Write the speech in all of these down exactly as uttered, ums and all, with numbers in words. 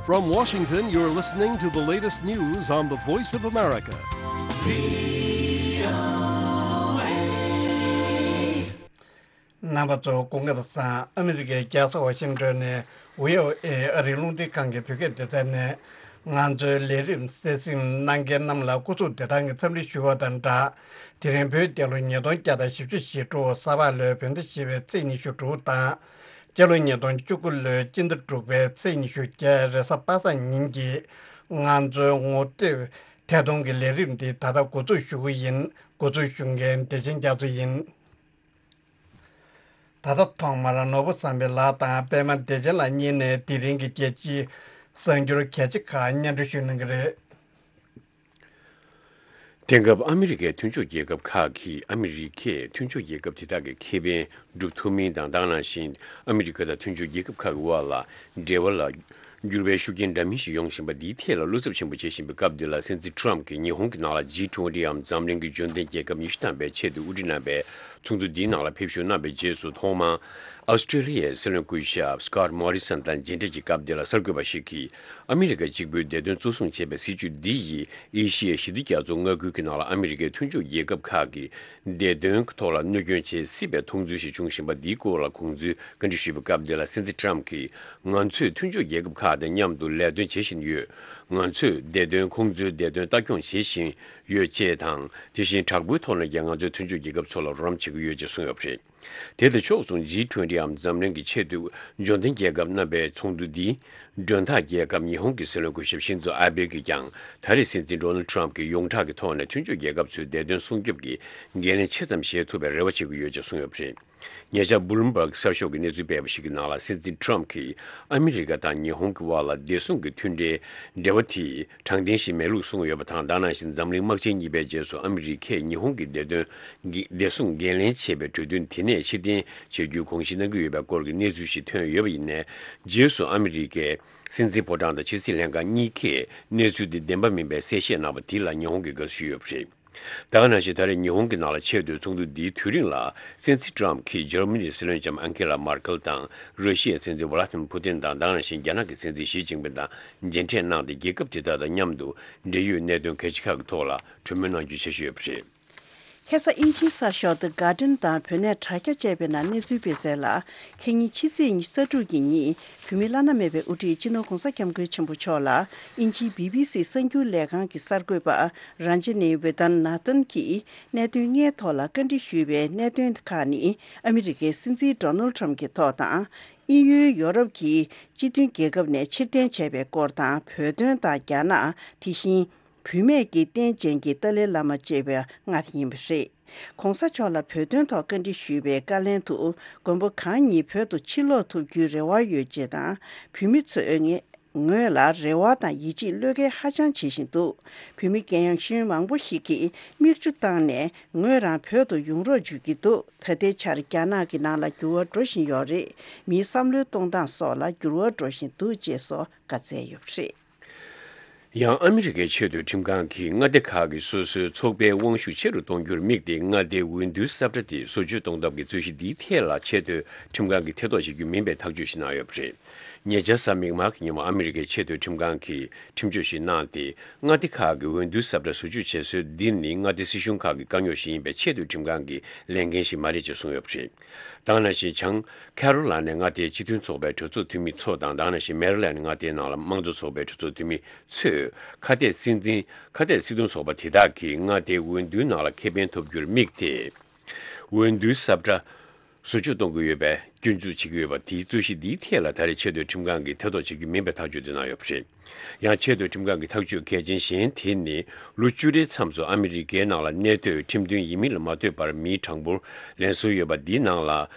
From Washington, you're listening to the latest news on the Voice of America. རྣམ་པ་ཚོ་སྐུ་ཁམས་བཟང་། ཨ་མི་རི་ཀའི་རྒྱལ་ས་ཝ་ཤིང་ཏོན་ནས་བྷི་ཨོ་ཨེ་ཨ་རིའི་རླུང་འཕྲིན་ཁང་གི་བོད་སྐད་སྡེ་ཚན་ནས་ང་ཚོའི་ལས་རིམ་གསན་གཟིགས་གནང་མཁན་རྣམས་ལ་སྐུ་གཟུགས་བདེ་ཐང་གི་འཚམས་འདྲི་ཞུ་བ་དང་སྦྲགས། དེ་རིང་བོད་རྒྱལ་ལོ་ཉིས་སྟོང་བརྒྱ་དང་བཞི་བཅུ་ཞེ་དྲུག་ས་ཕག་ལོའི་བོད་ཟླ་བཞི་པའི་ཚེས་ཉི་ཤུ་དྲུག་དང་། སྤྱི་ལོ་ཉིས་སྟོང་བཅུ་དགུ་ལོའི་སྤྱི་ཟླ་དྲུག་པའི་ཚེས་ཉི་ཤུ་བརྒྱད་རེས་གཟའ་པ་སངས་ཉིན་གྱི་ང་ཚོའི་ངོ་དེབ་ཐད་གཏོང་གི་ལས་རིམ་འདི་ད་ལྟ་འགོ་འཛུགས་ཞུ་གི་ཡིན། འགོ་འཛུགས་ཞུ་མཁན་བདེ་ཆེན་རྒྱ་མཚོ་ཡིན། ད་ལྟ་ཐོག་མར་ནོར་བུ་བསམ་འཕེལ་ལགས་དང་པད་མ་བདེ་ཆེན་ལགས་གཉིས་ནས་དེ་རིང་གི་རྒྱལ་སྤྱིའི་གསར་འགྱུར་གལ་ཆེ་ཁག་སྙན་སྒྲོན་ཞུ་གནང་གི་རེད། དེང་སྐབས་ཨ་མི་རི་ཀའི་མཐུན་ཕྱོགས་རྒྱལ་ཁབ་ཁག་གིས་ཨ་མི་རི་ཀས་མཐུན་ཕྱོགས་རྒྱལ་ཁབ་དེ་དག་གི་ཁེ་ཕན་སྒྲུབ་ཐུབ་མིན་དང་། དེ་ནང་བཞིན་ཨ་མི་རི་ཀ་དང་མཐུན་ཕྱོགས་རྒྱལ་ཁབ་ཁག་གི་དབར་ལ་འབྲེལ་བ་ལ་འགྱུར་བའི་ཤུགས་རྐྱེན་འདྲ་མིན་ཞིག་ཡོང་བཞིན་པ་འདིའི་ཐད་ལ་བློ་འཚབ་ཆེན་པོ་བྱེད་བཞིན་པའི་སྐབས་འདི་ལ། སྲིད་འཛིན་ཊམ་གྱིས་ཉི་ཧོང་གི་ནང་ལ་ཇི་ཊུ་ཝེན་ཊི་འམ་འཛམ་གླིང་གི་འབྱོར་ལྡན་རྒྱལ་ཁབ་ཉི་ཤུ་ཐམ་པའི་ཆེད་དུ་དབུ་ཁྲིད་གནང་བའི་ཚོགས་འདུ་འདིའི་ནང་ལ་ཕེབས་བཞུགས་གནང་བའི་རྗེས་སུ། ཐོག་མར་ཨོ་སི་ཀྲེ་ལི་ཡའི་སྲིད་བློན་སྐུ་ཞབས་སི་ཀོཊ་མོ་རི་སན་དང་མཇལ་འཕྲད་ཀྱི་སྐབས་འདི་ལ་གསར་འགོད་པ་ཞིག་གིས། ཨ་མི་རི་ཀ་གཅིག་པུའི་བདེ་དོན་གཙོ་བཟུང་བྱེད་པའི་སྲིད་ཇུས་འདི་ཡིས་ཨེ་ཤི་ཡའི་ཞི་བདེ་རྒྱ་མཚོ་མངའ་ཁུལ་གྱི་ནང་ལ་ཨ་མི་རི་ཀའི་མཐུན་ཕྱོགས་རྒྱལ་ཁབ་ཁག་གི་བདེ་དོན་ཐོག་ལ་གནོད་སྐྱོན་བྱེད་སྲིད་པའི་མཐོང་ཚུལ་ཞིག་བྱུང་བཞིན་པ་འདིའི་སྐོར་ལ་དགོངས་ཚུལ་བཀའ་འདྲི་ཞུས་པའི་སྐབས་འདི་ལ། སྲིད་འཛིན་ཊམ་གྱིས། ང་ཚོས་མཐུན་ཕྱོགས་རྒྱལ་ཁབ་ཁག་དང་མཉམ་དུ་ལས་དོན་བྱེད་བཞིན་ཡོད། ང་ཚོས་བདེ་དོན། ཁོང་ཚོའི་བདེ་དོན་ལྟ་སྐྱོང་བྱེད་བཞིན་ཡོད་ཅེས་དང་། དེ་བཞིན་དྲག་པོའི་ཐོག་ནས་ཀྱང་ང་ཚོའི་མཐུན་ཕྱོགས་རྒྱལ་ཁབ་ཚོ་ལ་རོགས་རམ་བྱེད་ཀྱི་ཡོད་ཅེས་གསུངས་ཡོད་པ་རེད། དེ་དང་ཕྱོགས་མཚུངས་ཇི་ཊུ་ཝེན་ཊི་འམ་འཛམ་གླིང་གི་ཆེས་མཐོའི་འབྱོར་ལྡན་རྒྱལ་ཁབ་རྣམ་པའི་ཚོགས་འདུ་འདིའི་མགྲོན་བདག་རྒྱལ་ཁབ་ཉི་ཧོང་གི་སྲིད་བློན་སྐུ་ཞབས་ཤིན་ཛོ་ཨ་བྷེ་གིས་ཀྱང་། ད་རེས་སྲིད་འཛིན་ཌོ་ནལ་ཌི་ཊམ་གྱིས་ཡོངས་གྲགས་ཀྱི་ཐོག་ནས་མཐུན་ཕྱོགས་རྒྱལ་ཁབ་ཚོའི་བདེ་དོན་སྲུང་སྐྱོབ་ཀྱི་འགན་ལེན་ཆེ་ཙམ་བཞེས་ཐུབ་པའི་རེ་བ་བྱེད་ཀྱི་ཡོད་ཅེས་གསུངས་ཡོད་པ་རེད། ཉེ་ཆར་བྷུ་ལུམ་བྷག་གསར་ཤོག་གིས་གནས་ཚུལ་སྤེལ་བ་ཞིག་གི་ནང་ལ། སྲིད་འཛིན་ཊམ་གྱིས་ཨ་མི་རི་ཀ་དང་ཉི་ཧོང་གི་དབར་ལ་བདེ་སྲུང་གི་མཐུན་འབྲེལ་འབྲེལ་བ་དེ་དྲང་བདེན་ཞིག་མེད་ལུགས་གསུངས་ཡོད་པ་དང་། དེ་ནང་བཞིན་འཛམ་གླིང་དམག་ཆེན་གཉིས་པའི་རྗེས་སུ་ཨ་མི་རི་ཀས་ཉི་ཧོང་གི་བདེ་དོན་གྱི་བདེ་སྲུང་འགན་ལེན་བྱེད་པའི་གྲོས་མཐུན་དེ་ནས་ཕྱིར་འཐེན་བྱེད་རྒྱུའི་དགོངས་བཞེས་གནང་གི་ཡོད་པའི་སྐོར་གྱི་གནས་ཚུལ་ཞིག་ཐོན་ཡོད་པ་ཡིན་ནའི། རྗེས་སུ་ཨ་མི་རི་ཀའི་སྲིད་འཛིན་ཕོ་བྲང་དང་ཕྱི་སྲིད་ལྷན་ཁང་གཉིས་ཀས་གནས་ཚུལ་དེ་བདེན་པ་མིན་པའི་གསལ་བཤད་གནང་བ་དེ་ལ་ཉི་ཧོང་གིས་དགའ་བསུ་ཞུས་ཡོད་པ་རེད། དེ་ག་ནང་བཞིན་ད་རེས་ཉི་ཧོང་གི་ནང་ལ་ཆེས་མཐོའི་ཚོགས་འདུ་འདིའི་དུས་རིང་ལ། སྲིད་འཛིན་ཊམ་གྱིས་འཇར་མ་ནིའི་སྲིད་བློན་ལྕམ་ཨན་ཁེ་ལ་མར་ཀེལ་དང་། ར་ཤི་ཡའི་སྲིད་འཛིན་ཝ་ལ་ཏི་མིར་ཕུ་ཏིན་དང་། དེ་ག་ནང་བཞིན་རྒྱ་ནག་གི་སྲིད་འཛིན་ཞི་ཅིན་ཕིང་དང་མཇལ་འཕྲད་གནང་སྟེ། རྒྱལ་ཁབ་དེ་དག་དང་མཉམ་དུ་འབྲེལ་ཡོད་གནད་དོན་གལ་ཆེ་ཁག་གི་ཐོག་ལ་གྲོས་མོལ་གནང་རྒྱུའི་འཆར་གཞི་ཡོད་པ་རེད། ཁ་སང་དབྱིན་ཇིའི་གསར་ཤོག་The Guardian དང་བོད་གནས་དྲ་རྒྱ་བཅས་པའི་ནང་གནས་ཚུལ་སྤེལ་གསལ་ལ། ཁ་ཉིན་ཕྱི་ཚེས་ཉི་ཤུ་རྩ་དྲུག་གི་ཉིན། བོད་མིའི་བླ་ན་མེད་པའི་དབུ་ཁྲིད་སྤྱི་ནོར་༧གོང་ས་༧སྐྱབས་མགོན་ཆེན་པོ་མཆོག་ལ་དབྱིན་ཇིའི་བི་བི་སི་གསར་འགྱུར་ལས་ཁང་གི་གསར་འགོད་པ་རན་ཇི་ནི་ཝེ་དན་ནཱ་ཐན་གྱིས་གནད་དོན་ལྔའི་ཐོག་ལ་བཀའ་འདྲི་ཞུས་པའི་གནད་དོན་ཁག་ནི། ཨ་མི་རི་ཀའི་སྲིད་འཛིན་ཌོ་ནལ་ཌི་ཊམ་གྱི་ཐོག་དང་། དབྱིན་ཡུལ་ཡོ་རོབ་ཀྱི་སྤྱི་མཐུན་རྒྱལ་ཁབ་ནས་ཕྱིར་འཐེན་བྱས་པའི་སྐོར་དང་། བོད་དོན་དང་རྒྱ་ནག་དེ་བཞིན། བུད་མེད་ཀྱི་རྟེན་ཅན་གྱི་ཏཱ་ལའི་བླ་མ་བཅས་པ་ལྔ་ཡིན་པ་རེད། ༧གོང་ས་མཆོག་ལ་བོད་དོན་ཐོག་བཀའ་འདྲི་ཞུས་པའི་བཀའ་ལན་དུ། མགོན་པོ་གང་ཉིད་བོད་དུ་ཕྱིར་ལོག་ཐུབ་རྒྱུའི་རེ་བ་ཡོད་ཅེས་དང་། བོད་མི་ཚོས་ངེ་ངོས་ལ་རེ་བ་དང་ཡིད་ཆེས་བློས་འགེལ་ཧ་ཅང་བྱེད་བཞིན་འདུག་བོད་མི་རྒན་གཞོན་མང་པོ་ཞིག་གིས་མིག་ཆུ་བཏང་ནས་ངོས་རང་བོད་དུ་ཡོང་རོགས་བརྗོད་ཀྱི་འདུག་ད་ལྟའི་ཆར་རྒྱ་ནག་གི་ནང་ལ་འགྱུར་བ་འགྲོ་བཞིན་ཡོད་རེད། མིའི་བསམ་བློའི་གཏོང་སྟངས་སོགས་ལ་འགྱུར་བ་འགྲོ་བཞིན་འདུག་ཅེས་སོགས་བཀའ་སྩལ་ཡོད་པ་རེད། ཡང་ཨ་མི་རི་ཀའི་ཆེས་མཐོའི་ཁྲིམས་ཁང་གིས་མངའ་སྡེ་ཁག་གིས་སོ་སོའི་ཚོགས་པའི་དབང་ཤུགས་ཆེ་རུ་གཏོང་རྒྱུར་དམིགས་ཏེ། མངའ་སྡེའི་འོས་བསྡུའི་ས་ཁྲ་དེ་བཟོ་བཅོས་གཏོང་ཐབས་ཀྱི་རྩོད་གཞི་འདིའི་ཐད་ལ་ཆེས་མཐོའི་ཁྲིམས་ཁང་གིས་ཐེ་གཏོགས་བྱེད་རྒྱུ་མིན་པའི་ཐག་གཅོད་ཞིག་གནང་ཡོད་པ་རེད། ཉེ་ཆར་གཟའ་མིག་དམར་གྱི་ཉིན་མོ་ཨ་མི་རི་ཀའི་ཆེས་མཐོའི་ཁྲིམས་ཁང་གིས་ཁྲིམས་གཅོད་ཞིག་གནང་སྟེ། མངའ་སྡེ་ཁག་གི་འོས་བསྡུའི་ས་ཁྲ་བཟོ་བཅོས་བྱེད་སྲོལ་འདི་ནི་མངའ་སྡེ་སྲིད་གཞུང་ཁག་གི་དཀའ་རྙོག་ཞིག་ཡིན་པས། ཆེས་མཐོའི་ཁྲིམས་ཁང་གི་ལས་འགན་ཞིག་མ་རེད་ཅེས་གསུངས་ཡོད་པ་རེད། དེ་ག་ནང་བཞིན་བྱང་ཁེ་རོ་ལ་ནའི་མངའ་སྡེའི་སྤྱི་མཐུན་ཚོགས་པའི་གྲོས་ཚོགས་འཐུས་མི་ཚོ་དང་། དེ་ག་ནང་བཞིན་མེ་རི་ལན་མངའ་སྡེའི་ནང་ལ་དམངས་གཙོ་ཚོགས་པའི་གྲོས་ཚོགས་འཐུས་མི་ཚོས་ཁ་གཏད་སྲིད་འཛིན། ཁ་གཏད་སྲིད་དོན་ཚོགས་པ་དེ་དག་གིས་མངའ་སྡེའི་འོས་བསྡུའི་ནང་ལ་ཁེ་ཕན་ཐོབ་རྒྱུར་དམིགས་ཏེ། འོས་བསྡུའི་ས་ཁྲ་བཟོ་བཅོས་གཏོང་གི་ཡོད་པའི་སྐྱོན་འཛུགས་བྱེད་ཀྱི་ཡོད་པ་དེའི་རྩོད་གཞི་འདིའི་ཐད་ལ། ད་རེས་ཆེས་མཐོའི་ཁྲིམས་ཁང་གིས་ཐེ་གཏོགས་བྱེད་རྒྱུ་མིན་པའི་ཐག་གཅོད་དེ་གནང་ཡོད་པ་རེད། ཡང་ཆེས་མཐོའི་ཁྲིམས་ཁང་གི་ཐག་གཅོད་གལ་ཆེན་གཞན་དེ་ནི། ལོ་བཅུ་རེའི་མཚམས་སུ་ཨ་མི་རི་ཀའི་ནང་ལ་གནས་སྡོད་ཁྲིམས་མཐུན་ཡིན་མིན་ལ་མ་ལྟོས་པར་མིའི་གྲངས་འབོར་ལེན་སྲོལ་ཡོད་པ་འདིའི་ནང་ལ།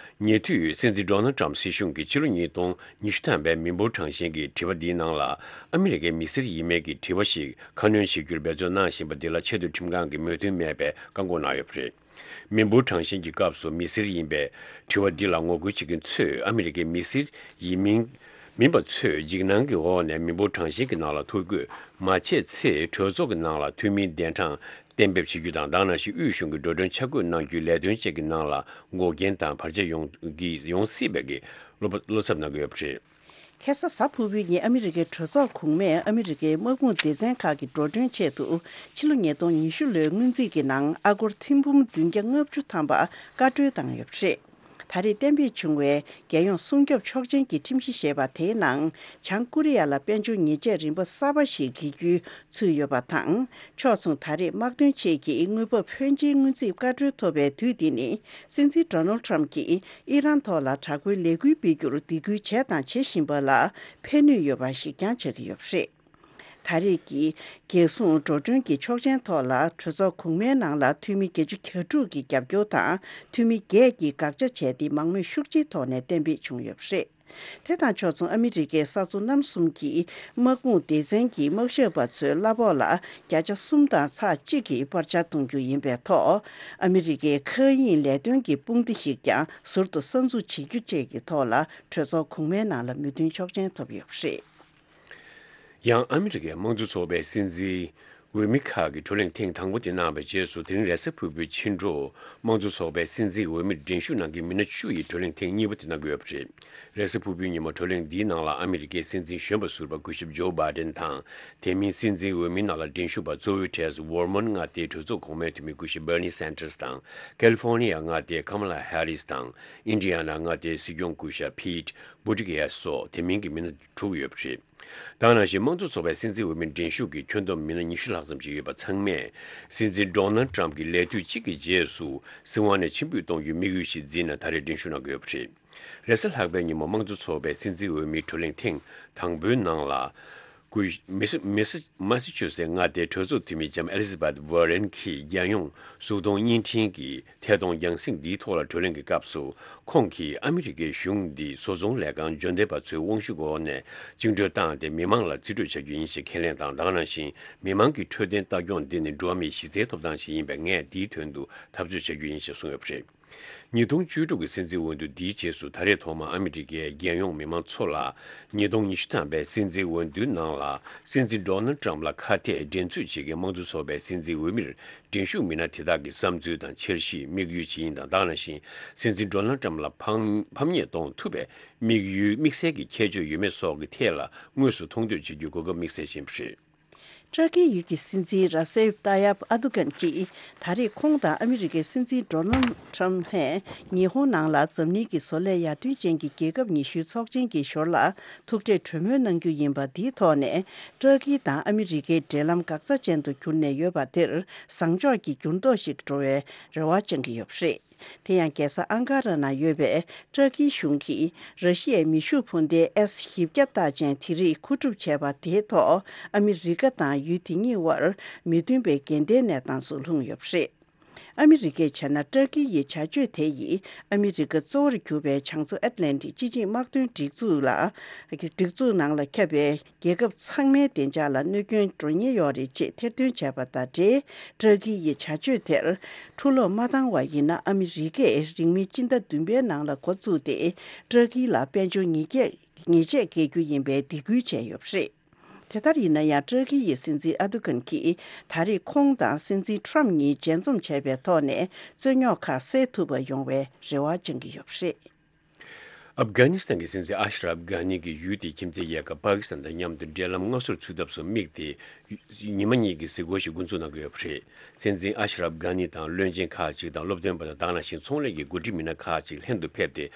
ཉེ་དུས་སྲིད་འཛིན་ཌོ་ནལ་ཌི་ཊམ་སྲིད་གཞུང་གིས་ཕྱི་ལོ་ཉིས་སྟོང་ཉི་ཤུ་ཐམ་པའི་མི་འབོར་གྲངས་བཤེར་གྱི་དྲི་བ་འདིའི་ནང་ལ། ཨ་མི་རི་ཀའི་མི་སེར་ཡིན་མིན་གྱི་དྲི་བ་ཞིག་ཁ་སྣོན་བྱེད་རྒྱུར་འབད་བརྩོན་གནང་བཞིན་པ་འདི་ལ་ཆེས་མཐོའི་ཁྲིམས་ཁང་གིས་མོས་མཐུན་མེད་པའི་བཀག་འགོག་གནང་ཡོད་པ་རེད། མི་འབོར་གྲངས་བཤེར་གྱི་སྐབས་སུ་མི་སེར་ཡིན་པའི་དྲི་བ་འདི་ལ་ངོ་རྒོལ་བྱེད་མཁན་ཚོས་ཨ་མི་རི་ཀའི་མི་སེར་ཡིན་མིན་མིན་པ་ཚོས་འཇིགས་སྣང་གི་འོག་ནས་མི་འབོར་གྲངས་བཤེར་གྱི་ནང་ལ་ཐོ་འགོད་མ་བྱས་ཚེ། གྲོས་ཚོགས་ཀྱི་ནང་ལ་འཐུས་མིའི་གདན་གྲངས་གཏན་འབེབས་བྱེད་རྒྱུ་དང་། དེ་ག་ནང་བཞིན་དབུས་གཞུང་གི་འགྲོ་གྲོན་ཆ་བགོས་གནང་རྒྱུའི་ལས་དོན་བཅས་ཀྱི་ནང་ལ་འགོག་རྐྱེན་དང་བར་ཆད་ཡོང་གི་ཡོང་སྲིད་པའི་གི་བློ་བློ་འཚབ་གནང་གི་ཡོད་པ་རེད། ཁ་སང་གཟའ་ཕུར་བུའི་ཉིན་ཨ་མི་རི་ཀའི་གྲོས་ཚོགས་གོང་མས་ཨ་མི་རི་ཀའི་དམག་དཔུང་སྡེ་ཚན་ཁག་གི་འགྲོ་གྲོན་ཆེད་དུ་ཕྱི་ལོ་ཉིས་སྟོང་ཉི་ཤུ་ལོའི་སྔོན་རྩིས་ཀྱི་ནང་ཨ་སྒོར་ཐེར་འབུམ་བདུན་བརྒྱ་ལྔ་བཅུ་ཐམ་པ་བཀའ་འཁྲོལ་བཏང་ཡོད་པ་རེད། ད་རེས་གཏན་འབེབས་བྱུང་བའི་རྒྱལ་ཡོངས་སྲུང་སྐྱོབ་ཆོག་མཆན་གྱི་ཁྲིམས་གཞི་ཞེས་པ་དེའི་ནང་བྱང་ཀོ་རི་ཡ་ལ་དཔལ་འབྱོར་ཉེས་ཆད་རིམ་པ་གསར་པ་ཞིག་འགེལ་རྒྱུ་ཚུད་ཡོད་པ་དང་། ཕྱོགས་མཚུངས་ད་རེས་དམག་དོན་ཆེད་ཀྱི་དངུལ་འབབ་ཕོན་ཆེའི་སྔོན་རྩིས་བཀའ་འཁྲོལ་ཐོབ་པའི་དུས་འདི་ནི་སྲིད་འཛིན་ཌོ་ནལ་ཁྲམ་གྱིས་ཨི་རན་ཐོག་ལ་དྲག་པོའི་ལས་འགུལ་སྤེལ་རྒྱུར་སྡིགས་སྐུལ་བྱས་དང་བྱེད་བཞིན་པ་ལ་ཕན་ནུས་ཡོད་པ་ཞིག་ཀྱང་ཆགས་ཀྱི་ཡོད་པ་རེད། ད་རེས་ཀྱི་རྒྱལ་སྲུང་འགྲོ་གྲོན་གྱི་ཆོག་མཆན་ཐོག་ལ་གྲོས་ཚོགས་གོང་མའི་ནང་ལ་འཐུས་མི་བརྒྱད་ཅུ་གྱ་དྲུག་གི་རྒྱབ་སྐྱོར་དང་འཐུས་མི་བརྒྱད་ཀྱིས་དགག་བྱ་བྱས་ཏེ་མང་མོས་ཤུགས་ཆེའི་ཐོག་ནས་གཏན་འབེབས་བྱུང་ཡོད་པ་རེད། དེ་དང་ཕྱོགས་མཚུངས་ཨ་མི་རི་ཀའི་ས་མཚོ་གནམ་གསུམ་གྱི་དམག་དཔུང་སྡེ་ཚན་གྱི་དམག་ཞབས་པ་ཚོའི་གླ་ཕོགས་ལ་བརྒྱ་ཆ་གསུམ་དང་ཚེག་གཅིག་གི་སྤར་ཆ་གཏོང་རྒྱུ་ཡིན་པའི་ཐོག་ཨ་མི་རི་ཀའི་མཁའ་དབྱིངས་ལས་དོན་གྱི་དཔུང་སྡེ་ཞིག་ཀྱང་ཟུར་དུ་གསར་འཛུགས་བྱེད་རྒྱུ་བཅས་ཀྱི་ཐོག་ལ་གྲོས་ཚོགས་གོང་མའི་ནང་ལ་མོས་མཐུན་ཆོག་མཆན་ཐོབ་ཡོད་པ་རེད། ཡང་ཨ་མི་རི་ཀའི་དམངས་གཙོ་ཚོགས་པའི་སྲིད་འཛིན་འོས་མི་ཁག་གི་གྲོས་གླེང་ཐེངས་དང་པོ་དེ་གནང་བའི་རྗེས་སུ། དེ་རིང་རེས་གཟའ་ཕུར་བུའི་ཕྱི་དྲོ་དམངས་གཙོ་ཚོགས་པའི་སྲིད་འཛིན་འོས་མིར་འགྲན་ཞུགས་གནང་མཁན་མི་སྣ་བཅུ་ཡིས་གྲོས་གླེང་ཐེངས་གཉིས་པ་དེ་གནང་གི་ཡོད་པ་རེད། རེས་གཟའ་ཕུར་བུའི་ཉིན་མོ་གྲོས་གླེང་འདིའི་ནང་ལ་ཨ་མི་རི་ཀའི་སྲིད་འཛིན་གཞོན་པ་ཟུར་པ་སྐུ་ཞབས་ཇོ་བྷའི་ཌེན་དང་། དེ་མིན་སྲིད་འཛིན་འོས་མིའི་ནང་ལ་འགྲན་ཞུགས་པ་གཙོ་བོའི་གྲས་སུ་ཝར་མོན་མངའ་སྡེའི་གྲོས་ཚོགས་གོང་མའི་འཐུས་མི་སྐུ་ཞབས་Bernie Sanders དང་། ཁ་ལི་ཧྥོ་ནི་ཡ་མངའ་སྡེའི་Kamala Harris དང་། ཨིན་ཌི་ཡ་ན་མངའ་སྡེའི་སྲིད་སྐྱོང་སྐུ་ཞབས་Pete Buttigieg སོགས་དེ་མིན་གྱི་མི་སྣ་དྲུག་ཡོད་པ་རེད། དེ་ནང་བཞིན་དམངས་གཙོ་ཚོགས་པའི་སྲིད་འཛིན་འོས་མིར་འགྲན་ཞུགས་ཀྱི་ཁྱོན་བསྡོམས་མི་སྣ་ཉི་ཤུ་ལྷག་ཙམ་ཞིག་ཡོད་པ་ཚང་མས་སྲིད་འཛིན་ཌོ་ནལ་ཊམ་གྱི་ལས་དུས་གཅིག་གི་རྗེས་སུ་སྲིད་དབང་ནས་ཕྱིར་འབུད་གཏོང་རྒྱུའི་དམིགས་ཡུལ་ཞིག་འཛིན་ནས་ད་རེས་འགྲན་ཞུགས་གནང་གི་ཡོད་པ་རེད། རེས་གཟའ་ལྷག་པའི་ཉིན་མོ་དམངས་གཙོ་ཚོགས་པའི་སྲིད་འཛིན་འོས་མིའི་གྲོས་གླེང་ཐེངས་དང་པོའི་ནང་ལ། སྐུ་མི་སི་མི་སི་མ་སི་ཆུ་སེ་མངའ་སྡེའི་གྲོས་ཚོགས་འཐུས་མི་ལྕམ་ཨེ་ལི་ཛ་བྷེཐ་ཝར་རེན་གྱིས་རྒྱལ་ཡོངས་གཟུགས་མཐོང་བརྙན་འཕྲིན་གྱི་ཐད་གཏོང་རྒྱང་སྲིང་འདིའི་ཐོག་ལ་གྲོས་གླེང་གི་སྐབས་སུ། ཁོང་གིས་ཨ་མི་རི་ཀའི་གཞུང་འདི་བཟོ་ཚོང་ལས་ཁང་འབྱོར་ལྡན་པ་ཚོའི་དབང་ཤུགས་འོག་ནས་བཅིངས་འགྲོལ་བཏང་སྟེ་མི་མང་ལ་རྩིས་སྤྲོད་བྱ་རྒྱུ་ཡིན་ཞེས་ཁས་ལེན་དང་། དེ་ག་ནང་བཞིན་མི་མང་གི་འཕྲོད་བསྟེན་ལྟ་སྐྱོང་འདི་ནི་འགྲོ་བ་མིའི་གཞི་རྩའི་ཐོབ་ཐང་ཞིག་ཡིན་པས། ངས་འདིའི་དོན་དུ་འཐབ་རྩོད་བྱ་རྒྱུ་ཡིན་ཞེས་གསུངས་ཡོད་པ་རེད། ཉིས་སྟོང་བཅུ་དྲུག་གི་སྲིད་འཛིན་འོས་བསྡུ་འདིའི་རྗེས་སུ། ད་རེས་ཐོག་མར་ཨ་མི་རི་ཀའི་རྒྱལ་ཡོངས་མི་མང་ཚོ་ལ་ཉིས་སྟོང་ཉི་ཤུ་ཐམ་པའི་སྲིད་འཛིན་འོས་བསྡུའི་ནང་ལ་སྲིད་འཛིན་ཌོ་ནལ་ཊམ་ལ་ཁ་གཏད་འགྲན་རྩོད་བྱེད་མཁན་དམངས་གཙོ་ཚོགས་པའི་སྲིད་འཛིན་འོས་མིར་འགྲན་ཞུགས་མི་སྣ་དེ་དག་གི་བསམ་ཚུལ་དང་འཆར་གཞི། དམིགས་ཡུལ་ཇི་ཡིན་དང་། དེ་ག་ནང་བཞིན་སྲིད་འཛིན་ཌོ་ནལ་ཊམ་ལ་ཕམ་ཕམ་ཉེས་གཏོང་ཐུབ་པའི་དམིགས་ཡུལ་དམིགས་བསལ་གྱི་ཁྱད་ཆོས་ཡོད་མེད་སོགས་ཀྱི་ཐད་ལ་དངོས་སུ་མཐོང་ཐོས་བྱེད་རྒྱུའི་གོ་སྐབས་དམིགས་བསལ་ཅན་རེད། ཏྲ་ཀིའི་ཡུལ་གྱི་སྲིད་འཛིན་ར་སེབ་ཏཱ་ཡབ་ཨ་དུ་གན་གྱིས་ད་རེས་ཁོང་དང་ཨ་མི་རི་ཀའི་སྲིད་འཛིན་ཌོ་ནལ་ཁྲམ་ལྷན་ཉི་ཧོང་ནང་ལ་འཛམ་གླིང་གི་བཟོ་ལས་ཡར་ཐོན་ཅན་གྱི་རྒྱལ་ཁབ་ཉི་ཤུའི་ཚོགས་ཆེན་གྱི་ཞོར་ལ་ཐུག་འཕྲད་གྲོས་མོལ་གནང་རྒྱུ་ཡིན་པ་འདིའི་ཐོག་ནས། ཏྲ་ཀི་དང་ཨ་མི་རི་ཀའི་འབྲེལ་ལམ་འགག་རྩ་ཅན་དུ་གྱུར་ནས་ཡོད་པ་དེར་བཟང་ཕྱོགས་ཀྱི་འགྱུར་ལྡོག་ཞིག་འགྲོ་བའི་རེ་བ་བཅང་གི་ཡོད་པ་རེད། དེ་ཡང་རྒྱལ་ས་ཨང་ཀ་ར་ན་ཡོད་པའི་ཏྲ་ཀིའི་གཞུང་གིས་ར་ཤི་ཡའི་མེ་ཤུགས་འཕུར་མདེལ་ཨེས་བཞི་བརྒྱ་རྟགས་ཅན་དེ་རིགས་མཁོ་སྒྲུབ་བྱས་པ་དེའི་ཐོག་ཨ་མི་རི་ཀ་དང་ཡུལ་དེ་གཉིས་དབར་མི་མཐུན་པའི་འགལ་ཟླའི་གནས་སྟངས་སུ་ལྷུང་ཡོད་པ་རེད། ཨ་མི་རི་ཀས་བྱས་ན་ཏྲ་ཀི་ཡི་བྱ་སྤྱོད་དེ་ཡིས་ཨ་མི་རི་ཀ་གཙོ་བོར་གྱུར་པའི་བྱང་མཚོ་ཨེཊ་ལན་ཊིག་སྤྱི་ཆིངས་དམག་དོན་སྒྲིག་འཛུགས་ལ། སྒྲིག་འཛུགས་ནང་ལ་ཁྱབ་པའི་རྒྱལ་ཁབ་ཚང་མའི་བདེ་འཇགས་ལ་གནོད་སྐྱོན་འགྲོ་ཉེན་ཡོད་རེད་ཅེས་ཐེར་འདོན་བྱས་པ་དང་འབྲེལ། ཏྲ་ཀི་ཡི་བྱ་སྤྱོད་དེར་འཁྲུག་སློང་མ་བཏང་བ་ཡིན་ན། ཨ་མི་རི་ཀས་རིང་མིན་སྤྱི་ཟླ་བདུན་པའི་ནང་ལ་འགོ་བཙུགས་ཏེ་ཏྲ་ཀི་ལ་དཔལ་འབྱོར་ཉེས་ཆད་ཉེས་ཆད་འགེལ་རྒྱུ་ཡིན་པའི་སྡིགས་སྐུལ་བྱས་ཡོད་པ་རེད། དེ་ལྟར་ཡིན་ན་ཡང་། ཏྲ་ཀི་ཡི་སྲིད་འཛིན་ཨ་དུ་གན་གྱིས་ད་རེས་ཁོང་དང་སྲིད་འཛིན་ཁྲམ་གཉིས་མཇལ་འཛོམས་བྱས་པའི་ཐོག་ནས་རྩོད་རྙོག་ཁག་སེལ་ཐུབ་པ་ཡོང་བའི་རེ་བ་བཅང་གི་ཡོད་པ་རེད། ཨབ་གྷ་ནི་སི་ཐན་གྱི་སྲིད་འཛིན་ཨ་ཤ་རབ་གྷ་ནི་གིས་ཡུལ་དེའི་ཁྱིམ་མཚེས་རྒྱལ་ཁབ་པ་ཀི་སི་ཐན་དང་མཉམ་དུ་འབྲེལ་ལམ་སྔ་སོར་ཚུད་ཐབས་སུ་དམིགས་ཏེ། ཉི་མ་གཉིས་ཀྱི་གཟིགས་སྐོར་ཞིག་འགོ་འཛུགས་གནང་གི་ཡོད་པ་རེད། སྲིད་འཛིན་ཨ་ཤ་རབ་གྷ་ནི་དང་བློན་ཆེན་ཁག་ཅིག་དང་སློབ་སྟོན་པ་དང་། དེ་ག་ནང་བཞིན་ཚོང་ལས་ཀྱི་འགོ་ཁྲིད་མི་སྣ་ཁག་ཅིག་ལྷན་དུ་ཕེབས་ཏེ།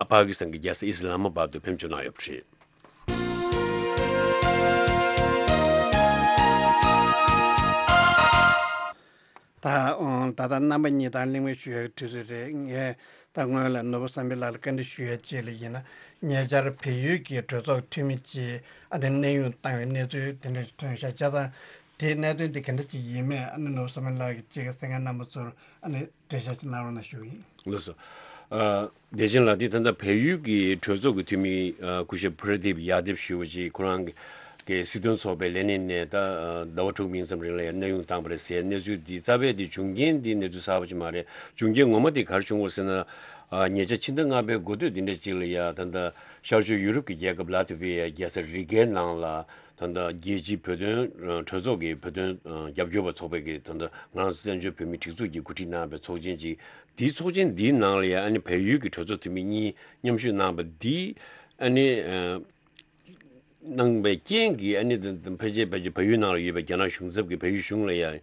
པ་ཀི་སི་ཐན་གྱི་རྒྱལ་ས་ཨི་སི་ལ་མ་བྷད་དུ་ཕེབས་འབྱོར་གནང་ཡོད་པ་རེད། ད་ཨང་ད་ལྟ་རྣམ་པ་གཉིས་དང་གླེང་མོལ་ཞུ་ཡག་དུས་ཚོད་རེད། ངས་ད་སྔོན་ལ་ནོར་བུ་བསམ་འཕེལ་ལགས་ལ་བཀའ་འདྲི་ཞུ་ཡ་གཅིག་ལ་ཡིན་ན། ཉེ་ཆར་བལ་ཡུལ་གྱི་གྲོས་ཚོགས་འཐུས་མི་གཅིག་ཨ་ནི་གནས་དབྱུང་བཏང་བའི་གནས་ཚུལ་དེ་འདྲ་ཞིག་ཐོན་ཤག་བྱས་ཙང་། དེའི་གནད་དོན་དེ་ག་འདྲ་ཅིག་ཡིན་མིན་ཨ་ནི་ནོར་བུ་བསམ་འཕེལ་ལགས་ཀྱིས་གཅིག་གི་གསན་མཁན་རྣམ་པ་ཚོར་ཨ་ནི་འགྲེལ་བཤད་ཅིག་གནང་རོགས་གནང་ཞུ་གི་ཡིན། ལགས་སོ། ཨ། བདེ་ཆེན་ལགས། འདི་ད་ལྟ་བལ་ཡུལ་གྱི་གྲོས་ཚོགས་ཀྱི་འཐུས་མི་ཨ་སྐུ་ཞབས་པུ་ར་དིབ་ཡ་དིབ་ཞུ་བ་ཅིག་ཁོ་རང་གི་གི་སྲིད་དོན་ཚོགས་པའི་ལས་སྣེ་ནས་ད་ཨ་ཟླ་བ་དྲུག་མིན་ཙམ་རིང་ལ་ཡང་གནས་དབྱུང་བཏང་བ་རེད་ཟེར། གནས་ཚུལ་འདི་རྩ་བའི་འདི་བྱུང་རྐྱེན་འདི་གནས་ཚུལ་གསར་པ་ཅིག་མ་རེད། བྱུང་རྐྱེན་ངོ་མ་དེ་ག་རེ་བྱུང་བ་ཟེར་ན། ཨ། ཉེ་ཆར་ཕྱི་ཟླ་ལྔ་པའི་འགོ་སྟོད་འདི་འདྲ་ཅིག་ལ་ཡ་ད་ལྟ་ཤར་ཕྱོགས་ཡུ་རོབ་ཀྱི་རྒྱལ་ཁབ་ལ་ཏི་བྷི་ཡའི་རྒྱལ་ས་རི་གའི་ནང་ལ། ད་ལྟ་རྒྱལ་སྤྱིའི་བོད་དོན་གྲོས་ཚོགས་ཀྱི་བོད་དོན་རྒྱབ་སྐྱོར་བ་ཚོགས་པའི་གི་ད་ལྟ་ང་རང་ཚོ་བཙན་བྱོལ་བོད་མིའི་སྒྲིག་འཛུགས་ཀྱིས་གོ་སྒྲིག་གནང་བའི་ཚོགས་ཆེན་ཅིག་དེའི་ཚོགས་ཆེན་འདིའི་ནང་ལ་ཡང་ཨ་ནི་བལ་ཡུལ་གྱི་གྲོས་ཚོགས་འཐུས་མི་གཉིས་མཉམ་ཞུགས་གནང་བ་འདི་ཨ་ནི་ གནང་བའི་རྐྱེན་གྱིས་ཨ་ནི་ད་ཕལ་ཆེར་ཕལ་ཆེར་བལ་ཡུལ་ནང་ལ་ཡོད་པའི་རྒྱ་ནག་གཞུང་ཚབ་ཀྱིས་བལ་ཡུལ་གཞུང་ལ་ཡང་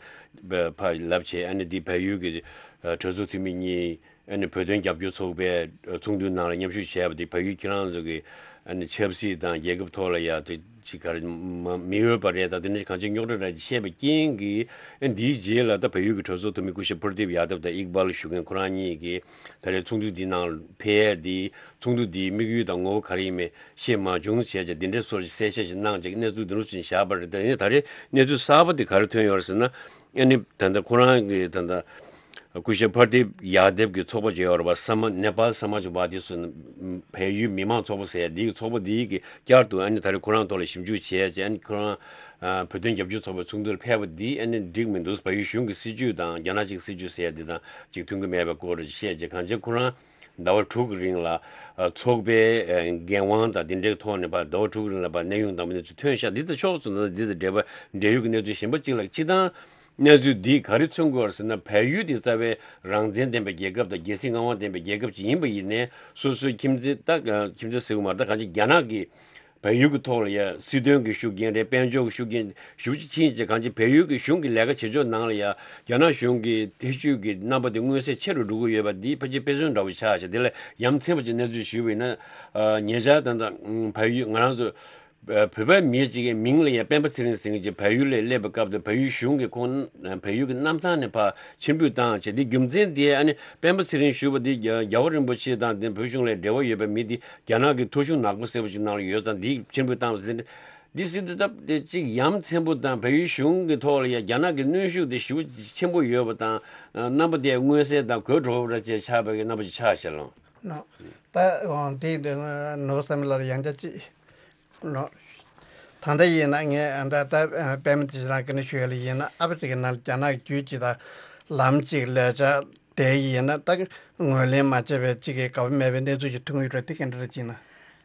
ཕར་ལབ་བྱས། ཨ་ནི་འདི་བལ་ཡུལ་གྱི་གྲོས་ཚོགས་འཐུས་མི་གཉིས། ཨ་ནི་བོད་དོན་རྒྱབ་སྐྱོར་ཚོགས་པའི་ཚོགས་འདུའི་ནང་ལ་མཉམ་ཞུགས་བྱས་པ་དེ་བལ་ཡུལ་ཁྱེད་རང་ཚོ་གི་ཨ་ནི་ཆབ་སྲིད་དང་རྒྱལ་ཁབ་ཐོག་ལ་ཡ་དེ་ཅིག་ག་རེ་མ་མི་འོས་པ་རེད་དང་། དེ་འདྲ་གང་ཅི་རྙོག་དྲ་རེད་ཅེས་བཤད་པའི་རྐྱེན་གྱིས། ཨ་ནི་འདིའི་རྗེས་ལ་ད་བལ་ཡུལ་གྱི་གྲོས་ཚོགས་འཐུས་མི་སྐུ་ཞབས་པུར་དིབ་ཡ་དབ་དང་ཨིག་བལ་ཞུ་མཁན་ཁོ་རང་གཉིས་ཀྱིས་ད་རེས་ཚོགས་འདུ་འདིའི་ནང་ཕེབས་ཡས་འདི་ཚོགས་འདུ་འདིའི་དམིགས་ཡུལ་དང་ངོ་བོ་ག་རེ་ཡིན་མིན་ཤེས་མ་བྱུང་བྱས་བྱས། དེ་འདྲའི་སོར་གསལ་བཤད་ཞིག་གནང་བྱས་གནས་ཚུལ་འདི་འདྲ་ཞིག་བཞག་པ་རེད། དེ་ནས་ད་རེས་གནས་ཚུལ་གསར་པ་འདི་ག་རེ་ཐོན་ཡོད་རེད་ཟེར་ན། ཨ་ནི་ད་ལྟ་ཁོ་རང་གི་ད་ལྟ་སྐུ་ཞབས་པར་དིབ་ཡ་དེབ་ཀྱི་ཚོགས་པ་ཅིག་ཡོད་རེད་པ། ས་མ་ནེ་པཱལ་ས་མཱ་ཇ་ཝཱ་དི་ཟེར་ན་བལ་ཡུལ་མི་མང་ཚོགས་པ་ཟེར་ཡ་འདི་གི་ཚོགས་པ་འདི་གི་བསྐྱར་དུ་ཨ་ནི་ད་རེས་ཁོ་རང་ཐོག་ལ་ཞིབ་འཇུག་བྱས་བྱས། ཨ་ནི་ཁོ་རང་ཨ་བོད་དོན་རྒྱབ་སྐྱོར་ཚོགས་པའི་ཚོགས་འདུར་ཕེབས་པ་འདི་ཨ་ནི་འགྲིག་མི་འདུག་བལ་ཡུལ་གཞུང་གི་སྲིད་བྱུས་དང་རྒྱ་ནག་གཅིག་སྲིད་བྱུས་ཟེར་ཡ་འདི་དང་ཅིག་མཐུན་གྱི་མེད་པའི་སྐོར་བཤད་བྱས། གང་ཅི་ཁོ་རང་ཟླ་བ་དྲུག་གི་རིང་ལ་ཨ་ཚོགས་པའི་ཨ་འགན་དབང་དང་དེ་འདྲའི་ཐོག་ནས་ཕར་ཟླ་བ་དྲུག་གི་རིང་ལ་ཕར་གནས་དབྱུང་བཏང་བའི་གནས་ཚུལ་ཐོན་ཤག་འདི་དང་ཕྱོགས་མཚུངས་ན་འདི་དང་འབྲེལ་བ་འབྲེལ་ཡོད་ཀྱི་གནས་ཚུལ་གཞན་པ་གཅིག་ལ། སྤྱིར་བཏང་གནས་ཚུལ་འདིས་ག་རེ་མཚོན་གྱི་ཡོད་རེད་ཟེར་ན། བལ་ཡུལ་འདི་རྩ་བའི་རང་བཙན་ལྡན་པའི་རྒྱལ་ཁབ་དང་རྒྱལ་སྲིད་མངའ་དབང་ལྡན་པའི་རྒྱལ་ཁབ་ཅིག་ཡིན་པ་ཡིན་ནའི། སོ་སོའི་ཁྱིམ་མཚེས་ད་ཁྱིམ་མཚེས་ཟེར་གྱི་མ་རེད། ད་གང་ཅི་རྒྱ་ནག་གིས་བལ་ཡུལ་གྱི་ཐོག་ལ་ཡ་སྲིད་དོན་གྱི་ཤུགས་རྐྱེན་རེད། དཔལ་འབྱོར་གྱི་ཤུགས་རྐྱེན་ཞེ་པོ་ཅིག་ཕྱིན་བྱས། གང་ཅི་བལ་ཡུལ་གྱི་གཞུང་གི་ལས་ཀ་བྱེད་ཕྱོགས་ནང་ལ་ཡ་རྒྱ་ནག་གཞུང་གི་ཐེ་བྱུས་ཀྱི་རྣམ་པ་དེ་མངོན་གསལ་ཆེ་རུ་འགྲོ་གི་ཡོད་པ་འདི་ཕལ་ཆེར་དཔེ་མཚོན་འདྲ་བོ་ཆགས་ཤག་དེ་ལས་ཡ་མཚན་པོ་ཅིག་གནས་ཚུལ་ཞུས་པ་ཡིན་ན། ཨ་ཉེ་ཆར་ད་ལྟ་ཨ་བལ་ཡུལ་ང་རང་ཚོ་ཨ་བོད་པའི་མི་གཅིག་གི་མིང་ལ་ཡང་སྤེན་པ་ཚེ་རིང་ཟེར་མཁན་ཅིག་བལ་ཡུལ་ལ་སླེབས་པའི་སྐབས་དུ་བལ་ཡུལ་གཞུང་གིས་ཁོང་ཨ་བལ་ཡུལ་གྱི་གནམ་ཐང་ནས་ཕར་ཕྱིར་འབུད་བཏང་བྱས། དེ་རྒྱུ་མཚན་དེ་ཨ་ནི་སྤེན་པ་ཚེ་རིང་ཞུ་བ་དེ་རྒྱ་རྒྱལ་བ་རིན་པོ་ཆེ་དང་དེ་བོད་གཞུང་ལ་འབྲེལ་བ་ཡོད་པའི་མི་དེ་རྒྱ་ནག་གི་ཐོ་གཞུང་ནག་པོ་ཟེར་བ་ཅིག་ནང་ལ་ཡོད་ཙང་། དེ་ཕྱིར་འབུད་བཏང་བ་ཟེར་ཏེ། འདི་ཟེར་དུས་སྟབས་བདེ་གཅིག་ཡ་མཚན་པོ་དང་བལ་ཡུལ་གཞུང་གི་ཐོག་ལ་ཡ་རྒྱ་ནག་གི་གནོན་ཤུགས་དེ་ཞེ་པོ་ཆེན་པོ་ཡོད་པ་དང་། རྣམ་པ་དེ་མངོན་གསལ་དང་གོ་འགྲོ་བ་ར་བཅས་ཆགས་པའི་རྣམ་པ་ཅིག་ཆགས་ཤག་ལགས། ནོ། ད་འོང་དེ་འདི་ནོ་བསམ་ལ་ཡང་བསྐྱར་ཅིག་ནོ། ད་ལྟ་ཡིན་ན་ངས་ད་ལྟ་པད་མ་དེ་རང་གི་ནི་ཞུ་ཡ་ལ་ཡིན་ན། ཨ་ཕི་རི་ཀའི་ནང་རྒྱ་ནག་གི་རྒྱུད་ཅིག་དང་ལམ་ཅིག་ལས་འཆར་དེ་ཡིན་ན་ད་ངོས་ལེན་མ་བྱས་པའི་ཅིག་གི་དགའ་པོ་མེད་པའི་གནས་ཚུལ་ཞིག་ཐོན་གྱི་ཡོད་རེད། དེ་ག་འདྲ་རེད་ཅེ་ན།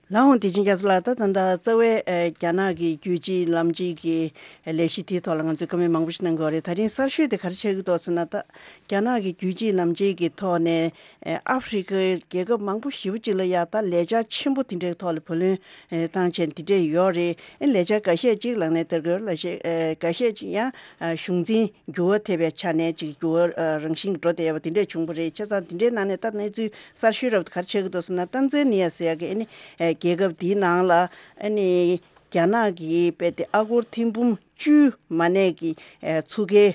ལགས་འོང་། བདེ་ཆེན་རྒྱ་མཚོ་ལགས། ད་ད་ལྟ་རྩ་བའི་ཨ་རྒྱ་ནག་གི་རྒྱུད་གཅིག་ལམ་གཅིག་གི་ལས་གཞི་དེའི་ཐོག་ལ་ང་ཚོས་བཀའ་མོལ་མང་པོ་ཞིག་གནང་གི་ཡོད་རེད། ད་རིང་གསར་ཤོས་དེ་ག་རེ་ཆགས་ཀྱི་འདུག་ཟེར་ན། ད་རྒྱ་ནག་གི་རྒྱུད་གཅིག་ལམ་གཅིག་གི་ཐོག་ནས་ཨ་ཨ་ཧྥེ་རི་ཁའི་རྒྱལ་ཁབ་མང་པོ་ཞེ་པོ་ཅིག་ལ་ཡ་ད་ལས་འཆར་ཆེན་པོ་དེ་འདྲའི་ཐོག་ལ་བུ་ལོན་ཨ་བཏང་བྱས་དེ་འདྲས་ཡོད་རེད། ཨ་ལས་འཆར་འགའ་ཤས་ཅིག་ལག་ལེན་བསྟར་གྱི་ཡོད་རེད། ལས་འཆར་ཨ་འགའ་ཤས་ཅིག་ཡང་ཨ་གཞུང་འཛིན་འགྱུར་བ་ཐེབས་པའི་ཆ་ནས་ཅིག་འགྱུར་བ་ཨ་རང་བཞིན་འགྲོ་བསྡད་ཡོད་པ་དེ་འདྲས་བྱུང་བ་རེད། བྱས་ཙང་དེ་འདྲའི་ནང་ནས་ད་གནས་ཚུལ་གསར་ཤོས་རབ་ག་རེ་ཆགས་ཀྱི་འདུག་ཟེར་ན། ཏན་ཛ་ནི་ཡ་ཟེར་ཡག་གི་ཨ་ནི་ཨ་རྒྱལ་ཁབ་དེའི་ནང་ལ་ཨ་ནི་རྒྱ་ནག་གི་དཔེ་དེ་ཨ་སྒོར་ཐེར་འབུམ་བཅུ་མ་གནས་ཀྱི་ཨ་ཚུགས་ཀའི་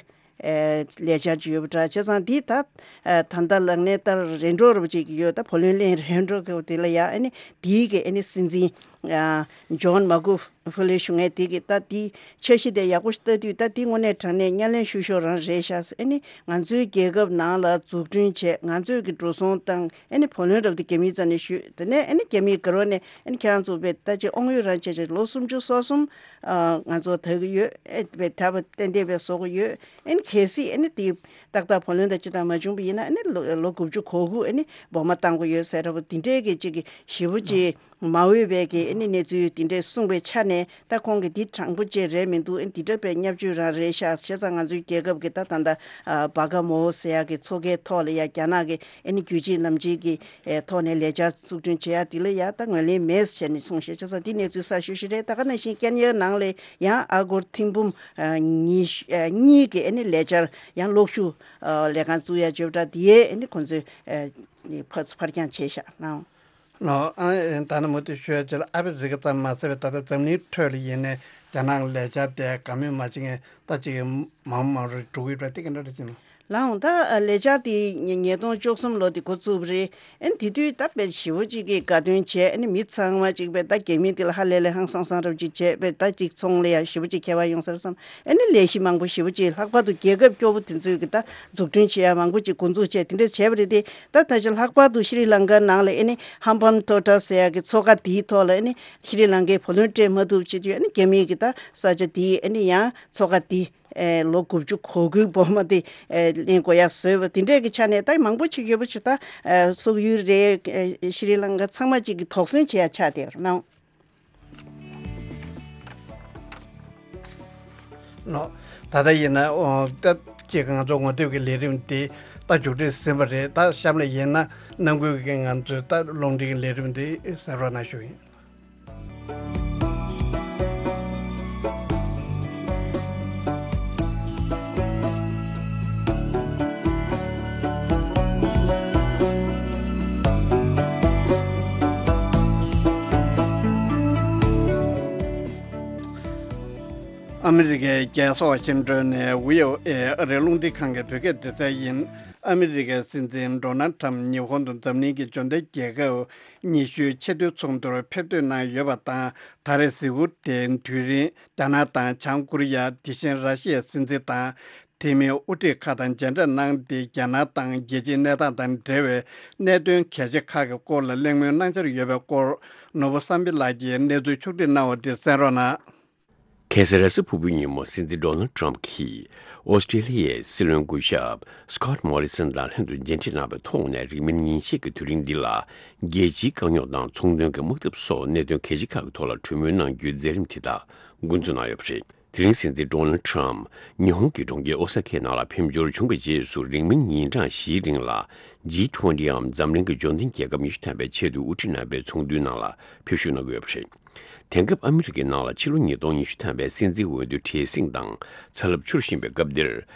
ཨ་ལས་འཆར་ཅིག་ཡོད་པ་འདྲ། བྱས་ཙང་འདི་ད་ཨ་ད་ལྟ་ལག་ལེན་བསྟར་རན་འགྲོ་རབ་ཅིག་ཡོད། ད་བུ་ལོན་ལེན་རན་འགྲོ་གི་དེ་ལ་ཡ་ཨ་ནི་དེའི་གི་ཨ་ནི་སྲིད་འཛིན་ཨ་ཇོན་མ་གུ་ཧྥུ་ལེ་ཞུ་མཁན་དེ་གིས་ད་དེའི་འཆར་གཞི་དེ་ཡག་པོ་ཞིག་ལྟ་དུས། ད་དེ་དངོས་གནས་དྲང་གནས་སྣེ་ལེན་ཤུགས་ཤོས་རང་རེད་ཤག་ཟེར། ཨ་ནི་ང་ཚོའི་རྒྱལ་ཁབ་ནང་ལ་འཛུགས་སྐྲུན་བྱས། ང་ཚོས་ཀྱི་འགྲོ་སོང་བཏང་། ཨ་ནི་བུ་ལོན་རབ་དེ་རྒྱ་མིའི་རྩ་ནས་ཞུས། དེ་ནས་ཨ་ནི་རྒྱ་མིའི་སྒེར་བ་ནས་ཨ་ནི་ཁྱེད་རང་ཚོ་བས་ད་ཅིག་དབང་ཡོད་རང་བྱས་བྱས་ལོ་སུམ་ཅུ་སོ་གསུམ་ཨ་ང་ཚོ་ད་གི་ཡོད། ཨེ་བས་ད་བ་ཏན་ཏན་བས་བཟོ་གི་ཡོད། ཨ་ནི་གལ་སྲིད་ཨ་ནི་དེ་ཏག་ཏག་བུ་ལོན་དང་ཅི་དང་མ་བྱུང་བ་ཡིན་ན། ཨ་ནི་ལོ་ལོ་དགུ་བཅུ་གོ་དགུ་ཨ་ནི་སྦོ་མ་བཏང་དགོས་ཡོད་ཟེར་ར་བ་དེ་འདྲའི་གི་ཅིག་གི་ཞེ་པོ་ཅིག་མ་འོས་པའི་གི་ཨ་ནི་གནས་ཚུལ་དེ་འདྲས་གསུངས་པའི་ཆ་ནས། ད་ཁོང་གི་འདི་དྲང་པོ་ཅིག་རེད་མི་འདུག་ཨ་ནི་འདི་འདྲ་བའི་བརྙས་བཅོས་རང་རེད་ཤག་བྱས་ཙང་ང་ཚོའི་རྒྱལ་ཁབ་ཀྱི་ད་ད་ལྟ་ཨ་བྷ་ག་མོ་ཟེར་ཡག་གི་ཚོགས་ཁའི་ཐོག་ལ་ཡ་རྒྱ་ནག་གི་ཨ་ནི་རྒྱུད་གཅིག་ལམ་གཅིག་གི་ཨེ་ཐོག་ནས་ལས་འཆར་འཛུགས་སྐྲུན་བྱེད་ཡ་འདི་ལ་ཡ་ད་ངོས་ལེན་མེད་ཟེར་ནས་གསུངས་ཤག་བྱས་ཙང་འདི་གནས་ཚུལ་གསར་ཤོས་ཤིག་རེད། ད་ག་ནང་བཞིན་ཀན་ཡའི་ནང་ལ་ཡང་ཨ་སྒོར་ཐེར་འབུམ་ཨ་ཉི་ཤུ་ཨ་གཉིས་ཀྱི་ཨ་ནི་ལས་འཆར་ཡང་གློག་ཤུགས་ཨ་ལས་ཁང་བཙུགས་ཡ་བརྗོད་གྲྭ་འདི་ཡས་ཨ་ནི་ཁོང་ཚོས་ཨ་ཕར་ཕར་འགྱངས་བྱས་ཤག་ལགས། ལོ། ཨ་ད་ནི་མུ་མཐུད་ཞུ་ཡ་ཅིག་ལ། ཨ་ཕི་རི་ཀ་ཙམ་མ་ཟད་པའི་ད་ལྟ་འཛམ་གླིང་ཁྲོད་ལ་ཡིན་ནའི་རྒྱ་ནག་ལ་ལས་འཆར་དེ་དགའ་མོས་མ་བྱེད་མཁན་ད་ཅིག་མང་མང་རུ་འགྲོ་གི་ཡོད་པ་དེ་ག་འདྲ་རེད་ཅེ་ན། ལགས་འོང་། ད་ལས་འཆར་དེ་ཉིས་སྟོང་བཅུ་གསུམ་ལོ་དེ་འགོ་བཙུགས་པ་རེད། ཨ་ནི་དེ་དུས་ད་དཔེ་ཞེ་པོ་ཅིག་གི་དགའ་སྟོན་བྱས། ཨ་ནི་མི་ཚང་མ་ཅིག་དཔེ་ད་རྒྱ་མི་དེ་ལ་ཧ་ལས་ལས་ཧང་སང་སང་རབ་ཅིག་བྱས། དཔེ་ད་ཅིག་ཚོང་ལ་ཡ་ཞེ་པོ་ཅིག་ཁྱད་པར་ཡོང་ས་རེད་བསམ། ཨ་ནི་ལས་གཞི་མང་པོ་ཞེ་པོ་ཅིག་ལྷག་པར་དུ་རྒྱལ་ཁབ་སྐྱོ་པོ་དེ་ཚོས་གི་ད་འཛུགས་སྐྲུན་བྱེད་ཡ་མང་པོ་ཅིག་འགོ་འཛུགས་བྱས་དེ་འདྲ་བྱས་པ་རེད་དེ། ད་ད་ཆ་ལྷག་པར་དུ་ཤྲི་ལང་ཀ་ནང་ལ་ཨ་ནི་ཧམ་པམ་ཐོ་ཊ་ཟེར་ཡ་གི་མཚོ་ཁ་དེའི་ཐོག་ལ་ཨ་ནི་ཤྲི་ལང་ཀའི་བུ་ལོན་སྤྲད་མ་ཐུབ་བྱེད་དུས། ཨ་ནི་རྒྱ་མིས་གི་ད་ས་ཆ་དེའི་ཨ་ནི་ཡང་མཚོ་ཁ་དེ་ཨེ་ལོ་དགུ་བཅུ་གོ་དགུའི་སྦོ་མ་དེ་ཨེ་ལེན་དགོས་ཡ་བཟོས་པ་དེ་འདྲས་ཀྱི་ཆ་ནས་ད་མང་པོ་ཅིག་ཡོད་པ་ཞིག་ད་ཨེ་སོག་ཡུལ་རེད། ཨེ་ཤྲི་ལང་ཀ་ཚང་མ་ཅིག་གི་དོགས་ཟོན་བྱེད་ཡ་ཆགས་བསྡད་ཡོད་རེད་ན། ལོ། ད་ལྟ་ཡིན་ན་ཨོ་ད་ཅིག་ང་ཚོ་ངོ་དེབ་ཀྱི་ལས་རིམ་འདི་ད་མཇུག་སྒྲིལ་ཟིན་པ་རེད། ད་གཤམ་ལ་ཡིན་ན་ནང་ཁུལ་གྱི་ང་ཚོའི་ད་རླུང་འཕྲིན་གྱི་ལས་རིམ་འདི་གསན་རོགས་གནང་ཞུ་ཡིན། ཨ་མི་རི་ཀའི་རྒྱལ་ས་ཝ་ཤིང་ཏོན་ནས་བྷི་ཨོ་ཨེ་ཨ་རིའི་རླུང་འཕྲིན་ཁང་གི་བོད་སྐད་སྡེ་ཚན་ཡིན། ཨ་མི་རི་ཀའི་སྲིད་འཛིན་ཌོ་ནལ་ཁྲམ་ཉི་ཧོང་དུ་འཛམ་གླིང་གི་འབྱོར་ལྡན་རྒྱལ་ཁབ་ཉི་ཤུའི་ཆེས་མཐོའི་ཚོགས་འདུར་ཕེབས་ཐོན་གནང་ཡོད་པ་དང་། ད་རེས་གཟིགས་སྐོར་དེའི་དུས་རིང་རྒྱ་ནག་དང་བྱང་ཀོ་རི་ཡ། དེ་བཞིན་ར་ཤི་ཡའི་སྲིད་འཛིན་དང་། དེ་མིན་དབུ་ཁྲིད་ཁག་དང་མཇལ་འཕྲད་གནང་སྟེ། རྒྱ་ནག་དང་རྒྱལ་སྤྱིའི་གནས་སྟངས་དང་འབྲེལ་བའི་གནད་དོན་གལ་ཆེ་ཁག་གི་སྐོར་ལ་གླེང་མོལ་གནང་འཆར་ཡོད་པའི་སྐོར། ནོར་བུ་བསམ་འཕེལ་ལགས་ཀྱིས་གནས་ཚུལ་ཕྱོགས་སྒྲིག་གནང་བ་དེ་གསན་རོགས་གནང་། ཁ་སང་རེས་གཟའ་ཕུར་བུའི་ཉིན་མོ་སྲིད་འཛིན་ཌོ་ནལ་ཁྲམ་གྱིས་ཨོ་སི་ཀྲེ་ལི་ཡའི་སྲིད་བློན་སྐུ་ཞབས་སི་ཀོད་མོ་རི་སན་དང་ལྷན་དུ་མཇལ་འཕྲད་གནང་བའི་ཐོག་ནས། རིང་མིན་ཉིན་ཤས་ཀྱི་དུས་རིང་འདི་ལ་རྒྱལ་སྤྱིའི་དཀའ་རྙོག་དང་ཚོང་དོན་གྱི་དམག་འཐབ་སོགས་གནད་དོན་གལ་ཆེ་ཁག་གི་ཐོག་ལ་གྲོས་མོལ་གནང་རྒྱུའི་མཛད་རིམ་དེ་དག་འགོ་འཛུགས་གནང་ཡོད་པ་རེད། དེ་རིང་སྲིད་འཛིན་ཌོ་ནལ་ཁྲམ་ཉི་ཧོང་གི་གྲོང་ཁྱེར་ཨོ་ས་ཁའི་ནང་ལ་ཕེབས་འབྱོར་བྱུང་བའི་རྗེས་སུ། རིང་མིན་ཉིན་གྲངས་བཞིའི་རིང་ལ་ཇི་ཊུ་ཝེན་ཊི་འམ་འཛམ་གླིང་གི་འབྱོར་ལྡན་རྒྱལ་ཁབ་ཉི་ཤུ་ཐམ་པའི་ཆེས་མཐོའི་དབུ་ཁྲིད་རྣམ་པའི་ཚོགས་འདུའི་ནང་ལ་ཕེབས་ཞུགས་གནང་གི་ཡོད་པ་རེད། དེང་སྐབས་ཨ་མི་རི་ཀའི་ནང་ལ་ཕྱི་ལོ་ཉིས་སྟོང་ཉི་ཤུ་ཐམ་པའི་སྲིད་འཛིན་འོས་བསྡུ་བྲེལ་ཟིང་དང་ཚ་རླབས་འཕྱུར་བཞིན་པའི་སྐབས་འདིར།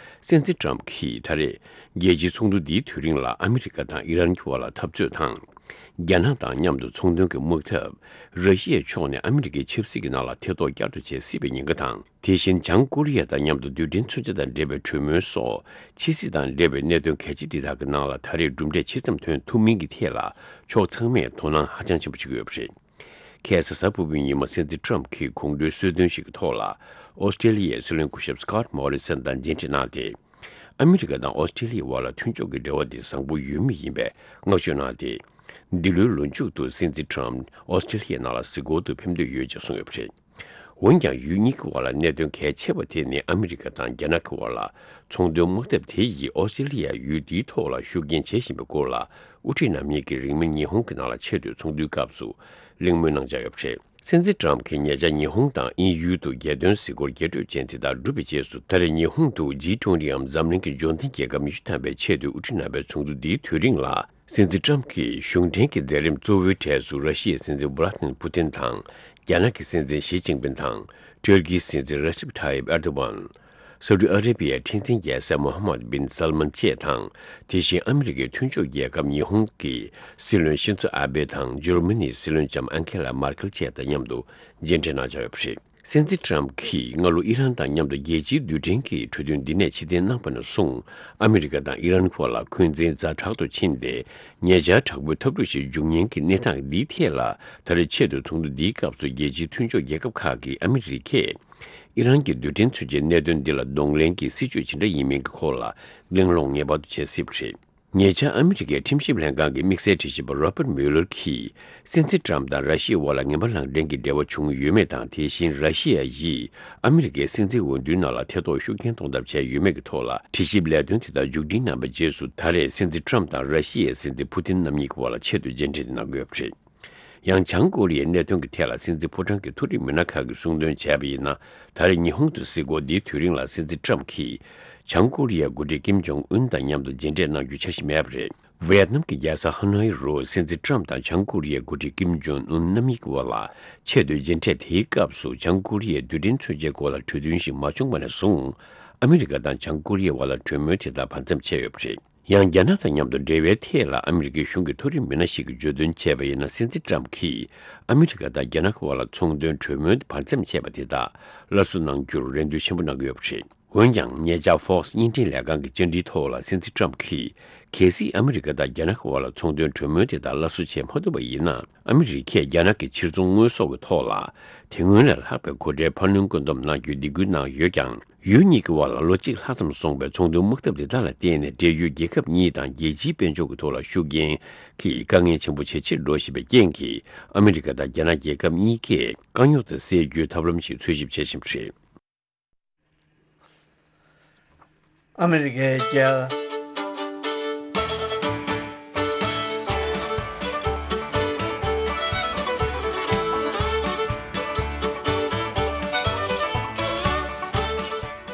སྲིད་འཛིན་ཁྲམ་གྱིས་ད་རེས་རྒྱལ་སྤྱིའི་ཚོགས་འདུ་འདིའི་དུས་རིང་ལ་ཨ་མི་རི་ཀ་དང་ཨི་རན་གྱི་དབར་ལ་འཐབ་རྩོད་དང་། རྒྱ་ནག་དང་མཉམ་དུ་ཚོང་དོན་གྱི་དམག་འཐབ། ར་ཤི་ཡའི་ཕྱོགས་ནས་ཨ་མི་རི་ཀའི་ཆབ་སྲིད་ཀྱི་ནང་ལ་ཐེ་གཏོགས་བསྐྱར་དུ་བྱེད་སྲིད་པའི་ཉེན་ཁ་དང་། དེ་བཞིན་བྱང་ཀོ་རི་ཡ་དང་མཉམ་དུ་རྡུལ་ཕྲན་མཚོན་ཆ་དང་འབྲེལ་བའི་གྲོས་མོལ་སོགས། ཕྱི་སྲིད་དང་འབྲེལ་བའི་གནད་དོན་གལ་ཆེ་འདི་དག་གི་ནང་ལ་ད་རེས་གྲུབ་འབྲས་ཇི་ཙམ་ཐོན་ཐུབ་མིན་གྱི་ཐད་ལ། ཕྱོགས་ཚང་མས་དོ་སྣང་ཧ་ཅང་ཆེན་པོ་བྱེད་ཀྱི་ཡོད་པ་རེད། ཁ་སང་གཟའ་ཕུར་བུའི་ཉིན་མོ་སྲིད་འཛིན་ཁྲམ་གྱིས་གོང་བཀྲོལ་གསོལ་སྟོན་ཞིག་གི་ཐོག་ལ། ཨོ་སི་ཀྲེ་ལི་ཡའི་སྲིད་བློན་སྐུ་ཞབས་སི་ཀོད་མོ་རི་སན་དང་མཇལ་འཕྲད་གནང་སྟེ། ཨ་མི་རི་ཀ་དང་ཨོ་སི་ཀྲེ་ལི་ཡའི་དབར་ལ་མཐུན་ཕྱོགས་ཀྱི་འབྲེལ་བ་དེ་བཟང་པོ་ཡོད་མུས་ཡིན་པའི་བསྔགས་བརྗོད་གནང་སྟེ། འདི་ལོའི་ལོ་མཇུག་ཏུ་སྲིད་འཛིན་ཁྲམ་ཨོ་སི་ཀྲེ་ལི་ཡའི་ནང་ལ་གཟིགས་སྐོར་དུ་ཕེབས་འདོད་ཡོད་ཅེས་གསུངས་ཡོད་པ་རེད། འོན་ཀྱང་། ཡུལ་གཉིས་ཀྱི་དབར་ལ་གནད་དོན་གལ་ཆེ་བ་དེ་ནི་ཨ་མི་རི་ཀ་དང་རྒྱ་ནག་གི་དབར་ལ་ཚོང་དོན་དམག་འཐབ་དེ་ཡིས་ཨོ་སི་ཀྲེ་ལི་ཡ་ཡུལ་དེའི་ཐོག་ལ་ཤུགས་རྐྱེན་བྱེད་བཞིན་པའི་སྐོར་ལ། དབུ་ཁྲིད་རྣམ་གཉིས་ཀྱིས་རིང་མིན་ཉི་ཧོང་གི་ནང་ལ་ཆེས་མཐོའི་ཚོགས་འདུའི་སྐབས་སུ་གླེང་མོལ་གནང་འཆར་ཡོད་པ་རེད། སྲིད་འཛིན་ཁྲམ་གྱིས་ཉེ་ཆར་ཉི་ཧོང་དང་དབྱིན་ཡུལ་དུ་རྒྱལ་དོན་གཟིགས་སྐོར་རྒྱས་སྤྲོས་ཅན་དེ་དག་གྲུབ་པའི་རྗེས་སུ། ད་རེས་ཉི་ཧོང་དུ་ཇི་ཊུ་ཝེན་ཊི་འམ་འཛམ་གླིང་གི་འབྱོར་ལྡན་རྒྱལ་ཁབ་ཉི་ཤུ་ཐམ་པའི་ཆེས་མཐོའི་དབུ་ཁྲིད་རྣམ་པའི་ཚོགས་འདུ་འདིའི་དུས་རིང་ལ། སྲིད་འཛིན་ཁྲམ་གྱིས་གཞུང་འབྲེལ་གྱི་མཛད་རིམ་གཙོ་བོའི་གྲས་སུ་ར་ཤི་ཡའི་སྲིད་འཛིན་ཝ་ལ་ཏི་མིར་ཕུ་ཏིན་དང་། རྒྱ་ནག་གི་སྲིད་འཛིན་ཞི་ཅིན་ཕིན་དང་། ཊུར་ཀིའི་སྲིད་འཛིན་རེ་སེབ་ཐ་ཡིབ་ཨེར་དོ་ཝན། སའུ་ཏི་ཨ་རེ་བྷི་ཡའི་ཁྲི་འཛིན་རྒྱལ་སྲས་མོ་ཧམ་མད་བིན་སལ་མན་བཅས་དང་། དེ་བཞིན་ཨ་མི་རི་ཀའི་མཐུན་ཕྱོགས་རྒྱལ་ཁབ་ཉི་ཧོང་གི་སྲིད་བློན་ཤིན་ཛོ་ཨ་བྷེ་དང་། འཇར་མ་ནིའི་སྲིད་བློན་ལྕམ་ཨན་ཁེ་ལ་མར་ཁེལ་བཅས་དང་མཉམ་དུ་མཇལ་འཕྲད་གནང་འཆར་ཡོད་པ་རེད། སྲིད་འཛིན་ཁྲམ་གྱིས་སྔ་ལོ་ཨི་རན་དང་མཉམ་དུ་རྒྱལ་སྤྱིའི་རྡུལ་ཕྲན་གྱི་གྲོས་མཐུན་འདི་ནས་ཕྱིར་འཐེན་གནང་བ་ནས་བཟུང་། ཨ་མི་རི་ཀ་དང་ཨི་རན་བར་ལ་འཁོན་འཛིན་ཛ་དྲག་ཏུ་ཕྱིན་ཏེ། ཉེ་ཆར་དྲག་པོའི་འཐབ་འཁྲུག་ཞིག་འབྱུང་ཉེན་གྱི་གནས་སྟངས་འདིའི་ཐད་ལ། ད་རེས་ཆེས་མཐོའི་ཚོགས་འདུ་འདིའི་སྐབས་སུ་རྒྱལ་སྤྱིའི་མཐུན་ཕྱོགས་རྒྱལ་ཁབ་ཁག་གིས་ཨ་མི་རི་ཀས་ཨི་རན་གྱི་རྡུལ་ཕྲན་མཚོན་ཆའི་གནད་དོན་འདི་ལ་གདོང་ལེན་གྱི་སྲིད་བྱུས་ཇི་འདྲ་ཡིན་མིན་གྱི་སྐོར་ལ་གླེང་སློང་ངེས་པར་དུ་བྱེད་སྲིད་པ་རེད། ཉེ་ཆར་ཨ་མི་རི་ཀའི་ཁྲིམས་ཞིབ་ལྷན་ཁང་གི་དམིགས་བསལ་དྲི་ཞིབ་པ་རོ་པར་མུ་ལར་གྱིས། སྲིད་འཛིན་ཁྲམ་དང་ར་ཤི་ཡའི་དབར་ལ་ངན་པ་ལག་འབྲེལ་གྱི་འབྲེལ་བ་བྱུང་ཡོད་མེད་དང་། དེ་བཞིན་ར་ཤི་ཡ་ཡིས་ཨ་མི་རི་ཀའི་སྲིད་འཛིན་འོས་བསྡུའི་ནང་ལ་ཐེ་གཏོགས་ཤུགས་རྐྱེན་གཏོང་ཐབས་བྱས་ཡོད་མེད་ཀྱི་ཐོག་ལ། དྲི་ཞིབ་ལས་དོན་དེ་དག་མཇུག་སྒྲིལ་གནང་བའི་རྗེས་སུ། ད་རེས་སྲིད་འཛིན་ཁྲམ་དང་ར་ཤི་ཡའི་སྲིད་འཛིན་ཕུ་ཏིན་རྣམ་གཉིས་ཀྱི་དབར་ལ་ཆེད་དུ་མཇལ་འཕྲད་གནང་དགོས་པ་རེད། ཡང་། བྱང་ཀོ་རི་ཡའི་གནད་དོན་གྱི་ཐད་ལ། སྲིད་འཛིན་ཕོ་བྲང་གི་མཐོ་རིམ་མི་སྣ་ཁག་གིས་གསུངས་དོན་བྱས་པ་ཡིན་ན། ད་རེས་ཉི་ཧོང་དུ་གཟིགས་སྐོར་འདིའི་དུས་རིང་ལ། སྲིད་འཛིན་ཁྲམ་གྱིས་བྱང་ཀོ་རི་ཡའི་འགོ་ཁྲིད་ཀིམ་ཇོང་ཨུན་དང་མཉམ་དུ་མཇལ་འཕྲད་གནང་རྒྱུའི་འཆར་གཞི་མེད་པ་རེད། ཝེ་ཡེད་ནམ་གྱི་རྒྱལ་ས་ཧ་ནོའི་རུ། སྲིད་འཛིན་ཁྲམ་དང་བྱང་ཀོ་རི་ཡའི་འགོ་ཁྲིད་ཀིམ་ཇོང་ཨུན་རྣམ་གཉིས་ཀྱི་དབར་ལ་ཆེས་མཐོའི་མཇལ་འཕྲད་དེའི་སྐབས་སུ། བྱང་ཀོ་རི་ཡའི་རྡུལ་ཕྲན་མཚོན་ཆའི་སྐོར་ལ་གྲོས་མཐུན་ཞིག་མ་བྱུང་བ་ནས་བཟུང་། ཨ་མི་རི་ཀ་དང་བྱང་ཀོ་རི་ཡའི་དབར་ལ་གྲོས་མོལ་དེ་དག་བར་མཚམས་ཆད་ཡོད་པ་རེད། ཡང་། རྒྱ་ནག་དང་མཉམ་དུ་འབྲེལ་བའི་ཐད་ལ། ཨ་མི་རི་ཀའི་གཞུང་གི་མཐོ་རིམ་མི་སྣ་ཞིག་གིས་བརྗོད་དོན་བྱས་པ་ཡིན་ན། སྲིད་འཛིན་ཁྲམ་གྱིས་ཨ་མི་རི་ཀ་དང་རྒྱ་ནག་གི་དབར་ལ་ཚོང་དོན་གྲོས་མོལ་བར་མཚམས་ཆད་པ་དེ་དག་སླར་གསོ་གནང་རྒྱུར་རེ་འདུན་ཆེན་པོ་གནང་གི་ཡོད་པ་རེད། འོན་ཀྱང་། ཉེ་ཆར་Fox་བརྙན་འཕྲིན་ལས་ཁང་གི་བཅར་འདྲིའི་ཐོག་ལ། སྲིད་འཛིན་ཁྲམ་གྱིས། གལ་སྲིད་ཨ་མི་རི་ཀ་དང་རྒྱ་ནག་གི་དབར་ལ་ཚོང་དོན་གྲོས་མོལ་དེ་དག་སླར་གསོ་བྱེད་མ་ཐུབ་པ་ཡིན་ན། ཨ་མི་རི་ཀས་རྒྱ་ནག་གི་ཕྱིར་ཚོང་དངོས་ཟོག་གི་ཐོག་ལ། དེ་སྔོན་ལས་ལྷག་པའི་སྒོ་ཁྲལ་འཕར་སྣོན་བཀོད་འདོམས་གནང་རྒྱུའི་སྡིགས་སྐུལ་གནང་ཡོད་ཀྱང་། ཡུལ་གཉིས་ཀྱི་དབར་ལ་ལོ་གཅིག་ལྷག་ཙམ་སོང་བའི་ཚོང་དོན་དམག་འཐབ་དེ་དག་ལ་བརྟེན་ནས། འབྲེལ་ཡོད་རྒྱལ་ཁབ་གཉིས་དང་རྒྱལ་སྤྱིའི་དཔལ་འབྱོར་གྱི་ཐོག་ལ་ཤུགས་རྐྱེན་གྱི་དཀའ་ངལ་ཆེན་པོ་ཇེ་ཆེར་འགྲོ་བཞིན་པའི་རྐྱེན་གྱིས། ཨ་མི་རི་ཀ་དང་རྒྱ་ནག་རྒྱལ་ཁབ་གཉིས་ཀས་དཀའ་རྙོག་དེ་སེལ་རྒྱུའི་ཐབས་ལམ་ཞིག་འཚོལ་ཞིབ་བྱེད་བཞིན་པ་རེད། ཨ་མི་རི་ཀའི་རྒྱལ།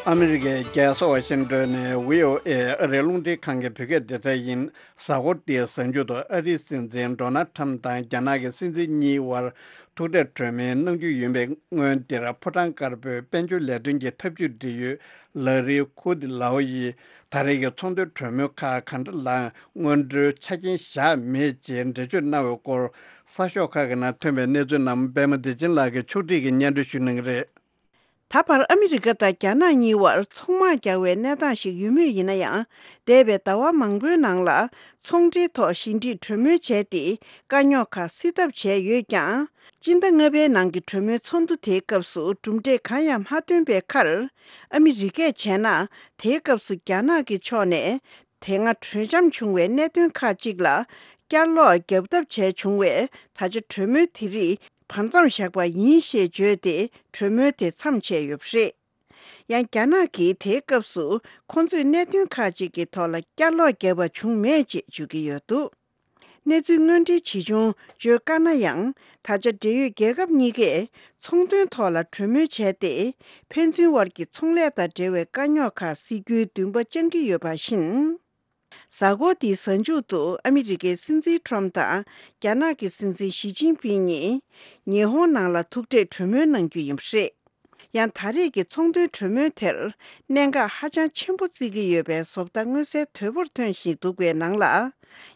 ཨ་མི་རི་ཀའི་རྒྱལ་ས་ཝ་ཤིང་ཏོན་ནས་བྷི་ཨོ་ཨེ་ཨ་རིའི་རླུང་འཕྲིན་ཁང་གི་བོད་སྐད་སྡེ་ཚན་ཡིན། གཟའ་འཁོར་འདིའི་གཟའ་མཇུག་ཏུ་ཨ་རིའི་སྲིད་འཛིན་ཌོ་ནལ་ཁྲམ་དང་རྒྱ་ནག་གི་སྲིད་འཛིན་གཉིས་དབར་ཐུག་འཕྲད་གྲོས་མོལ་གནང་རྒྱུ་ཡིན་པའི་སྔོན། འདིར་ཕོ་བྲང་དཀར་པོའི་དཔལ་འབྱོར་ལས་དོན་གྱི་ཐབས་ཇུས་འབྲེལ་ཡོད་ལ་རི་ཁུ་ཏི་ལའོ་ཡིས། ད་རེས་ཀྱི་ཚོང་དོན་གྲོས་མོལ་ཁག་ག་འདྲ་ལའང་སྔོན་འགྲོའི་ཆ་རྐྱེན་བཞག་མེད་ཅེས་འགྲེལ་བརྗོད་གནང་བའི་སྐོར། གསར་ཤོག་ཁག་གི་ནང་ཐོན་པའི་གནས་ཚུལ་རྣམས་པད་མ་བདེ་ཆེན་ལགས་ཀྱིས་ཕྱོགས་སྒྲིག་གིས་སྙན་སྒྲོན་ཞུ་གནང་གི་རེད། ད་བར་ཨ་མི་རི་ཀ་དང་རྒྱ་ནག་གཉིས་བར་ཚོང་དམག་རྒྱག་པའི་གནས་སྟངས་ཤིག་ཡོད་མུས་ཡིན་ན་ཡང་། འདས་པའི་ཟླ་བ་མང་པོའི་ནང་ལ་ཚོང་འབྲེལ་ཐོག་ཞི་འགྲིག་གྲོས་མོལ་བྱས་ཏེ། དཀའ་རྙོག་ཁག་སེལ་ཐབས་བྱས་ཡོད་ཀྱང་། སྤྱི་ཟླ་ལྔ་པའི་ནང་གི་གྲོས་མོལ་ཚོགས་འདུ་དེའི་སྐབས་སུ་གྲུབ་འབྲས་གང་ཡང་མ་ཐོན་པའི་ཁར། ཨ་མི་རི་ཀས་བྱས་ན་དེའི་སྐབས་སུ་རྒྱ་ནག་གི་ཕྱོགས་ནས་དེ་སྔ་གྲོས་འཆམ་བྱུང་བའི་གནད་དོན་ཁག་ཅིག་ལ་བསྐྱར་ལོག་བརྒྱབ་ཐབས་བྱས་བྱུང་བས། ད་ཆ་གྲོས་མོལ་དེ་རིགས་བར་མཚམས་བཞག་པ་ཡིན་ཞེས་བརྗོད་དེ་གྲོས་མོལ་དེ་མཚམས་ཆད་ཡོད་པ་རེད། ཡང་རྒྱ་ནག་གིས་དེའི་སྐབས་སུ་ཁོང་ཚོས་གནད་དོན་ཁག་ཅིག་གི་ཐོག་ལ་བསྐྱར་ལོག་བརྒྱབ་པ་བྱུང་མེད་ཅེས་བརྗོད་ཀྱི་ཡོད་འདུག་གནས་ཚུལ་དངོས་འབྲེལ་ཇི་བྱུང་བརྗོད་དཀའ་ན་ཡང་། ད་ཆ་འབྲེལ་ཡོད་རྒྱལ་ཁབ་གཉིས་ཀས་ཚོང་དོན་ཐོག་ལ་གྲོས་མོལ་བྱས་ཏེ། ཕན་ཚུན་དབར་གྱི་ཚོང་ལས་དང་འབྲེལ་བའི་དཀའ་རྙོག་ཁག་སེལ་རྒྱུའི་འདུན་པ་བཅངས་ཀྱི་ཡོད་པ་བཞིན། གཟའ་འཁོར་འདིའི་གཟའ་མཇུག་ཏུ་ཨ་མི་རི་ཀའི་སྲིད་འཛིན་ཁྲོམ་དང་རྒྱ་ནག་གི་སྲིད་འཛིན་ཞི་ཅིན་ཕིང་གཉིས་ཉི་ཧོང་ནང་ལ་ཐུག་འཕྲད་གྲོས་མོལ་གནང་རྒྱུ་ཡིན་པ་རེད། ཡང་ད་རེས་ཀྱི་ཚོང་དོན་གྲོས་མོལ་དེར་གནད་འགག་ཧ་ཅང་ཆེན་པོ་བརྩི་གི་ཡོད་པའི་བཟོ་ལྟ་མངོན་གསལ་དོད་པོར་ཐོན་བཞིན་འདུག་པའི་ནང་ལ།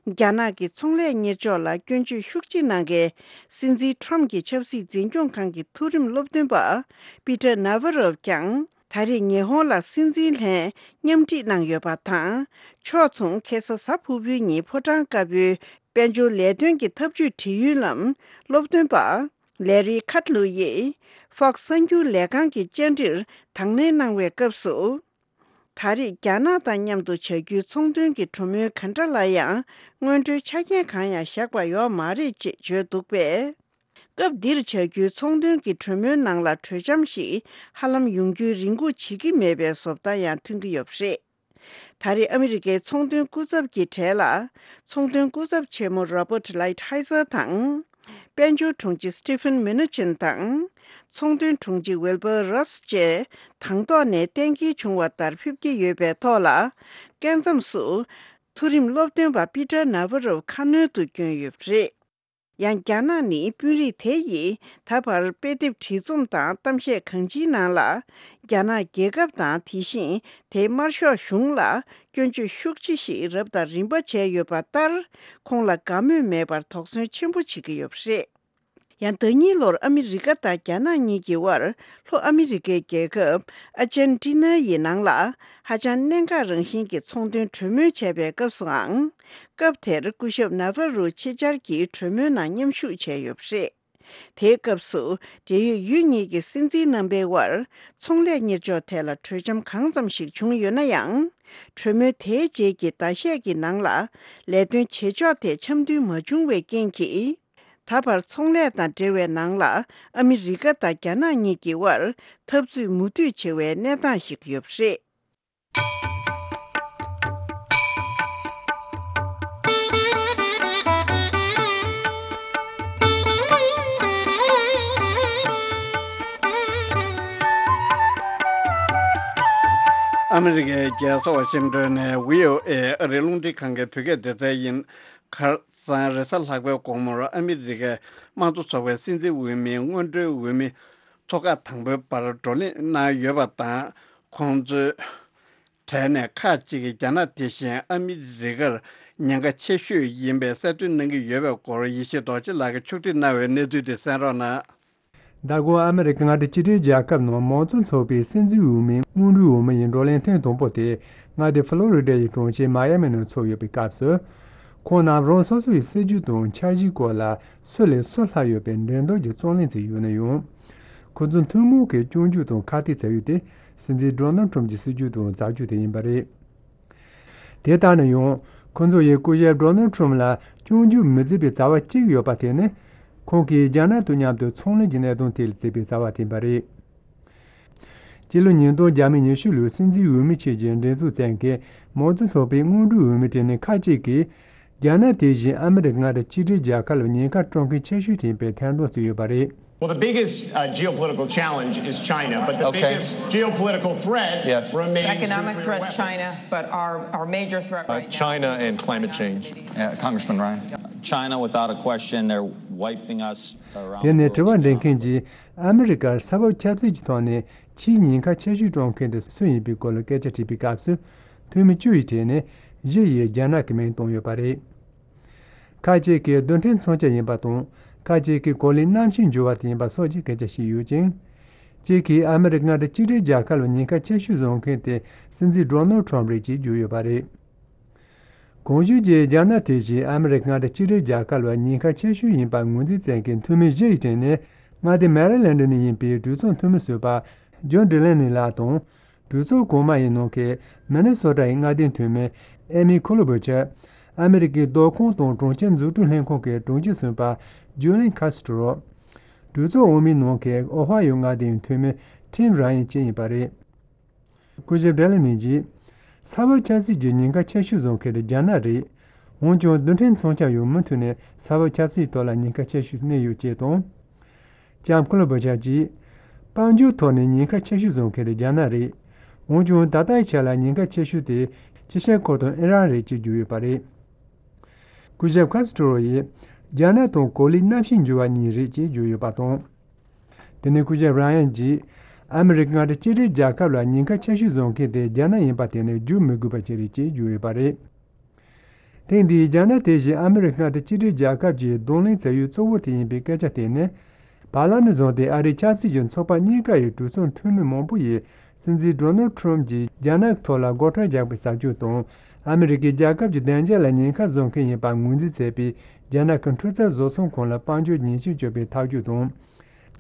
རྒྱ་ནག་གི་ཚོང་ལས་གཉེར་ཕྱོགས་ལ་སྐྱོན་བརྗོད་ཤུགས་ཆེ་གནང་མཁན་སྲིད་འཛིན་ཁྲོམ་གྱི་ཆབ་སྲིད་འཛིན་སྐྱོང་ཁང་གི་མཐོ་རིམ་སློབ་སྟོན་པ་པི་ཏར་ན་ཝ་རོབ་ཀྱང་། ད་རེས་ཉི་ཧོང་ལ་སྲིད་འཛིན་ལྷན་མཉམ་འཁྲིད་གནང་ཡོད་པ་དང་། ཕྱོགས་མཚུངས་ཁ་སང་གཟའ་ཕུར་བུའི་ཉིན་ཕོ་བྲང་དཀར་པོའི་དཔལ་འབྱོར་ལས་དོན་གྱི་འཐབ་ཇུས་དྲི་ཡུལ་ལམ་སློབ་སྟོན་པ་ལེ་རི་ཁཱ་ཏ་ལུ་ཡིས་ཧྥོག་སི་གསར་འགྱུར་ལས་ཁང་གི་བཅར་འདྲིར་དང་ལེན་གནང་བའི་སྐབས་སུ། ད་རེས་རྒྱ་ནག་དང་མཉམ་དུ་བྱ་རྒྱུའི་ཚོང་དོན་གྱི་གྲོས་མོལ་ག་འདྲ་ལ་ཡང་སྔོན་འགྲོའི་ཆ་རྐྱེན་གང་ཡང་བཞག་པ་ཡོད་མ་རེད་ཅེས་བརྗོད་འདུག་པས། སྐབས་འདིར་བྱ་རྒྱུའི་ཚོང་དོན་གྱི་གྲོས་མོལ་ནང་ལ་གྲོས་འཆམ་ཞིག་ཧ་ལམ་ཡོང་རྒྱུའི་རེ་སྒུག་བྱེད་ཀྱི་མེད་པའི་བཟོ་ལྟ་ཡང་ཐོན་གྱི་ཡོད་པ་རེད། ད་རེས་ཨ་མི་རི་ཀའི་ཚོང་དོན་སྐུ་ཚབ་ཀྱི་གྲས་ལ། ཚོང་དོན་སྐུ་ཚབ་ཆེན་མོ་Robert Lighthizer་དང་། དཔལ་འབྱོར་དྲུང་ཆེ་Steven Mnuchin་དང་། ཚོང་དོན་དྲུང་ཆེ་Wilbur Ross་བཅས་དང་ཐོག་ནས་གཏན་འཁེལ་བྱུང་བ་ལྟར་ཕེབས་ཀྱི་ཡོད་པའི་ཐོག་ལ། སྐབས་མཚམས་སུ། མཐོ་རིམ་སློབ་སྟོན་པ་པི་ཏར་ན་ཝ་རོབ་ཁ་སྣོན་དུ་བསྐྱོན་ཡོད་པ་རེད། ཡང་རྒྱ་ནག་ནི་དཔོན་རིགས་དེ་ཡིས་ད་བར་དཔེ་དེབ་བྲིས་རྩོམ་དང་གཏམ་བཤད་གང་ཅིའི་ནང་ལ། རྒྱ་ནག་རྒྱལ་ཁབ་དང་དེ་བཞིན་དེའི་དམར་ཤོག་གཞུང་ལ་སྐྱོན་བརྗོད་ཤུགས་ཆེ་ཞིག་རབ་དང་རིམ་པ་བྱས་ཡོད་པ་ལྟར། ཁོང་ལ་དགའ་མོས་མེད་པར་དོགས་ཟོན་ཆེན་པོ་བྱེད་ཀྱི་ཡོད་པ་རེད། ཡང་ཟླ་གཉིས་ལོར་ཨ་མི་རི་ཀ་དང་རྒྱ་ནག་གཉིས་ཀྱི་དབར་ལྷོ་ཨ་མི་རི་ཀའི་རྒྱལ་ཁབ་ཨར་ཇན་ཏི་ན་ཡི་ནང་ལ་ཧ་ཅང་གནད་འགག་རང་བཞིན་གྱི་ཚོང་དོན་གྲོས་མོལ་བྱས་པའི་སྐབས་སུའང་། སྐབས་དེར་སྐུ་ཞབས་ན་ཝ་རུ་ཆེད་བཅར་གྱིས་གྲོས་མོལ་ནང་མཉམ་ཞུགས་བྱས་ཡོད་པ་རེད། དེའི་སྐབས་སུ་འབྲེལ་ཡོད་ཡུལ་གཉིས་ཀྱི་སྲིད་འཛིན་རྣམ་པའི་དབར་ཚོང་ལས་གཉེར་ཕྱོགས་ཐད་ལ་གྲོས་འཆམ་གང་ཙམ་ཞིག་བྱུང་ཡོད་ན་ཡང་། གྲོས་མོལ་དེའི་རྗེས་ཀྱི་ཟླ་ཤས་ཀྱི་ནང་ལ་ལས་དོན་བྱེད་ཕྱོགས་དེ་འཆམ་མཐུན་མ་བྱུང་བའི་རྐྱེན་གྱིས། ད་བར་ཚོང་ལས་དང་འབྲེལ་བའི་ནང་ལ་ཨ་མི་རི་ཀ་དང་རྒྱ་ནག་གཉིས་ཀྱི་དབར་འཐབ་རྩོད་མུ་མཐུད་ཆེ་བའི་གནས་སྟངས་ཤིག་ཡོད་པ་རེད། ཨ་མི་རི་ཀའི་རྒྱལ་ས་ཝ་ཤིང་ཏོན་ནས་བྷི་ཨོ་ཨེ་ཨ་རིའི་རླུང་འཕྲིན་ཁང་གི་བོད་སྐད་སྡེ་ཚན་ཡིན། ཁ་སང་རེས་གཟའ་ལྷག་པའི་དགོང་མོར་ཨ་མི་རི་ཀའི་དམངས་གཙོ་ཚོགས་པའི་སྲིད་འཛིན་འོས་མི་སྔོན་འགྲོའི་འོས་མི་ཚོ་ཁག་དང་པོའི་བར་བགྲོ་གླེང་གནང་ཡོད་པ་དང་། ཁོང་ཚོའི་གྲས་ནས་ཁག་ཅིག་གིས་རྒྱ་ནག་དེ་བཞིན་ཨ་མི་རི་ཀར་ཉེན་ཁ་ཆེ་ཤོས་ཡིན་པའི་གསལ་སྟོན་གནང་གི་ཡོད་པའི་སྐོར་ཡེ་ཤེས་རྡོ་རྗེ་ལགས་ཀྱིས་ཕྱོགས་སྒྲིག་གནང་བའི་གནས་ཚུལ་དེ་གསན་རོགས་གནང་། ཟླ་འགོར་ཨ་མི་རི་ཀ་མངའ་སྡེ་གཅིག་སྒྲིལ་རྒྱལ་ཁབ་ནང་མང་གཙོ་ཚོགས་པའི་སྲིད་འཛིན་འོས་མིའི་སྔོན་འགྲོའི་འོས་མི་ཡི་བགྲོ་གླེང་ཐེངས་དང་པོ་དེ་མངའ་སྡེ་ཕ་ལོ་རི་ཌ་ཡི་གྲོང་ཁྱེར་མ་ཡ་མི་ནང་ཚོགས་ཡོད་པའི་སྐབས་སུ། ཁོང་རྣམས་རང་སོ་སོ་ཡི་སྲིད་ཇུས་དང་འཆར་གཞིའི་སྐོར་ལ་སུ་ལས་སུ་ལྷག་ཡོད་པའི་འགྲན་བསྡུར་གྱི་རྩོད་གླེང་བྱས་ཡོད་ན་ཡང་། ཁོ་ཚོ་ཐུན་མོང་གི་སྐྱོན་བརྗོད་དང་ཁ་གཏད་བྱས་ཡོད་དེ། སྲིད་འཛིན་ཌོ་ནལ་ཊམ་གྱི་སྲིད་ཇུས་དང་མཛའ་གཅུགས་དེ་ཡིན་པ་རེད། དེ་ལྟར་ན་ཡང་། ཁོ་ཚོ་ཡིས་སྐུ་ཞབས་ཌོ་ནལ་ཊམ་ལ་སྐྱོན་བརྗོད་མི་མཛད་པའི་རྩ་བ་གཅིག་ཡོད་པ་དེ་ནི། ཁོང་གིས་རྒྱ་ནག་དང་མཉམ་དུ་ཚོང་ལས་ཀྱི་གནད་དོན་ཐད་ལ་བརྩིས་པའི་རྩ་བ་དེ་ཡིན་པ་རེད། སྤྱི་ལོ་ཉིས་སྟོང་བརྒྱ་མེད་ཉི་ཤུ་ལོའི་སྲིད་འཛིན་འོས་མི་ཆེད་ཀྱི་འགྲན་ཚོགས་བཙན་གྱིས་མང་གཙོ་ཚོགས་པའི་སྔོན་འགྲོའི་འོས་མི་དེ་ནི་ཁག་ཅིག་གིས། རྒྱ་ནག་དེ་བཞིན་ཨ་མི་རི་ཀ་མངའ་སྡེ་གཅིག་སྒྲིལ་རྒྱལ་ཁབ་ལ་ཉེན་ཁ་སྤྲོད་མཁན་ཆེ་ཤོས་དེ་ཡིན་པའི་ཐེར་འདོན་བྱས་ཡོད་པ་རེད། Well, the biggest, uh, geopolitical challenge is China, but the Okay. biggest geopolitical threat Yes. remains Economic nuclear threat, weapons. China, but our, our major threat Uh, right now China is and climate change. Uh, Congressman Ryan. China, without a question, they're wiping us around དེ་ནས་དྲི་བ་འདྲི་མཁན་གྱིས་ཨ་མི་རི་ཀར་ས་བབ་ཆབ་སྲིད་ཀྱི་ཐོག་ནས་ཕྱིའི་ཉེན་ཁ་ཆེ་ཤོས་སྤྲོད་མཁན་དེ་སུ་ཡིན་པའི་སྐོར་ལ་སྐད་ཆ་དྲིས་པའི་སྐབས་སུ། འཐུས་མི་བཅུ་ཡི་གྲས་ནས་བཞི་ཡིས་རྒྱ་ནག་གི་མིང་བཏོན་ཡོད་པ་རེད། ཁ་ཅིག་གིས་རྡུལ་ཕྲན་མཚོན་ཆ་ཡིན་པ་དང་། ཁ་ཅིག་གིས་གོ་ལའི་གནམ་གཤིས་འགྱུར་བ་དེ་ཡིན་པ་སོགས་ཀྱི་སྐད་ཆ་བཤད་ཡོད་ཅིང་། ཅིག་གིས་ཨ་མི་རི་ཀ་མངའ་སྡེ་གཅིག་སྒྲིལ་རྒྱལ་ཁབ་ལ་ཉེན་ཁ་ཆེ་ཤོས་བཟོ་མཁན་དེ་སྲིད་འཛིན་ཌོ་ནལ་ཁྲོམ་རེད་ཅེས་བརྗོད་ཡོད་པ་རེད། གོང་ཞུས་ཀྱི་རྒྱ་ནག་དེ་བཞིན་ཨ་མི་རི་ཀ་མངའ་སྡེ་གཅིག་སྒྲིལ་རྒྱལ་ཁབ་ལ་ཉེན་ཁ་ཆེ་ཤོས་ཡིན་པར་ངོས་འཛིན་བྱེད་མཁན་འཐུས་མི་བཞི་ཡི་སྟེང་ནས་མངའ་སྡེ་མེ་རི་ལེན་ཌི་ནས་ཡིན་པའི་གྲོས་ཚོགས་འཐུས་མི་ཟུར་པ་ཇོན་ཌི་ལེ་ནི་ལགས་དང་། གྲོས་ཚོགས་གོང་མ་ཡི་ནང་གི་མི་ནི་སོ་ཊ་ཡི་མངའ་སྡེའི་འཐུས་མི་ཨེ་མི་ཁོ་ལོ་བུ་ཆར། ཨ་མི་རི་ཀའི་ཟློས་ཁང་དང་གྲོང་ཁྱེར་འཛུགས་སྐྲུན་ལྷན་ཁང་གི་དྲུང་ཆེ་ཟུར་པ་ཇུ་ལིན་ཁ་སི་ཏྲོ། གྲོས་ཚོགས་འོག་མའི་ནང་གི་ཨོ་ཧ་ཡོ་མངའ་སྡེའི་འཐུས་མི་ཊིམ་ར་ཡན་བཅས་ཡིན་པ་རེད། སྐུ་ཞབས་ཌེ་ལི་ནི་གྱིས། ས་བབ་ཆབ་སྲིད་ཀྱི་ཉེན་ཁ་ཆེ་ཤོས་བཟོ་མཁན་དེ་རྒྱ་ནག་རེད། འོན་ཀྱང་རྡུལ་ཕྲན་མཚོན་ཆ་ཡང་མུ་མཐུད་ནས་ས་བབ་ཆབ་སྲིད་ཐོག་ལ་ཉེན་ཁ་ཆེ་ཤོས་གནས་ཡོད་ཅེས་དང་། ལྕམ་ཁོ་ལོ་བྷ་ཆར་གྱིས། དཔལ་འབྱོར་ཐོག་ནས་ཉེན་ཁ་ཆེ་ཤོས་བཟོ་མཁན་དེ་རྒྱ་ནག་རེད། འོན་ཀྱང་ད་ལྟའི་ཆ་ལ་ཉེན་ཁ་ཆེ་ཤོས་དེ་ཅི་ཤ་ཁོ་དང་ཨི་རན་རེད་ཅེས་བརྗོད་ཡོད་པ་རེད། སྐུ་ཞབས་ཁ་སི་ཏྲོ་ཡིས། རྒྱ་ནག་དང་གོ་ལའི་གནམ་གཤིས་འགྱུར་བ་གཉིས་རེད་ཅེས་བརྗོད་ཡོད་པ་དང་། དེ་ནས་སྐུ་ཞབས་རང་ཡན་གྱིས། ཨ་མི་རི་ཀ་མངའ་སྡེ་གཅིག་སྒྲིལ་རྒྱལ་ཁབ་ལ་ཉེན་ཁ་ཆེ་ཤོས་བཟོ་མཁན་དེ་རྒྱ་ནག་ཡིན་པ་དེ་ནི་བརྗོད་མི་དགོས་པ་ཅིག་རེད་ཅེས་བརྗོད་ཡོད་པ་རེད། ཐེངས་འདིའི་རྒྱ་ནག་དེ་བཞིན་ཨ་མི་རི་ཀ་མངའ་སྡེ་གཅིག་སྒྲིལ་རྒྱལ་ཁབ་ཀྱི་གདོང་ལེན་བྱ་ཡུལ་གཙོ་བོ་དེ་ཡིན་པའི་སྐད་ཆ་དེ་ནི། བར་ལམ་ནས་བཟུང་སྟེ་ཨ་རིའི་ཆབ་སྲིད་ཀྱི་ཚོགས་པ་གཉིས་ཀ་ཡི་གྲོས་ཚོགས་འཐུས་མི་མང་པོ་ཡིས་སྲིད་འཛིན་ཌོ་ནལ་ཁྲོམ་གྱིས་རྒྱ་ནག་ཐོག་ལ་སྒོ་ཁྲལ་རྒྱག་པའི་ཟབ་སྤྱོད་དང་། ཨ་མི་རི་ཀའི་རྒྱལ་ཁབ་ཀྱི་བདེ་འཇགས་ལ་ཉེན་ཁ་བཟོ་མཁན་ཡིན་པར་ངོས་འཛིན་བྱས་པའི་རྒྱ་ནག་གི་འཕྲུལ་རྩལ་བཟོ་ཚོང་ཁང་ལ་དཔལ་འབྱོར་ཉེས་ཆད་གཅོད་པའི་ཐག་གཅོད་དང་།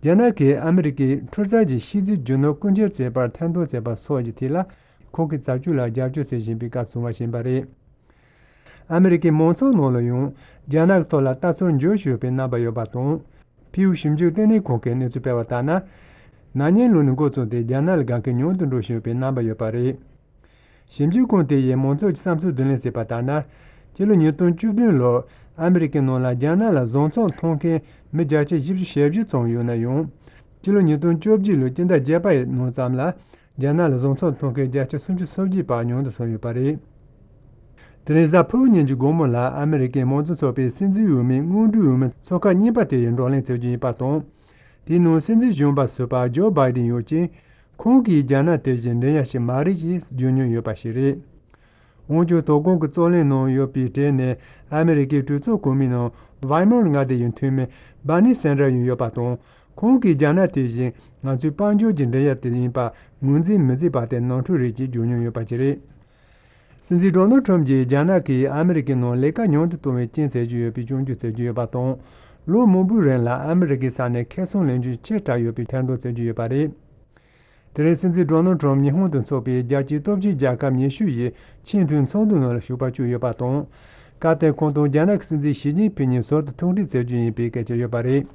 རྒྱ་ནག་གིས་ཨ་མི་རི་ཀའི་འཕྲུལ་རྩལ་གྱི་ཤེས་ཚད་རྒྱུ་ནོར་རྐུ་འཁྱེར་བྱས་པར་ཐེར་འདོན་བྱས་པ་སོགས་ཀྱི་ཐད་ལ་ཁོང་གི་བྱ་སྤྱོད་ལ་རྒྱབ་སྐྱོར་བྱེད་བཞིན་པའི་སྐབས་བྱུང་བ་ཡིན་པ་རེད། ཨ་མི་རི་ཀའི་མང་ཚོགས་ནང་ལ་ཡང་རྒྱ་ནག་ཐོག་ལ་ལྟ་ཚུལ་འགྱུར་བཞིན་ཡོད་པའི་རྣམ་པ་ཡོད་པ་དང་། ཕིའུ་ཞིབ་འཇུག་ལྟེ་གནས་ཁང་གིས་གནས་ཚུལ་སྤེལ་བ་ལྟར་ན། ན་ནིང་ལོ་ནས་འགོ་བཙུགས་ཏེ་རྒྱ་ནག་ལ་དགའ་མཁན་ཉུང་དུ་འགྲོ་བཞིན་ཡོད་པའི་རྣམ་པ་ཡོད་པ་རེད། ཞིབ་འཇུག་ཁང་དེ་ཡིས་མང་ཚོགས་ཀྱི་བསམ་ཚུལ་བསྡུ་ལེན་བྱས་པ་ལྟར་ན། སྤྱི་ལོ་ཉིས་སྟོང་བཅུ་བདུན་ལོར་ཨ་མི་རི་ཀའི་ནང་ལ་རྒྱ་ནག་ལ་བཟང་ཚོང་མཐོང་མཁན་མི་བརྒྱ་ཆ་བཞི་བཅུ་ཞེ་བཞི་ཙམ་ཡོད་ན་ཡང་། སྤྱི་ལོ་ཉིས་སྟོང་བཅོ་བརྒྱད་ལོའི་སྤྱི་ཟླ་བརྒྱད་པ་ཡི་ནང་ཙམ་ལ། རྒྱ་ནག་ལ་བཟང་ཚོང་མཐོང་མཁན་བརྒྱ་ཆ་སུམ་ཅུ་སོ་བརྒྱད་བར་ཉུང་དུ་སོང་ཡོད་པ་རེད། དེ་རིང་གཟའ་ཕུར་བུ་ཉིན་གྱི་དགོང་མོ་ལ་ཨ་མི་རི་ཀའི་མང་གཙོ་ཚོགས་པའི་སྲིད་འཛིན་འོས་མི་སྔོན་འགྲོའི་འོས་མི་ཚོགས་ཁག་གཉིས་པ་དེ་ཡི་བགྲོ་གླེང་བྱེད་རྒྱུ་ཡིན་པ་དང་། དེའི་ནང་སྲིད་འཛིན་གཞོན་པ་ཟུར་པ་ཇོ་བྷའི་ཌེན་ཡོད་ཅིང་། ཁོང་གིས་རྒྱ་ནག་དེ་བཞིན་འགྲན་ཡ་ཞིག་མ་རེད་ཅེས་བརྗོད་མྱོང་ཡོད་པ་ཞིག་རེད། འོན་ཀྱང་། དོ་དགོང་གི་རྩོད་གླེང་ནང་ཡོད་པའི་གྲས་ནས་ཨ་མི་རི་ཀའི་གྲོས་ཚོགས་གོང་མའི་ནང་ཝར་མོན་མངའ་སྡེ་ཡི་འཐུས་མི་བྷར་ནི་སན་ཌར་ཡང་ཡོད་པ་དང་། ཁོང་གིས་རྒྱ་ནག་དེ་བཞིན་ང་ཚོའི་དཔལ་འབྱོར་གྱི་འགྲན་ཡ་དེ་ཡིན་པ་ངོས་འཛིན་མི་བྱེད་པ་དེ་ནོར་འཁྲུལ་རེད་ཅེས་བརྗོད་མྱོང་ཡོད་པ་ཞིག་རེད། སྲིད་འཛིན་ཌོ་ནལ་ཁྲོམ་གྱིས་རྒྱ་ནག་གིས་ཨ་མི་རི་ཀའི་ནང་ལས་ཀ་ཉུང་དུ་གཏོང་བའི་རྐྱེན་བྱེད་ཀྱི་ཡོད་པའི་སྐྱོན་བརྗོད་བྱེད་ཀྱི་ཡོད་པ་དང་། ལོ་མང་པོའི་རིང་ལ་ཨ་མི་རི་ཀའི་ས་ནས་ཁེ་བཟང་ལེན་རྒྱུ་ཆེ་དྲགས་ཡོད་པའི་ཐེར་འདོན་བྱེད་ཀྱི་ཡོད་པ་རེད། དེ་རིང་སྲིད་འཛིན་ཌོ་ནལ་ཁྲོམ་ཉི་ཧོང་དུ་འཚོགས་པའི་རྒྱལ་སྤྱིའི་སྟོབས་ཆེན་རྒྱལ་ཁབ་ཉི་ཤུ་ཡི་ཆེས་མཐོའི་ཚོགས་འདུ་ནང་ལ་ཞུགས་པར་བཅུག་ཡོད་པ་དང་། སྐབས་དེར་ཁོང་དང་རྒྱ་ནག་གི་སྲིད་འཛིན་ཞི་ཅིན་ཕིན་གཉིས་ཟུར་དུ་ཐུག་འཕྲད་མཛད་རྒྱུ་ཡིན་པའི་སྐད་ཆ་ཡོད་པ་རེད།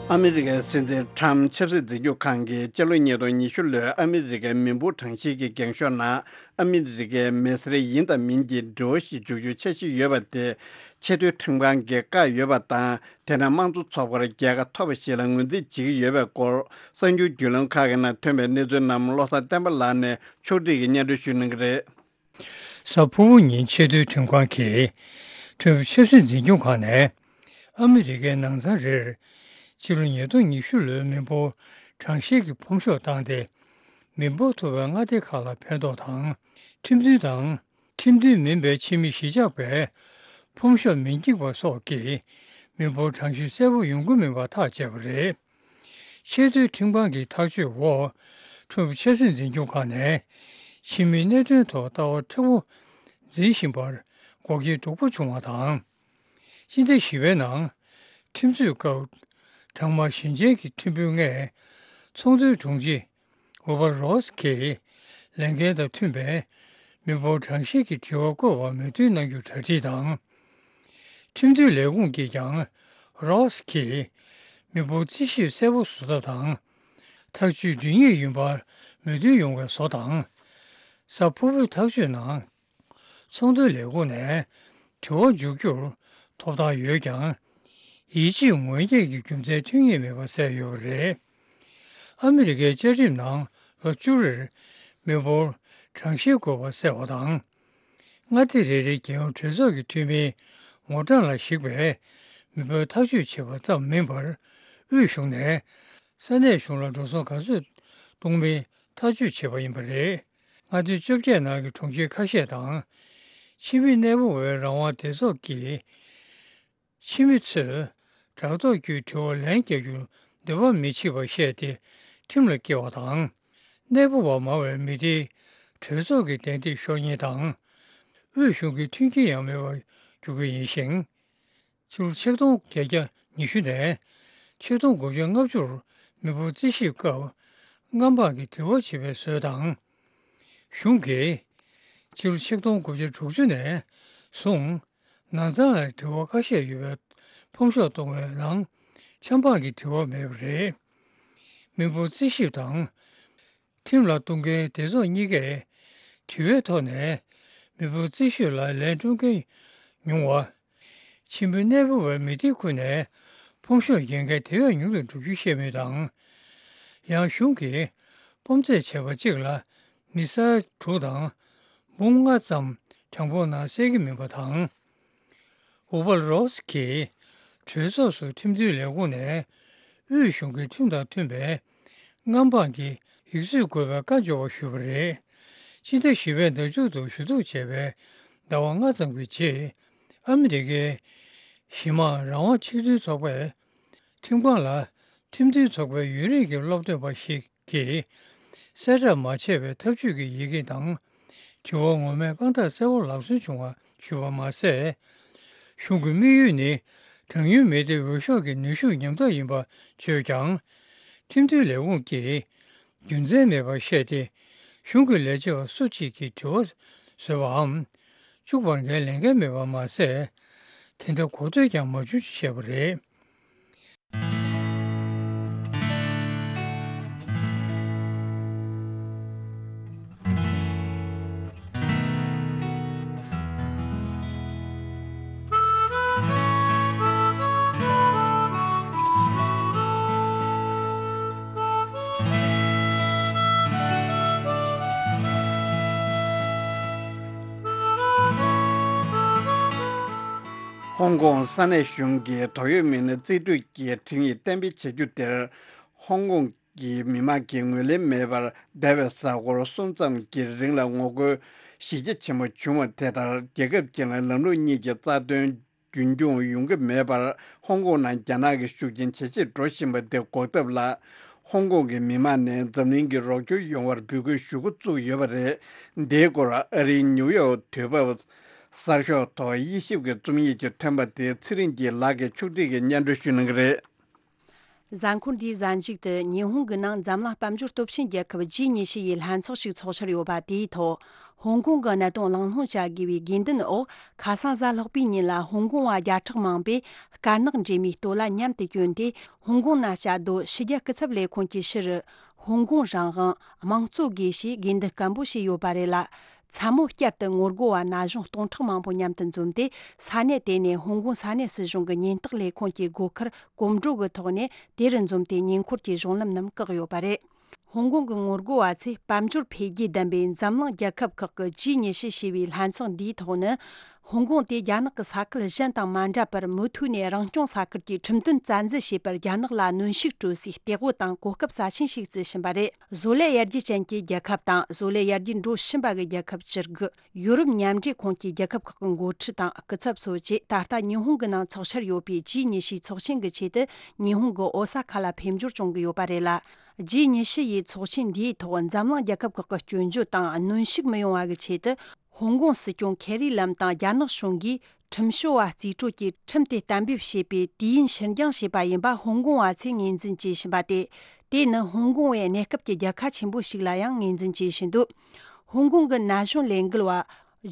ཨ་མི་རི་ཀའི་སྲིད་འཛིན་ཁྲམ་ཆབ་སྲིད་འཛིན་སྐྱོང་ཁང་གིས་སྤྱི་ལོ་ཉིས་སྟོང་ཉི་ཤུ་ལོའི་ཨ་མི་རི་ཀའི་མི་འབོར་གྲངས་བཤེར་གྱི་འགེངས་ཤོག་ནང་ཨ་མི་རི་ཀའི་མི་སེར་ཡིན་དང་མིན་གྱི་འབྲེལ་བ་ཞིག་འཇོག་རྒྱུ་འཆར་གཞི་ཡོད་པ་དེ་ཆེས་མཐོའི་ཁྲིམས་ཁང་གིས་བཀག་ཡོད་པ་དང་། དེ་ནི་དམངས་གཙོ་ཚོགས་པར་རྒྱལ་ཁ་ཐོབ་པ་ཞིག་ལ་ངོས་འཛིན་བྱེད་ཀྱི་ཡོད་པའི་སྐོར་གསར་འགྱུར་བརྒྱུད་ལམ་ཁག་གི་ནང་ཐོན་པའི་གནས་ཚུལ་རྣམས་བློ་བཟང་བསྟན་པ་ལགས་ནས་ཕྱོགས་སྒྲིག་གིས་སྙན་སྒྲོན་ཞུ་གནང་གི་རེད། གཟའ་ཕུར་བུ་ཉིན་ཆེས་མཐོའི་ཁྲིམས་ཁང་གིས་ཁྲིམས་ཆབ་སྲིད་འཛིན་སྐྱོང་ཁང་ནས་ཨ་མི་རི་ཀའི་ནང་ཚང་རེར་སྤྱི་ལོ་ཉིས་སྟོང་ཉི་ཤུ་ལོའི་མི་འབོར་གྲངས་བཤེར་གྱི་ཕོམ་ཤོག་བཏང་སྟེ། མི་འབོར་མཐོ་བའི་མངའ་སྡེ་ཁག་ལ་ཕན་ཐོགས་དང་། ཁྲིམས་མཐུན་དང་། ཁྲིམས་མཐུན་མིན་པའི་ཕྱི་མི་གཞིས་ཆགས་པའི་ཕོམ་ཤོག་མི་འགྱིག་པ་སོགས་ཀྱིས་མི་འབོར་གྲངས་བཤེར་གསལ་པོ་ཡོང་གི་མིན་པ་ཐག་བཅད་པ་རེད། ཆེས་མཐོའི་ཁྲིམས་ཁང་གི་ཐག་གཅོད་འོག་ཁྲིམས་ཆབ་སྲིད་འཛིན་སྐྱོང་ཁང་ནས་ཕྱི་མིའི་གནད་དོན་ཐོག་ལྟ་བ་མཁྲེགས་པོ་འཛིན་བཞིན་པར་འགོག་རྐྱེན་སྡུག་པོ་བྱུང་བ་དང་། སྤྱི་ཟླ་བཞི་པའི་ནང་ཁྲིམས་རྩོད་སྐབས་གྲང་དམག་ཞིང་ཆེན་གྱི་ཁྲིམས་དཔོན་ལྔས་ཚོང་དོན་དྲུང་ཆེ་ཝུ་པར་རོ་སི་གིས་ལས་འགན་དང་མཐུན་པའི་མི་འབོར་གྲངས་བཤེར་གྱི་དྲི་བ་བཀོད་པར་མོས་མཐུན་གནང་རྒྱུར་གྲ་སྒྲིག་དང་། ཁྲིམས་མཐུན་ལས་ཁུངས་ཀྱིས་ཀྱང་རོ་སི་གིས་མི་འབོར་རྩིས་ཞིབ་གསལ་པོ་བཟོ་ཐབས་དང་། ཐག་གཅོད་སྒྲིག་ངེས་ཡིན་པར་མོས་མཐུན་ཡོང་བའི་བཟོ་དང་། གཟའ་ཕུར་བུའི་ཐག་གཅོད་ནང་། ཚོང་དོན་ལས་ཁུངས་ནས་དྲི་བ་འཇོག་རྒྱུར་ཐོབ་ཐང་ཡོད་ཀྱང་། ཡིད་ཆེས་དངོས་རྙེད་ཀྱི་རྒྱུ་མཚན་ཐོན་ངེས་མེད་པ་གསལ་ཡོད་པ་རེད། ཨ་མི་རི་ཀའི་བཅའ་ཁྲིམས་ནང་ལོ་བཅུ་རེར་མི་འབོར་གྲངས་བཤེར་དགོས་པ་གསལ་བ་དང་། མངའ་སྡེ་རེ་རེའི་རྒྱལ་ཡོངས་གྲོས་ཚོགས་ཀྱི་འཐུས་མིའི་ངོ་གྲངས་ལ་གཞིགས་པའི་ མི་འབོར་ཐག་གཅོད་བྱས་པ་ཙམ་མིན་པར། དབུས་གཞུང་ནས་ས་གནས་གཞུང་ལ་འགྲོ་སོང་ག་ཚོད་གཏོང་མིན་ཐག་གཅོད་བྱས་པ་ཡིན་པ་རེད། མངའ་སྡེ་བཅོ་བརྒྱད་ནང་གི་གྲོང་ཁྱེར་ཁ་ཤས་དང་། ཕྱི་མི་གནས་སྤོ་བའི་རང་དབང་སྡེ་ཚོགས་ཀྱི་ཕྱི་མི་ཚོས་དྲ་ཐོག་བརྒྱུད་དྲི་བར་ལན་བརྒྱབ་རྒྱུར་འདོད་པ་མི་བྱེད་པར་བཤད་དེ། ཁྲིམས་ལ་བཀལ་བ་དང་། གནས་སྤོ་བ་མང་བའི་མི་སྡེའི་གྲོས་ཚོགས་ཀྱི་གདན་ཐིག་ཤོར་ཉེན་དང་། དབུས་གཞུང་གི་མཐུན་རྐྱེན་ཡང་མེད་པར་འགྱུར་གྱི་ཡིན་ཞིང་། ཕྱི་ལོ་ཆིག་སྟོང་བརྒྱད་བརྒྱ་ཉི་ཤུ་ནས་ཆིག་སྟོང་དགུ་བརྒྱ་ལྔ་བཅུར་མི་འབོར་རྩིས་ཞིབ་སྐབས་མངའ་འབངས་ཀྱི་དྲི་བ་བྱེད་པའི་སྲོལ་དང་། གཞུང་གིས་ཕྱི་ལོ་ཆིག་སྟོང་དགུ་བརྒྱ་དྲུག་ཅུ་ནས་བཟུང་ནང་ཚང་ལ་དྲི་བ་ཁ་ཤས་ཡོད་པའི་ཕོམ་ཤོག་གཏོང་བའི་ནང་ཆབ་འབངས་ཀྱི་དྲི་བ་མེད་པ་རེད། མི་འབོར་རྩིས་ཞིབ་དང་། ཁྲིམས་ལ་གཏོང་མཁན་སྡེ་ཚོགས་གཉིས་ཀས་དྲི་བའི་ཐོག་ནས་མི་འབོར་རྩིས་ཞིབ་ལ་ལན་སྤྲོད་མཁན་ཉུང་བ། ཕྱི་མི་གནས་སྤོ་བའི་མི་སྡེ་ཁུལ་ནས་ཕོམ་ཤོག་འགེངས་མཁན་དེ་བས་ཉུང་དུ་འགྲོ་རྒྱུ་བཤད་མུས་དང་། ཡང་གཞུང་གིས་སྤོམ་རྩེད་བྱས་པ་གཅིག་ལ་མི་ས་ཡ་དྲུག་དང་འབུམ་ལྔ་ཙམ་གྲངས་འབོར་ནང་གསལ་གྱི་མིན་པ་དང་། ཨུ་བལ་རོས་གྱིས་གྲོས་ཚོགས་སུ་ཁྲིམས་མཐུན་ལས་ཁུངས་ནས་དབུས་གཞུང་གི་ཁྲིམས་དང་མཐུན་པའི་མངའ་འབངས་ཀྱི་ཡིག་ཚོད་དགོས་པའི་བཀའ་འབྱོར་བ་ཞུས་པ་རེད། ཕྱི་ཟླ་བཞི་པའི་ཟླ་མཇུག་ཏུ་ཞུ་གཏུག་བྱས་པའི་ཟླ་བ་ལྔ་ཙམ་གྱི་རྗེས། ཨ་མི་རི་ཀའི་གཞི་དམངས་རང་དབང་ཆིག་སྒྲིལ་ཚོགས་པས་ཁྲིམས་ཁང་ལ་ཁྲིམས་མཐུན་ཚོགས་པའི་ཡུན་རིང་གི་སློབ་སྟོན་པ་ཞིག་གིས་གསལ་བསྒྲགས་མ་བྱས་པའི་ཐབས་ཇུས་ཀྱི་ཡི་གེ་དང་། དྲི་བ་ངོ་མས་དཔང་རྟགས་གསལ་བོ་ལག་སོན་བྱུང་བ་ཞུས་པ་མ་ཟད། གཞུང་གི་དམིགས་ཡུལ་ནི་གྲངས་ཉུང་མི་སྡེའི་འོས་ཤོག་གི་ནུས་ཤུགས་ཉམས་ཐག་ཡིན་པ་བརྗོད་ཀྱང་། ཁྲིམས་མཐུན་ལས་ཁུངས་ཀྱིས་རྒྱུ་མཚན་མེད་པར་བཤད་དེ། གཞུང་གི་ལས་བྱེད་པ་སུ་གཅིག་གིས་དྲི་བ་བཟོས་པའམ་བཅུག་པར་འགན་ལེན་མཁན་མེད་པ་མ་ཟད། དེ་འདྲ་གོ་ཐོས་ཀྱང་མ་བྱུང་ཞེས་བཤད་པ་རེད། ཧོང་ཀོང་ས་གནས་གཞུང་གིས་དོགས་ཡོད་མི་སྣ་རྩིས་སྤྲོད་ཀྱི་ཁྲིམས་ཡིག་གཏན་འབེབས་བྱ་རྒྱུ་དེར། ཧོང་ཀོང་གི་མི་དམངས་ཀྱིས་ངོས་ལེན་མེད་པར་འདས་པའི་གཟའ་འཁོར་གསུམ་ཙམ་གྱི་རིང་ལ་ངོ་རྒོལ་གཞི་རྒྱ་ཆེན་པོ་བྱུང་བ་དེ་ལྟར། རྒྱལ་ཁབ་གཅིག་ལ་ལམ་ལུགས་གཉིས་ཀྱི་རྩ་དོན་རྒྱུན་འཁྱོངས་ཡོང་གི་མེད་པར། ཧོང་ཀོང་ནང་རྒྱ་ནག་གི་ཤུགས་རྐྱེན་ཇེ་ཆེར་འགྲོ་བཞིན་པ་དེ་འགོག་ཐབས་ལ། ཧོང་ཀོང་གི་མི་དམངས་ནས་འཛམ་གླིང་གི་རོགས་སྐྱོར་ཡོང་བར་འབོད་སྐུལ་ཞུ་འགོ་བཙུགས་ཡོད་པ་རེད། འདིའི་སྐོར་ཨ་རིའི་ནིའུ་ཡོག་དུས་བབ་གསར་ཤོག་ཐོག་དབྱེ་ཞིབ་ཀྱི་རྩོམ་ཡིག་ཅིག་ཐོན་པ་དེ་ཚེ་རིང་སྐྱིད་ལགས་ཀྱིས་ཕྱོགས་སྒྲིག་གིས་སྙན་སྒྲོན་ཞུ་གནང་གི་རེད། གཟའ་འཁོར་འདིའི་གཟའ་མཇུག་ཏུ་ཉི་ཧོང་གི་ནང་འཛམ་གླིང་དཔལ་འབྱོར་སྟོབས་ཆེན་རྒྱལ་ཁབ་ཇི་ཉི་ཤུ་ཡི་ལྷན་ཚོགས་ཤིག་ཚོགས་འཆར་ཡོད་པ་དེའི་ཐོག་ཧོང་ཀོང་གི་གནད་དོན་གླེང་སློང་བྱ་དགོས་པའི་དགོས་འདུན་འོག་ཁ་སང་གཟའ་ལྷག་པའི་ཉིན་ལ་ཧོང་ཀོང་བ་བརྒྱ་ཕྲག་མང་པོས་དཀར་ནག་འདྲེས་མའི་སྟོད་ལྭ་མཉམ་དུ་གྱོན་ཏེ། ཧོང་ཀོང་ནང་བཅའ་སྡོད་ཕྱི་རྒྱལ་སྐུ་ཚབ་ལས་ཁུངས་ཀྱི་ཕྱི་རུ། ཧོང་ཀོང་རང་དབང་། དམངས་གཙོ་དགོས་ཞེས་དགོས་འདུན་སྐམ་པོ་བྱས་ཡོད་པ་རེད་ལ། མཚན་མོ་བསྐྱར་དུ་ངོ་རྒོལ་བ་ན་གཞོན་སྟོང་ཕྲག་མང་པོ་མཉམ་དུ་འཛོམས་ཏེ། ས་གནས་དེ་ནས་ཧོང་ཀོང་ས་གནས་སྲིད་གཞུང་གི་ཉེན་རྟོག་ལས་ཁུངས་ཀྱི་སྒོ་ཁར་གོམ་བགྲོད་ཀྱི་ཐོག་ནས་དེ་རུ་འཛོམས་ཏེ། ཉེ་འཁོར་གྱི་གཞུང་ལམ་རྣམས་བཀག་ཡོད་པ་རེད། ཧོང་ཀོང་གི་ངོ་རྒོལ་བ་ཚོས་དཔལ་འབྱོར་འཕེལ་རྒྱས་ལྡན་པའི་འཛམ་གླིང་རྒྱལ་ཁབ་ཁག་གི་ཇི་ཉི་ཤུ་ཞེས་པའི་ལྷན་ཚོགས་འདིའི་ཐོག་ནས། ཧོང་ཀོང་དེ་རྒྱ་ནག་གི་ས་ཁུལ་གཞན་དང་མ་འདྲ་བར། མུ་མཐུད་ནས་རང་སྐྱོང་ས་ཁུལ་གྱི་ཁྲིམས་དོན་བཙན་འཛུལ་བྱས་པར་རྒྱ་ནག་ལ་གནོན་ཤུགས་སྤྲོད་སའི་སྟེགས་བུ་དང་གོ་སྐབས་རྩ་ཆེན་ཞིག་བརྩི་བཞིན་པ་རེད། བཟོ་ལས་ཡར་རྒྱས་ཅན་གྱི་རྒྱལ་ཁབ་དང་། བཟོ་ལས་ཡར་རྒྱས་འགྲོ་བཞིན་པ་གི་རྒྱལ་ཁབ་བཅུ་དགུ། ཡོ་རོབ་མཉམ་འབྲེལ་ཁོངས་ཀྱི་རྒྱལ་ཁབ་ཁག་གི་འགོ་ཁྲིད་དང་སྐུ་ཚབ་ཚོ་བཅས། ད་ལྟ་ཉི་ཧོང་གི་ནང་ཚོགས་འཆར་ཡོད་པའི་ཇི་ཉི་ཤུའི་ཚོགས་ཆེན་གྱི་ཆེད་དུ། ཉི་ཧོང་གི་ཨོ་ས་ཁ་ལ་ཕེབས་འབྱོར་བྱུང་གི་ཡོད་པ་རེད་ལ། ཇི་ཉི་ཤུ་ཡི་ཚོགས་ཆེན་འདིའི་ཐོག་འཛམ་གླིང་རྒྱལ་ཁབ་ཁག་གི་སྐྱོན་བརྗོད་དང་གནོན་ཤུགས་མི་ཡོང་བ་གི་ཆེད་དུ། ཧོང་ཀོང་སྲིད་སྐྱོང་ཁེ་རི་ལམ་དང་རྒྱ་ནག་གཞུང་གིས་ཁྲིམས་སྐྱོང་བ་རྩིས་སྤྲོད་ཀྱིས་ཁྲིམས་དེ་གཏན་འབེབས་བྱས་པའི་དུས་ཡུན་ཕྱིར་འགྱངས་བྱས་པ་ཡིན་པ་ཧོང་ཀོང་བ་ཚོས་ངོས་འཛིན་བྱེད་བཞིན་པ་སྟེ། དེ་ནི་ཧོང་ཀོང་བའི་གནས་སྐབས་ཀྱི་རྒྱལ་ཁ་ཆེན་པོ་ཞིག་ལ་ཡང་ངོས་འཛིན་བྱེད་བཞིན་འདུག་ཧོང་ཀོང་གི་ན་གཞོན་ལས་འགུལ་བ་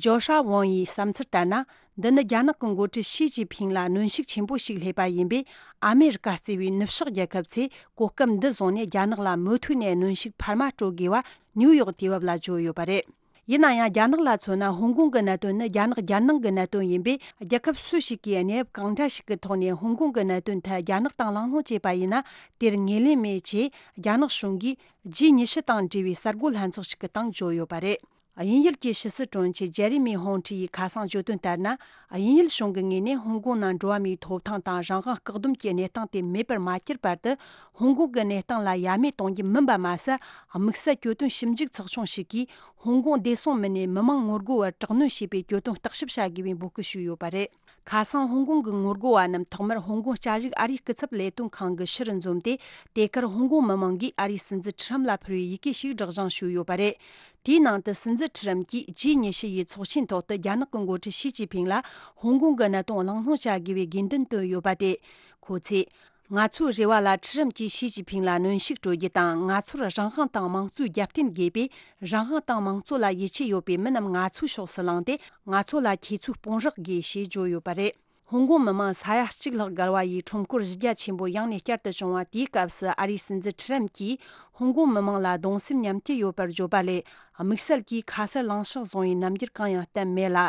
ཇོ་ཧྲ་ཝོང་ཡི་བསམ་ཚུལ་ལྟར་ན། འདི་ནི་རྒྱ་ནག་གི་འགོ་ཁྲིད་ཞི་ཅིན་ཕིང་ལ་གནོན་ཤུགས་ཆེན་པོ་ཞིག་སླེབས་པ་ཡིན་པས། ཨ་མེ་རི་ཀ་གཙོས་པའི་ནུབ་ཕྱོགས་རྒྱལ་ཁབ་ཚོས་གོ་སྐབས་འདི་བཟུང་ནས་རྒྱ་ནག་ལ་མུ་མཐུད་ནས་གནོན་ཤུགས་འཕར་མ་སྤྲོད་དགོས་པ་ནིའུ་ཡོག་དུས་བབ་ལ་བརྗོད་ཡོད་པ་རེད། ཡིན་ན་ཡང་། རྒྱ་ནག་ལ་མཚོན་ན། ཧོང་ཀོང་གི་གནད་དོན་ནི་རྒྱ་ནག་རྒྱལ་ནང་གི་གནད་དོན་ཡིན་པས། རྒྱལ་ཁབ་སུ་ཞིག་གིས་གནས་བབ་གང་འདྲ་ཞིག་གི་ཐོག་ནས་ཧོང་ཀོང་གི་གནད་དོན་ཐད་རྒྱ་ནག་དང་གླེང་སློང་བྱས་པ་ཡིན་ན། དེར་ངོས་ལེན་མེད་ཅེས་རྒྱ་ནག་གཞུང་གིས་ཇི་ཉི་ཤུ་དང་འབྲེལ་བའི་གསར་འགོད་ལྷན་ཚོགས་ཤིག་གི་སྟེང་བརྗོད་ཡོད་པ་རེད། དབྱིན་ཡུལ་གྱི་ཕྱི་སྲིད་དྲུང་ཆེ་ཇེ་རི་མི་ཧོང་ཁྲི་ཡིས་ཁ་སང་བརྗོད་དོན་ལྟར་ན། དབྱིན་ཡུལ་གཞུང་གི་ངོས་ནས་ཧོང་ཀོང་ནང་འགྲོ་བ་མིའི་ཐོབ་ཐང་དང་རང་དབང་བཀག་སྡོམ་གྱི་གནས་སྟངས་དེ་མེད་པར་མ་གྱུར་བར་དུ། ཧོང་ཀོང་གི་གནས་སྟངས་ལ་ཡ་མེད་གཏོང་རྒྱུ་མིན་པ་མ་ཟད། དམིགས་བསལ་གྱོད་དོན་ཞིབ་འཇུག་ཚོགས་ཆུང་ཞིག་གིས་ཧོང་ཀོང་བདེ་སྲུང་མི་སྣས་མི་མང་ངོ་རྒོལ་བར་དྲག་གནོན་བྱས་པའི་གྱོད་དོན་བརྟག་ཞིབ་བྱ་དགོས་པའི་འབོད་སྐུལ་ཞུས་ཡོད་པ་རེད། ཁ་སང་ཧོང་ཀོང་གི་ངོ་རྒོལ་བ་རྣམས་ཐོག་མར་ཧོང་ཀོང་བསྐྱར་ཞུགས་ཨ་རིའི་སྐུ་ཚབ་ལས་དོན་ཁང་གི་ཕྱི་རུ་འཛོམས་ཏེ། དེ་གར་ཧོང་ཀོང་མི་མང་གིས་ཨ་རིའི་སྲིད་འཛིན་ཁྲི་རམ་ལ་ཕུལ་བའི་ཡི་གེ་ཞིག་སྒྲོག་སྦྱང་ཞུས་ཡོད་པ་རེད། དེའི་ནང་དུ་སྲིད་འཛིན་ཁྲི་རམ་གྱིས་ཇི་ཉི་ཤུ་ཡི་ཚོགས་ཆེན་ཐོག་ཏུ་རྒྱ་ནག་གི་འགོ་ཁྲིད་ཞི་ཅིན་ཕིང་ལ་ཧོང་ཀོང་གི་གནད་དོན་གླེང་སློང་བྱ་དགོས་པའི་དགོས་འདུན་བཏོན་ཡོད་པ་དེ། ཁོ་ཚོས། ང་ཚོའི་རེ་བ་ལ་ཁྲི་རམ་གྱིས་ཞི་ཅིན་ཕིང་ལ་གནོན་ཤུགས་སྤྲོད་རྒྱུ་དང་། ང་ཚོར་རང་དབང་དང་དམངས་གཙོའི་རྒྱབ་རྟེན་དགོས་པས། རང་དབང་དང་དམངས་གཙོ་ལ་ཡིད་ཆེས་ཡོད་པའི་མི་རྣམས་ང་ཚོའི་ཕྱོགས་སུ་ལངས་ཏེ། ང་ཚོ་ལ་ཁྱེད་ཚོས་དཔུང་རོགས་དགོས་ཞེས་བརྗོད་ཡོད་པ་རེད། ཧོང་ཀོང་མི་མང་ས་ཡ་གཅིག་ལྷག་བརྒལ་བ་ཡིས་ཁྲོམ་སྐོར་གཞི་རྒྱ་ཆེན་པོ་ཡང་ནས་བསྐྱར་དུ་བྱུང་བ་དེའི་སྐབས་སུ། ཨ་རིའི་སྲིད་འཛིན་ཁྲི་རམ་གྱིས་ཧོང་ཀོང་མི་མང་ལ་གདུང་སེམས་མཉམ་སྐྱེད་ཡོད་པར་བརྗོད་པ་ལས། དམིགས་བསལ་གྱིས་ཁ་གསལ་ལངས་ཕྱོགས་བཟུང་བའི་རྣམ་འགྱུར་གང་ཡང་བསྟན་མེད་ལ།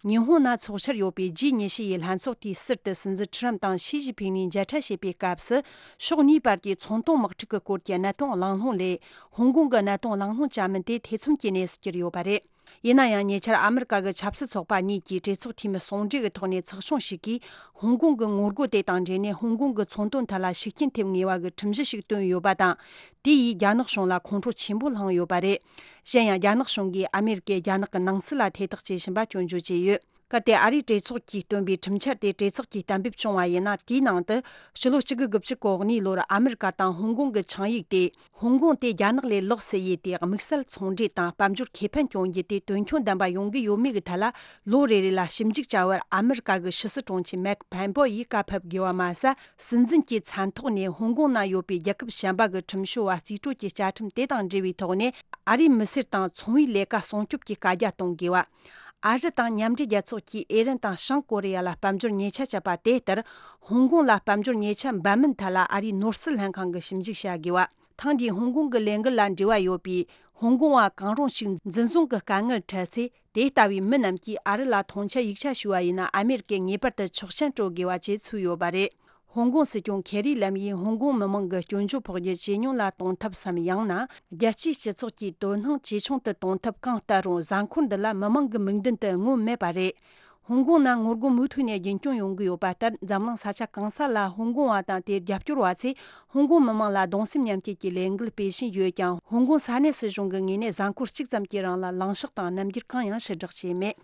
ཉི་ཧོང་ན་འཚོགས་འཆར་ཡོད་པའི་ཇི་ཉི་ཤུ་ཡི་ལྷན་ཚོགས་དེའི་ཟུར་དུ་སྲིད་འཛིན་ཁྲི་རམ་དང་ཞི་ཅིན་ཕིང་གཉིས་མཇལ་འཕྲད་བྱས་པའི་སྐབས་སུ། ཕྱོགས་གཉིས་བར་གྱི་ཚོང་དོན་དམག་འཁྲུག་གི་སྐོར་གྱི་གནད་དོན་གླེང་སློང་ལས། ཧོང་ཀོང་གི་གནད་དོན་གླེང་སློང་བྱ་མིན་དེ་ཐེ་ཚོམ་གྱི་གནས་སུ་གྱུར་ཡོད་པ་རེད། ཡིན་ན་ཡང་། ཉེ་ཆར་ཨ་མི་རི་ཀ་གི་ཆབ་སྲིད་ཚོགས་པ་གཉིས་ཀྱིས་གྲོས་ཚོགས་འཐུས་མི་ཟུང་འབྲེལ་གྱི་ཐོག་ནས་ཚོགས་ཆུང་ཞིག་གིས། ཧོང་ཀོང་གི་ངོ་རྒོལ་དེ་དང་འབྲེལ་ནས། ཧོང་ཀོང་གི་ཚོང་དོན་ཐད་ལ་ཤུགས་རྐྱེན་ཐེབས་ངེས་པ་གི་ཁྲིམས་གཞི་ཞིག་བཏོན་ཡོད་པ་དང་། དེ་ཡིས་རྒྱ་ནག་གཞུང་ལ་ཁོང་ཁྲོ་ཆེན་པོ་བསླངས་ཡོད་པ་རེད། གཞན་ཡང་། རྒྱ་ནག་གཞུང་གིས་ཨ་མེ་རི་ཀས་རྒྱ་ནག་གི་ནང་སྲིད་ལ་ཐེ་གཏོགས་བྱེད་བཞིན་པ་སྐྱོན་བརྗོད་བྱས་ཡོད། གལ་ཏེ་ཨ་རིའི་གྲོས་ཚོགས་ཀྱིས་བཏོན་པའི་ཁྲིམས་འཆར་དེ་གྲོས་ཚོགས་ཀྱིས་གཏན་འབེབས་བྱུང་བ་ཡིན་ན། དེའི་ནང་དུ་ཕྱི་ལོ་གཅིག་དགུ་དགུ་བཅུ་གོ་གཉིས་ལོར་ཨ་མི་རི་ཀ་དང་ཧོང་ཀོང་གི་ཆིངས་ཡིག་དེ། ཧོང་ཀོང་དེ་རྒྱ་ནག་ལས་ལོགས་སུ་ཡོད་དེ། དམིགས་བསལ་ཚོང་འབྲེལ་དང་དཔལ་འབྱོར་ཁེ་ཕན་སྐྱོང་རྒྱུ་དེ་དོན་འཁྱོལ་ལྡན་པ་ཡོང་གི་ཡོད་མེད་ཀྱི་ཐད་ལ། ལོ་རེ་རེ་ལ་ཞིབ་འཇུག་བྱ་བར་ཨ་མི་རི་ཀ་གི་ཕྱི་སྲིད་དྲུང་ཆེ་མེག་ཕན་པོ་ཡིས་བཀའ་ཕབ་དགོས་པ་མ་ཟད། སྲིད་འཛིན་གྱི་མཚན་ཐོག་ནས་ཧོང་ཀོང་ན་ཡོད་པའི་རྒྱལ་ཁབ་གཞན་པ་གི་ཁྲིམས་བྱོལ་བ་རྩིས་སྤྲོད་ཀྱི་བཅའ་ཁྲིམས་དེ་དང་འབྲེལ་བའི་ཐོག་ནས། ཨ་རིའི་མི་སེར་དང་ཚོང་བའི་ལས་ཀ་སྲུང་སྐྱོབ་ཀྱི་བཀའ་རྒྱ་གཏོང་དགོས་པ། ཨ་རི་དང་མཉམ་འབྲེལ་རྒྱལ་ཚོགས་ཀྱིས་ཨི་རན་དང་བྱང་ཀོ་རི་ཡ་ལ་དཔལ་འབྱོར་ཉེས་ཆད་བཅད་པ་དེ་ལྟར། ཧོང་ཀོང་ལ་དཔལ་འབྱོར་ཉེས་ཆད་འབབ་མིན་ཐད་ལ་ཨ་རིའི་ནོར་སྲིད་ལྷན་ཁང་གིས་ཞིབ་འཇུག་བྱ་དགོས་པ། ཐེངས་འདིའི་ཧོང་ཀོང་གི་ལས་འགུལ་ལ་འབྲེལ་བ་ཡོད་པའི་ཧོང་ཀོང་བ་གང་རུང་ཞིག་འཛིན་བཟུང་གི་དཀའ་ངལ་འཕྲད་ཚེ། དེ་ལྟ་བུའི་མི་རྣམས་ཀྱིས་ཨ་རི་ལ་མཐོང་ཆེན་ཡིག་ཆ་ཞུ་བ་ཡིན་ན། ཨ་མེ་རི་ཀས་ངེས་པར་དུ་ཆོག་མཆན་སྤྲོད་དགོས་པ་བཅས་ཚུད་ཡོད་པ་རེད། ཧོང་ཀོང་སྲིད་སྐྱོང་ཁེ་རི་ལམ་ཡིས་ཧོང་ཀོང་མི་མང་གི་སྐྱོན་བརྗོད་ཕོག་རྒྱུ་ཇེ་ཉུང་ལ་གཏོང་ཐབས་སམ། ཡང་ན། རྒྱལ་སྤྱིའི་སྤྱི་ཚོགས་ཀྱིས་དོ་སྣང་ཇེ་ཆུང་དུ་གཏོང་ཐབས་གང་ལྟར་རུང་། གཟའ་འཁོར་འདི་ལ་མི་མང་གི་མིག་མདུན་དུ་མངོན་མེད་པ་རེད། ཧོང་ཀོང་ནང་ངོ་རྒོལ་མུ་མཐུད་ནས་རྒྱུན་སྐྱོང་ཡོང་གི་ཡོད་པ་ལྟར། འཛམ་གླིང་ས་ཆ་གང་ས་ལ་ཧོང་ཀོང་བ་དང་དེར་རྒྱབ་སྐྱོར་བ་ཚོས་ཧོང་ཀོང་མི་མང་ལ་གདུང་སེམས་མཉམ་སྐྱེད་ཀྱི་ལས་འགུལ་སྤེལ་བཞིན་ཡོད་ཀྱང་། ཧོང་ཀོང་ས་གནས་སྲིད་གཞུང་གི་ངོས་ནས་གཟའ་འཁོར་གཅིག་ཙམ་གྱི་རིང་ལ་ལངས་ཕྱོགས་དང་རྣམ་འགྱུར་གང་ཡང་ཕྱིར་བསྒྲགས་བྱས་མེད།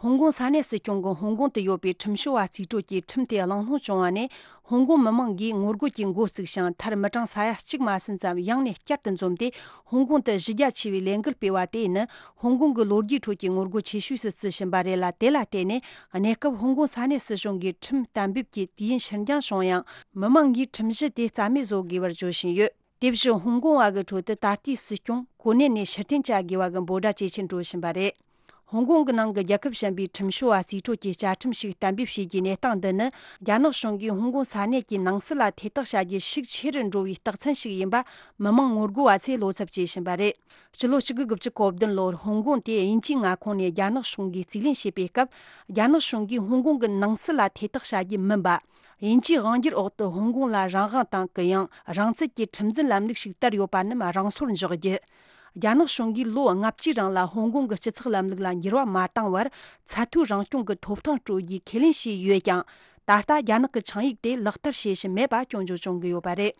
ཧོང་ཀོང་ས་གནས་སྲིད་སྐྱོང་གིས་ཧོང་ཀོང་དུ་ཡོད་པའི་ཁྲིམས་བྱོལ་བ་རྩིས་སྤྲོད་ཀྱི་ཁྲིམས་དེ་གླེང་སློང་བྱུང་བ་ནས། ཧོང་ཀོང་མི་མང་གིས་ངོ་རྒོལ་གྱི་འགོ་བཙུགས་ཤིང་། མཐར་མི་གྲངས་ས་ཡ་གཅིག་མ་ཟིན་ཙམ་ཡང་ནས་བསྐྱར་དུ་འཛོམས་ཏེ། ཧོང་ཀོང་དུ་གཞི་རྒྱ་ཆེ་བའི་ལས་འགུལ་སྤེལ་བ་དེ་ནི། ཧོང་ཀོང་གི་ལོ་རྒྱུས་ཁྲོད་ཀྱི་ངོ་རྒོལ་ཆེ་ཤོས་སུ་བརྩི་བཞིན་པ་རེད་ལ། དེ་ལ་བརྟེན་ནས། གནས་སྐབས་ཧོང་ཀོང་ས་གནས་སྲིད་གཞུང་གིས་ཁྲིམས་གཏན་འབེབས་ཀྱི་དུས་ཡུན་ཕྱིར་འགྱངས་བྱུང་ཡང་། མི་མང་གིས་ཁྲིམས་གཞི་དེ་རྩ་མེད་བཟོ་དགོས་པར་བརྗོད་བཞིན་ཡོད། དེ་བཞིན་ཧོང་ཀོང་བ་གི་ཁྲོད་དུ་ད་ལྟའི་སྲིད་སྐྱོང་གོ་གནས་ནས་ཕྱིར་འཐེན་བྱ་དགོས་པ་གི་འབོད་སྒྲ་ཇེ་ཆེར་འགྲོ་བཞིན་པ་རེད། ཧོང་ཀོང་གི་ནང་གི་རྒྱལ་ཁབ་གཞན་པའི་ཁྲིམས་བྱོལ་བ་རྩིས་སྤྲོད་ཀྱི་བཅའ་ཁྲིམས་ཤིག་གཏན་འབེབས་བྱེད་རྒྱུའི་གནས་སྟངས་འདི་ནི། རྒྱ་ནག་གཞུང་གིས་ཧོང་ཀོང་ས་གནས་ཀྱི་ནང་སྲིད་ལ་ཐེ་གཏོགས་བྱ་རྒྱུ་ཤུགས་ཆེ་རུ་འགྲོ་བའི་རྟགས་མཚན་ཞིག་ཡིན་པ། མི་མང་ངོ་རྒོལ་བ་ཚོས་བློ་འཚབ་བྱེད་བཞིན་པ་རེད། ཕྱི་ལོ་གཅིག་དགུ་དགུ་བཅུ་གོ་བདུན་ལོར་ཧོང་ཀོང་དེ་དབྱིན་ཇིའི་མངའ་ཁོངས་ནས་རྒྱ་ནག་གཞུང་གིས་རྩིས་ལེན་བྱས་པའི་སྐབས། རྒྱ་ནག་གཞུང་གིས་ཧོང་ཀོང་གི་ནང་སྲིད་ལ་ཐེ་གཏོགས་བྱ་རྒྱུ་མིན་པ། དབྱིན་ཇིའི་དབང་སྒྱུར་འོག་ཏུ་ཧོང་ཀོང་ལ་རང་དབང་དང་། གུ་ཡངས་རང་བཙན་གྱི་ཁྲིམས་འཛིན་ལམ་ལུགས་ཤིག་དར་ཡོད་པ་རྣམས་རང་སོར་འཇོག་རྒྱུ། རྒྱ་ནག་གཞུང་གིས་ལོ་ལྔ་བཅུའི་རིང་ལ་ཧོང་ཀོང་གི་སྤྱི་ཚོགས་ལམ་ལུགས་ལ་འགྱུར་བ་མ་བཏང་བར། ཚད་མཐོའི་རང་སྐྱོང་གི་ཐོབ་ཐང་སྤྲོད་རྒྱུའི་ཁས་ལེན་བྱས་ཡོད་ཀྱང་། ད་ལྟ་རྒྱ་ནག་གི་ཆིངས་ཡིག་དེ་ལག་བསྟར་བྱེད་བཞིན་མེད་པ་སྐྱོན་བརྗོད་བྱུང་གི་ཡོད་པ་རེད།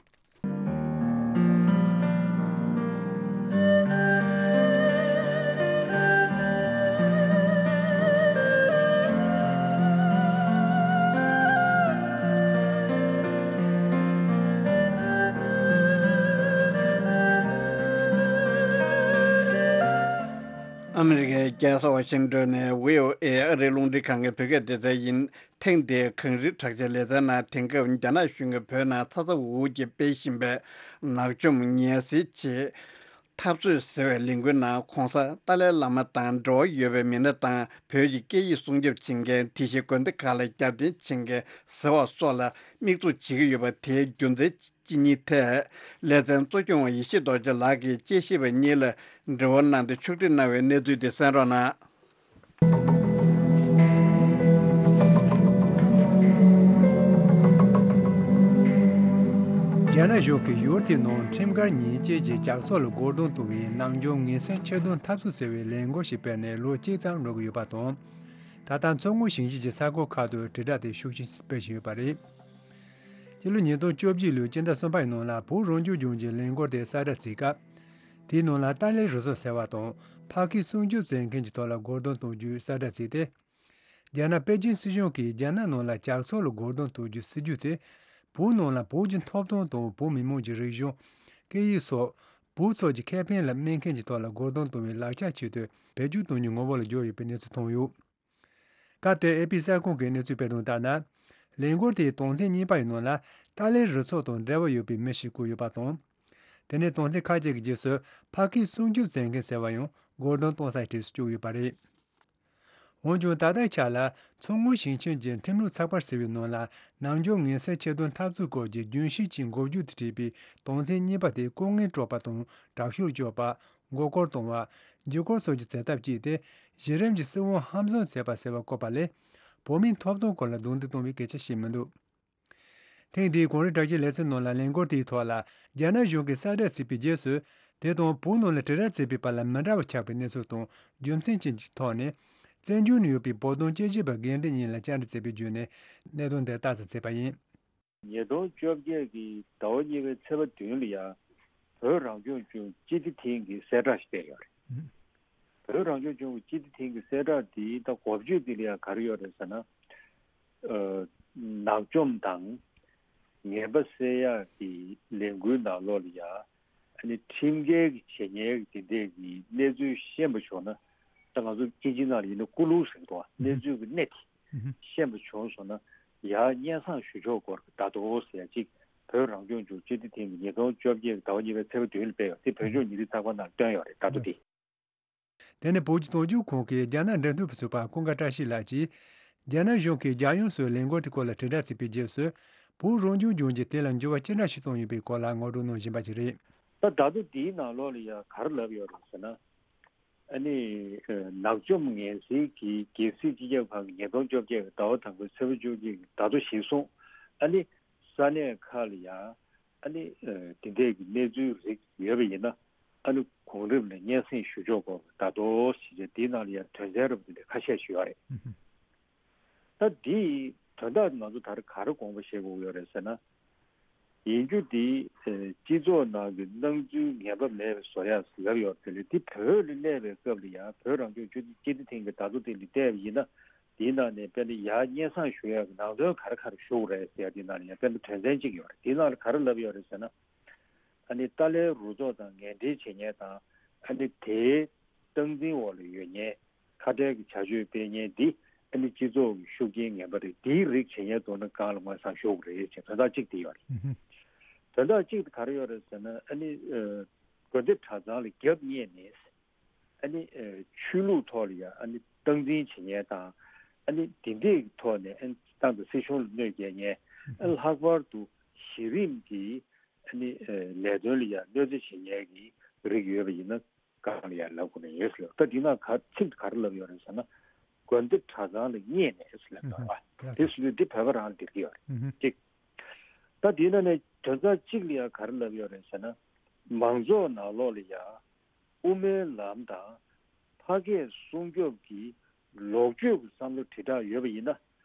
ཨ་མི་རི་ཀའི་རྒྱལ་ས་ཝ་ཤིང་ཏོན་ནས་བྷི་ཨོ་ཨེ་ཨ་རིའི་རླུང་འཕྲིན་ཁང་གི་བོད་སྐད་སྡེ་ཚན་ཡིན། ཐེངས་འདིའི་གངས་རིའི་གྲགས་ཅན་ལེ་ཚན་ནང་དེང་སྐབས་རྒྱ་ནག་གཞུང་གིས་བོད་ནང་ཚ་ཚ་འུར་འུར་གྱིས་སྤེལ་བཞིན་པའི་ནག་འཇོམས་ངལ་སེལ་ཆེད་འཐབ་རྩོད་ཟེར་བའི་ལས་འགུལ་ནང་གོང་ས་ཏཱ་ལའི་བླ་མ་དང་འབྲེལ་བ་ཡོད་པའི་མི་སྣ་དང་། བོད་ཀྱི་སྐད་ཡིག་སྲུང་སྐྱོབ་བྱེད་མཁན་དེ་བཞིན་དགོན་སྡེ་ཁག་ལ་རྒྱབ་རྟེན་བྱེད་མཁན་ཟེར་བ་སོགས་ལ་དམིགས་འཛུགས་བྱེད་ཀྱི་ཡོད་པ་དེའི་རྒྱུ་མཚན་ཅི་ཡིན་ཐད། ལེ་ཚན་གཙོ་སྐྱོང་བ་ཡེ་ཤེས་རྡོ་རྗེ་ལགས་ཀྱིས་དཔྱད་ཞིབ་པ་གཉིས་ལ་འབྲེལ་བ་གནང་སྟེ་ཕྱོགས་སྒྲིག་གནང་བའི་གནས་ཚུལ་དེ་གསན་རོགས་གནང་། རྒྱ་ནག་གཞུང་གིས་ཡུལ་དེའི་ནང་ཁྲིམས་འགལ་ཉེས་ཅན་གྱི་ཇག་ཚོགས་ལ་སྒོ་རྡུང་གཏོང་བའི་ནམ་རྒྱུན་ངན་སེལ་ཆེད་དོན་འཐབ་རྩོད་ཟེར་བའི་ལས་འགུལ་ཞིག་སྤེལ་ནས་ལོ་གཅིག་ཙམ་འགྲོ་གི་ཡོད་པ་དང་། ད་ལྟ་མཚོ་སྔོན་ཞིང་ཆེན་གྱི་ས་ཁུལ་ཁག་ཏུ་དྲིལ་བསྒྲགས་དེ་ཤུགས་ཆེན་སྤེལ་བཞིན་ཡོད་པ་རེད། སྤྱི་ལོ་ཉིས་སྟོང་བཅོ་བརྒྱད་ལོའི་སྤྱི་ཟླ་གསུམ་པའི་ནང་ལ་བོད་རང་སྐྱོང་ལྗོངས་ཀྱི་ལས་འགུལ་དེ་གསལ་བསྒྲགས་བྱེད་སྐབས། དེའི་ནང་ལ་ཏཱ་ལའི་རུ་ཚོགས་ཟེར་བ་དང་ཕ་ཁི་སྲུང་སྐྱོབ་མཛད་མཁན་གྱི་ཐོག་ལ་སྒོ་རྡུང་གཏོང་རྒྱུའི་གསལ་བསྒྲགས་བྱས་ཏེ། རྒྱ་ནག་པེ་ཅིན་སྲིད་གཞུང་གིས་རྒྱ་ནག་ནང་ལ་ཇག་ཚོགས་ལ་སྒོ་རྡུང་གཏོང་རྒྱུའི་སྲིད་ཇུས་དེ། བོད་ནང་ལ་བོད་ཀྱི་ཐོབ་ཐང་དང་བོད་མི་མང་གི་རིག་གཞུང་། སྐད་ཡིག་སོགས། བོད་ཚོགས་ཀྱི་ཁེ་ཕན་ལ་སྨན་མཁན་གྱི་ཐོག་ལ་སྒོ་རྡུང་གཏོང་བའི་ལག་ཆ་ཆེད་དུ་བེད་སྤྱོད་གཏོང་རྒྱུའི་ངོ་བོ་ལ་གྱུར་ཡོད་པའི་གནས་ཚུལ་ཐོན་ཡོད། སྐབས་དེར་ཨེ་པི་གསར་ཁང་གིས་གནས་ཚུལ་སྤེལ་དོན་ལྟར་ན། ལས་འགུལ་དེའི་དོན་ཚན་གཉིས་པ་ཡི་ནང་ལ་ཏཱ་ལའི་རུ་ཚོགས་དང་འབྲེལ་བ་ཡོད་པའི་མི་ཞིག་བཀོད་ཡོད་པ་དང་། དེ་ནས་དོན་ཚན་ཁ་ཤས་ཀྱི་རྗེས་སུ་ཕ་ཁི་སྲུང་སྐྱོབ་མཛད་མཁན་ཟེར་བ་ཡང་སྒོ་རྡུང་གཏོང་སའི་གྲས་སུ་བཅུག་ཡོད་པ་རེད། འོན་ཀྱང་ད་ལྟའི་ཆ་ལ་མཚོ་སྔོན་ཞིང་ཆེན་གྱི་ཁྲིམས་ལུགས་ཚགས་པར་ཟེར་བའི་ནང་ལ་ནམ་རྒྱུན་ངན་སེལ་ཆེད་དོན་འཐབ་རྩོད་སྐོར་གྱི་རྒྱུན་ཤེས་ཀྱི་འགོ་བརྗོད་དུ་བྲིས་པའི་དོན་ཚན་གཉིས་པ་དེ་ལྐོག་རྔན་སྤྲོད་པ་དང་དྲག་ཤུགས་སྤྱོད་པ། མགོ་སྐོར་གཏོང་བ། འཇིགས་སྐུལ་སོགས་ཀྱི་བྱེད་ཐབས་སྤྱད་དེ་གཞི་རིམ་གྱི་སྲིད་དབང་ཧམ་བཟུང་བྱས་པ་ཟེར་བ་བཀོད་པ་ལས། བོད་མིའི་ཐོབ་ཐང་སྐོར་ལ་རྡུང་རྡེག་གཏོང་བའི་སྐད་ཆ་བཤད་མི་འདུག་ཐེངས་འདིའི་གངས་རི་བྲག་ཅའི་ལེ་ཚན་ནང་ལ་ལས་འགུལ་དེའི་ཐོག་ལ་རྒྱ་ནག་གཞུང་གིས་གསལ་བསྒྲགས་བྱས་པའི་རྗེས་སུ། དེ་དང་བོད་ནང་ལ་དྲིལ་བསྒྲགས་བྱས་པའི་བར་ལ་མི་འདྲ་བ་ཆགས་པའི་གནས་ཚུལ་དང་རྒྱུ་མཚན་ཅན་གྱི་ཐོག་ནས། བཙན་བྱོལ་ནང་ཡོད་པའི་བོད་དོན་དཔྱད་ཞིབ་པ་རྒན་འབྲས་གཉིས་ལ་བཅར་འདྲི་བྱས་པའི་བརྒྱུད་ནས་གནད་དོན་འདི་ལྟ་ཙམ་བྱས་པ་ཡིན། ཉིས་སྟོང་བཅོ་བརྒྱད་ཀྱི་ཟླ་བ་གཉིས་པའི་ཚེས་པ་བདུན་ལ་ཡང་བོད་རང་སྐྱོང་ལྗོངས་སྤྱི་བདེ་ཐིང་གི་གསལ་བསྒྲགས་ཤིག་སྤེལ་ཡོད་རེད། བོད་རང་སྐྱོང་ལྗོངས་ཀྱི་སྤྱི་བདེ་ཐིང་གི་གསལ་བསྒྲགས་འདིའི་ད་འགོ་བརྗོད་འདི་ལ་ཡང་ག་རེ་ཡོད་རེད་ཟེར་ན། ཨ། ནག་འཇོམས་དང་ངན་པ་སེལ་ཡག་གི་ལས་འགུལ་ནང་ལོགས་ལ་ཡང་། ཨ་ནི་ཁྲིམས་འགལ་གྱི་བྱེད་ཉེས་ཀྱི་དེ་འདྲས་ཀྱི་གནས་ཚུལ་ཤེས་པ་བྱུང་ན། ད་ང་ཚོ་དབྱིན་ཇི་ནང་ལ་ཡིན་ན་སྐུ་ལུགས་ཟེར་གྱི་འདུག་བ། གནས་ཚུལ་གྱི་གནད་དེ་ཤེས་པ་བྱུང་སོང་ན། ཡར་སྙན་སེང་ཞུ་ཕྱོགས་སྐོར་གྱི་ད་དུང་ཟེར་ཡ་གཅིག་བོད་རང་སྐྱོང་ལྗོངས་སྤྱི་བདེ་ཐིང་གིས་ཉིས་སྟོང་བཅོ་བརྒྱད་ཀྱི་ཟླ་བ་གཉིས་པའི་ཚེས་པ་བདུན་ལ་སྤེལ་ཡོད། དེ་བོད་ལྗོངས་ཉིན་རེའི་ཚགས་པར་ནང་བཏོན་ཡོད་རེད། ད་དུང་དེ། དེ་ནས་བོད་ཀྱི་དོན་གཅོད་ཁང་གི་རྒྱ་ནག་འབྲེལ་མཐུད་པ་ཟུར་པ་ཀུན་དགའ་བཀྲ་ཤིས་ལགས་ཀྱིས། རྒྱ་ནག་གཞུང་གིས་རྒྱལ་ཡོངས་སུ་ལས་འགུལ་དེའི་སྐོར་ལ་དྲིལ་བསྒྲགས་བྱས་པའི་རྗེས་སུ། བོད་རང་སྐྱོང་ལྗོངས་ཀྱིས་དེ་ལ་འགྱུར་བ་ཅི་འདྲ་ཞིག་བཏང་ཡོད་པའི་སྐོར་ལ་ངོ་སྤྲོད་གནང་བཞིན་པ་ཞིག་རེད། ད་ད་དུང་དེའི་ནང་ལོགས་ལ་ཡང་ག་རེ་ལབ་ཡོད་རེད་ཟེར་ན། ཨ་ནི། ཨ། ནག་འཇོམས་ངན་སེལ་གྱི་རྒྱལ་སྲིད་སྤྱི་ཁྱབ་ཁང་གིས་ཉིས་སྟོང་བཅོ་བརྒྱད་ཀྱི་ཟླ་བ་དང་པོའི་ཚེས་པ་བཅོ་བརྒྱད་ཀྱི་ཟླ་ཐོ་གཞིར་བཟུང་། ཨ་ནི། ས་གནས་ཁག་ལ་ཡང་། ཨ་ནི། ཨ། དེ་འདྲས་ཀྱི་གནས་ཚུལ་རིགས་ཡོད་པ་ཡིན་ན། ཨ་ནི། གོང་རིམ་ལ་སྙན་སེང་ཞུ་ཕྱོགས་སྐོར་ད་དུང་ཞིག་བྱས། དེའི་ནང་ལ་ཡང་དོན་ཚན་རབ་དེ་འདྲ་ཁ་ཤས་ཤིག་ཡོད་རེད། ད་འདིའི་དོན་དག་ང་ཚོ་ད་རེས་ག་རེ་དགོངས་པ་བཞེས་དགོས་ཡོད་རེད་ཟེར་ན། ཡིན་རྒྱུ་འདི། ཨ། སྤྱི་ཚོགས་ནང་གི་སྣང་ཚུལ་ངན་པ་མེད་པ་བཟོ་ཡག་ཟེར་ལབ་ཡོད་རེད། དེ་ལས་འདི་བོད་ལ་གནས་པའི་སྐབས་ལ་ཡང་བོད་རང་སྐྱོང་ལྗོངས་སྤྱི་བདེ་ཐིང་གི་ཟླ་ཐོ་དེ་ལ་བལྟས་པ་ཡིན་ན། དེའི་ནང་ནས་དཔེར་ན་ཡར་སྙན་སེང་ཞུ་ཡག་གི་ནང་དོན་ག་རེ་ག་རེ་ཞུ་དགོས་རེད་ཟེར་ཡག་དེའི་ནང་ལ་ཡང་དཔེར་ན་དོན་ཚན་གཅིག་ཡོད་རེད། དེའི་ནང་ལ་ག་རེ་ལབ་ཡོད་རེད་ཟེར་ན། ཨ་ནི་ཏཱ་ལའི་རུ་ཚོགས་དང་ངན་འབྲེལ་བྱེད་མཁན་དང་། ཨ་ནི་དེའི་སྟངས་འཛིན་འོག་ལ་ཡོད་མཁན། ཁ་བྲལ་གྱི་བྱ་སྤྱོད་སྤེལ་མཁན་འདི། ཨ་ནི་སྤྱི་ཚོགས་ཀྱི་ཤུགས་རྐྱེན་ངན་པ་རེད། འདིའི་རིགས་བྱེད་མཁན་དེ་ནི་སྒང་ལ་ངོས་བཟུང་ཞུ་དགོས་རེད་ཅེས་དོན་དག་གཅིག་དེ་ཡོད་རེད། དོན་དག་གཅིག་དེ་ག་རེ་ཡོད་རེད་ཟེར་ན། ཨ་ནི། ཨ། དགོན་སྡེ་གྲྭ་ཚང་ལ་རྒྱབ་བརྙེས་ནས། ཨ་ནི། ཨ། ཆོས་ལུགས་ཐོག་ལ་ཡང་ཨ་ནི་སྟངས་འཛིན་བྱེད་མཁན་དང་། ཨ་ནི་དེ་འདྲའི་ཐོག་ནས། ཨ་ནི་ཏང་དང་སྲིད་གཞུང་ལ་གནོད་སྐྱེལ་མཁན། ཨ། ལྷག་པར་དུ་གཞི་རིམ་གྱི། ཨ་ནི། ཨ། ལས་དོན་ལ་ཡང་གནོད་འཚེ་བྱེད་མཁན་གྱི་རིགས་ཡོད་པ་ཡིན་ན་སྒང་ལ་ཡང་ལབ་དགོས་ནི་ཡོད་ཟེར་ལབ། ད་འདི་ནང་ག་ཚིག་ག་རེ་ལབ་ཡོད་རེད་ཟེར་ན། དགོན་སྡེ་གྲྭ་ཚང་ལ་བརྙེས་ནས་ཟེར་ལབ་ཡོད་རེད་བ། དེ་ཟེར་དུས་འདི་བོད་པ་རང་ལ་འགྲིག་གི་ཡོད་རེད། གཅིག་ད་འདིའི་ནང་ནས་དོན་ཚན་གཅིག་ལ་ཡང་ག་རེ་ལབ་ཡོད་རེད་ཟེར་ན། མང་ཚོགས་ནང་ལོགས་ལ་ཡང་། དབུ་མའི་ལམ་དང་ཕ་སྐད་སྲུང་སྐྱོབ་ཀྱི་ལོག་སྤྱོད་ཀྱི་བསམ་བློ་དྲིལ་བསྒྲགས་ཡོད་པ་ཡིན་ན།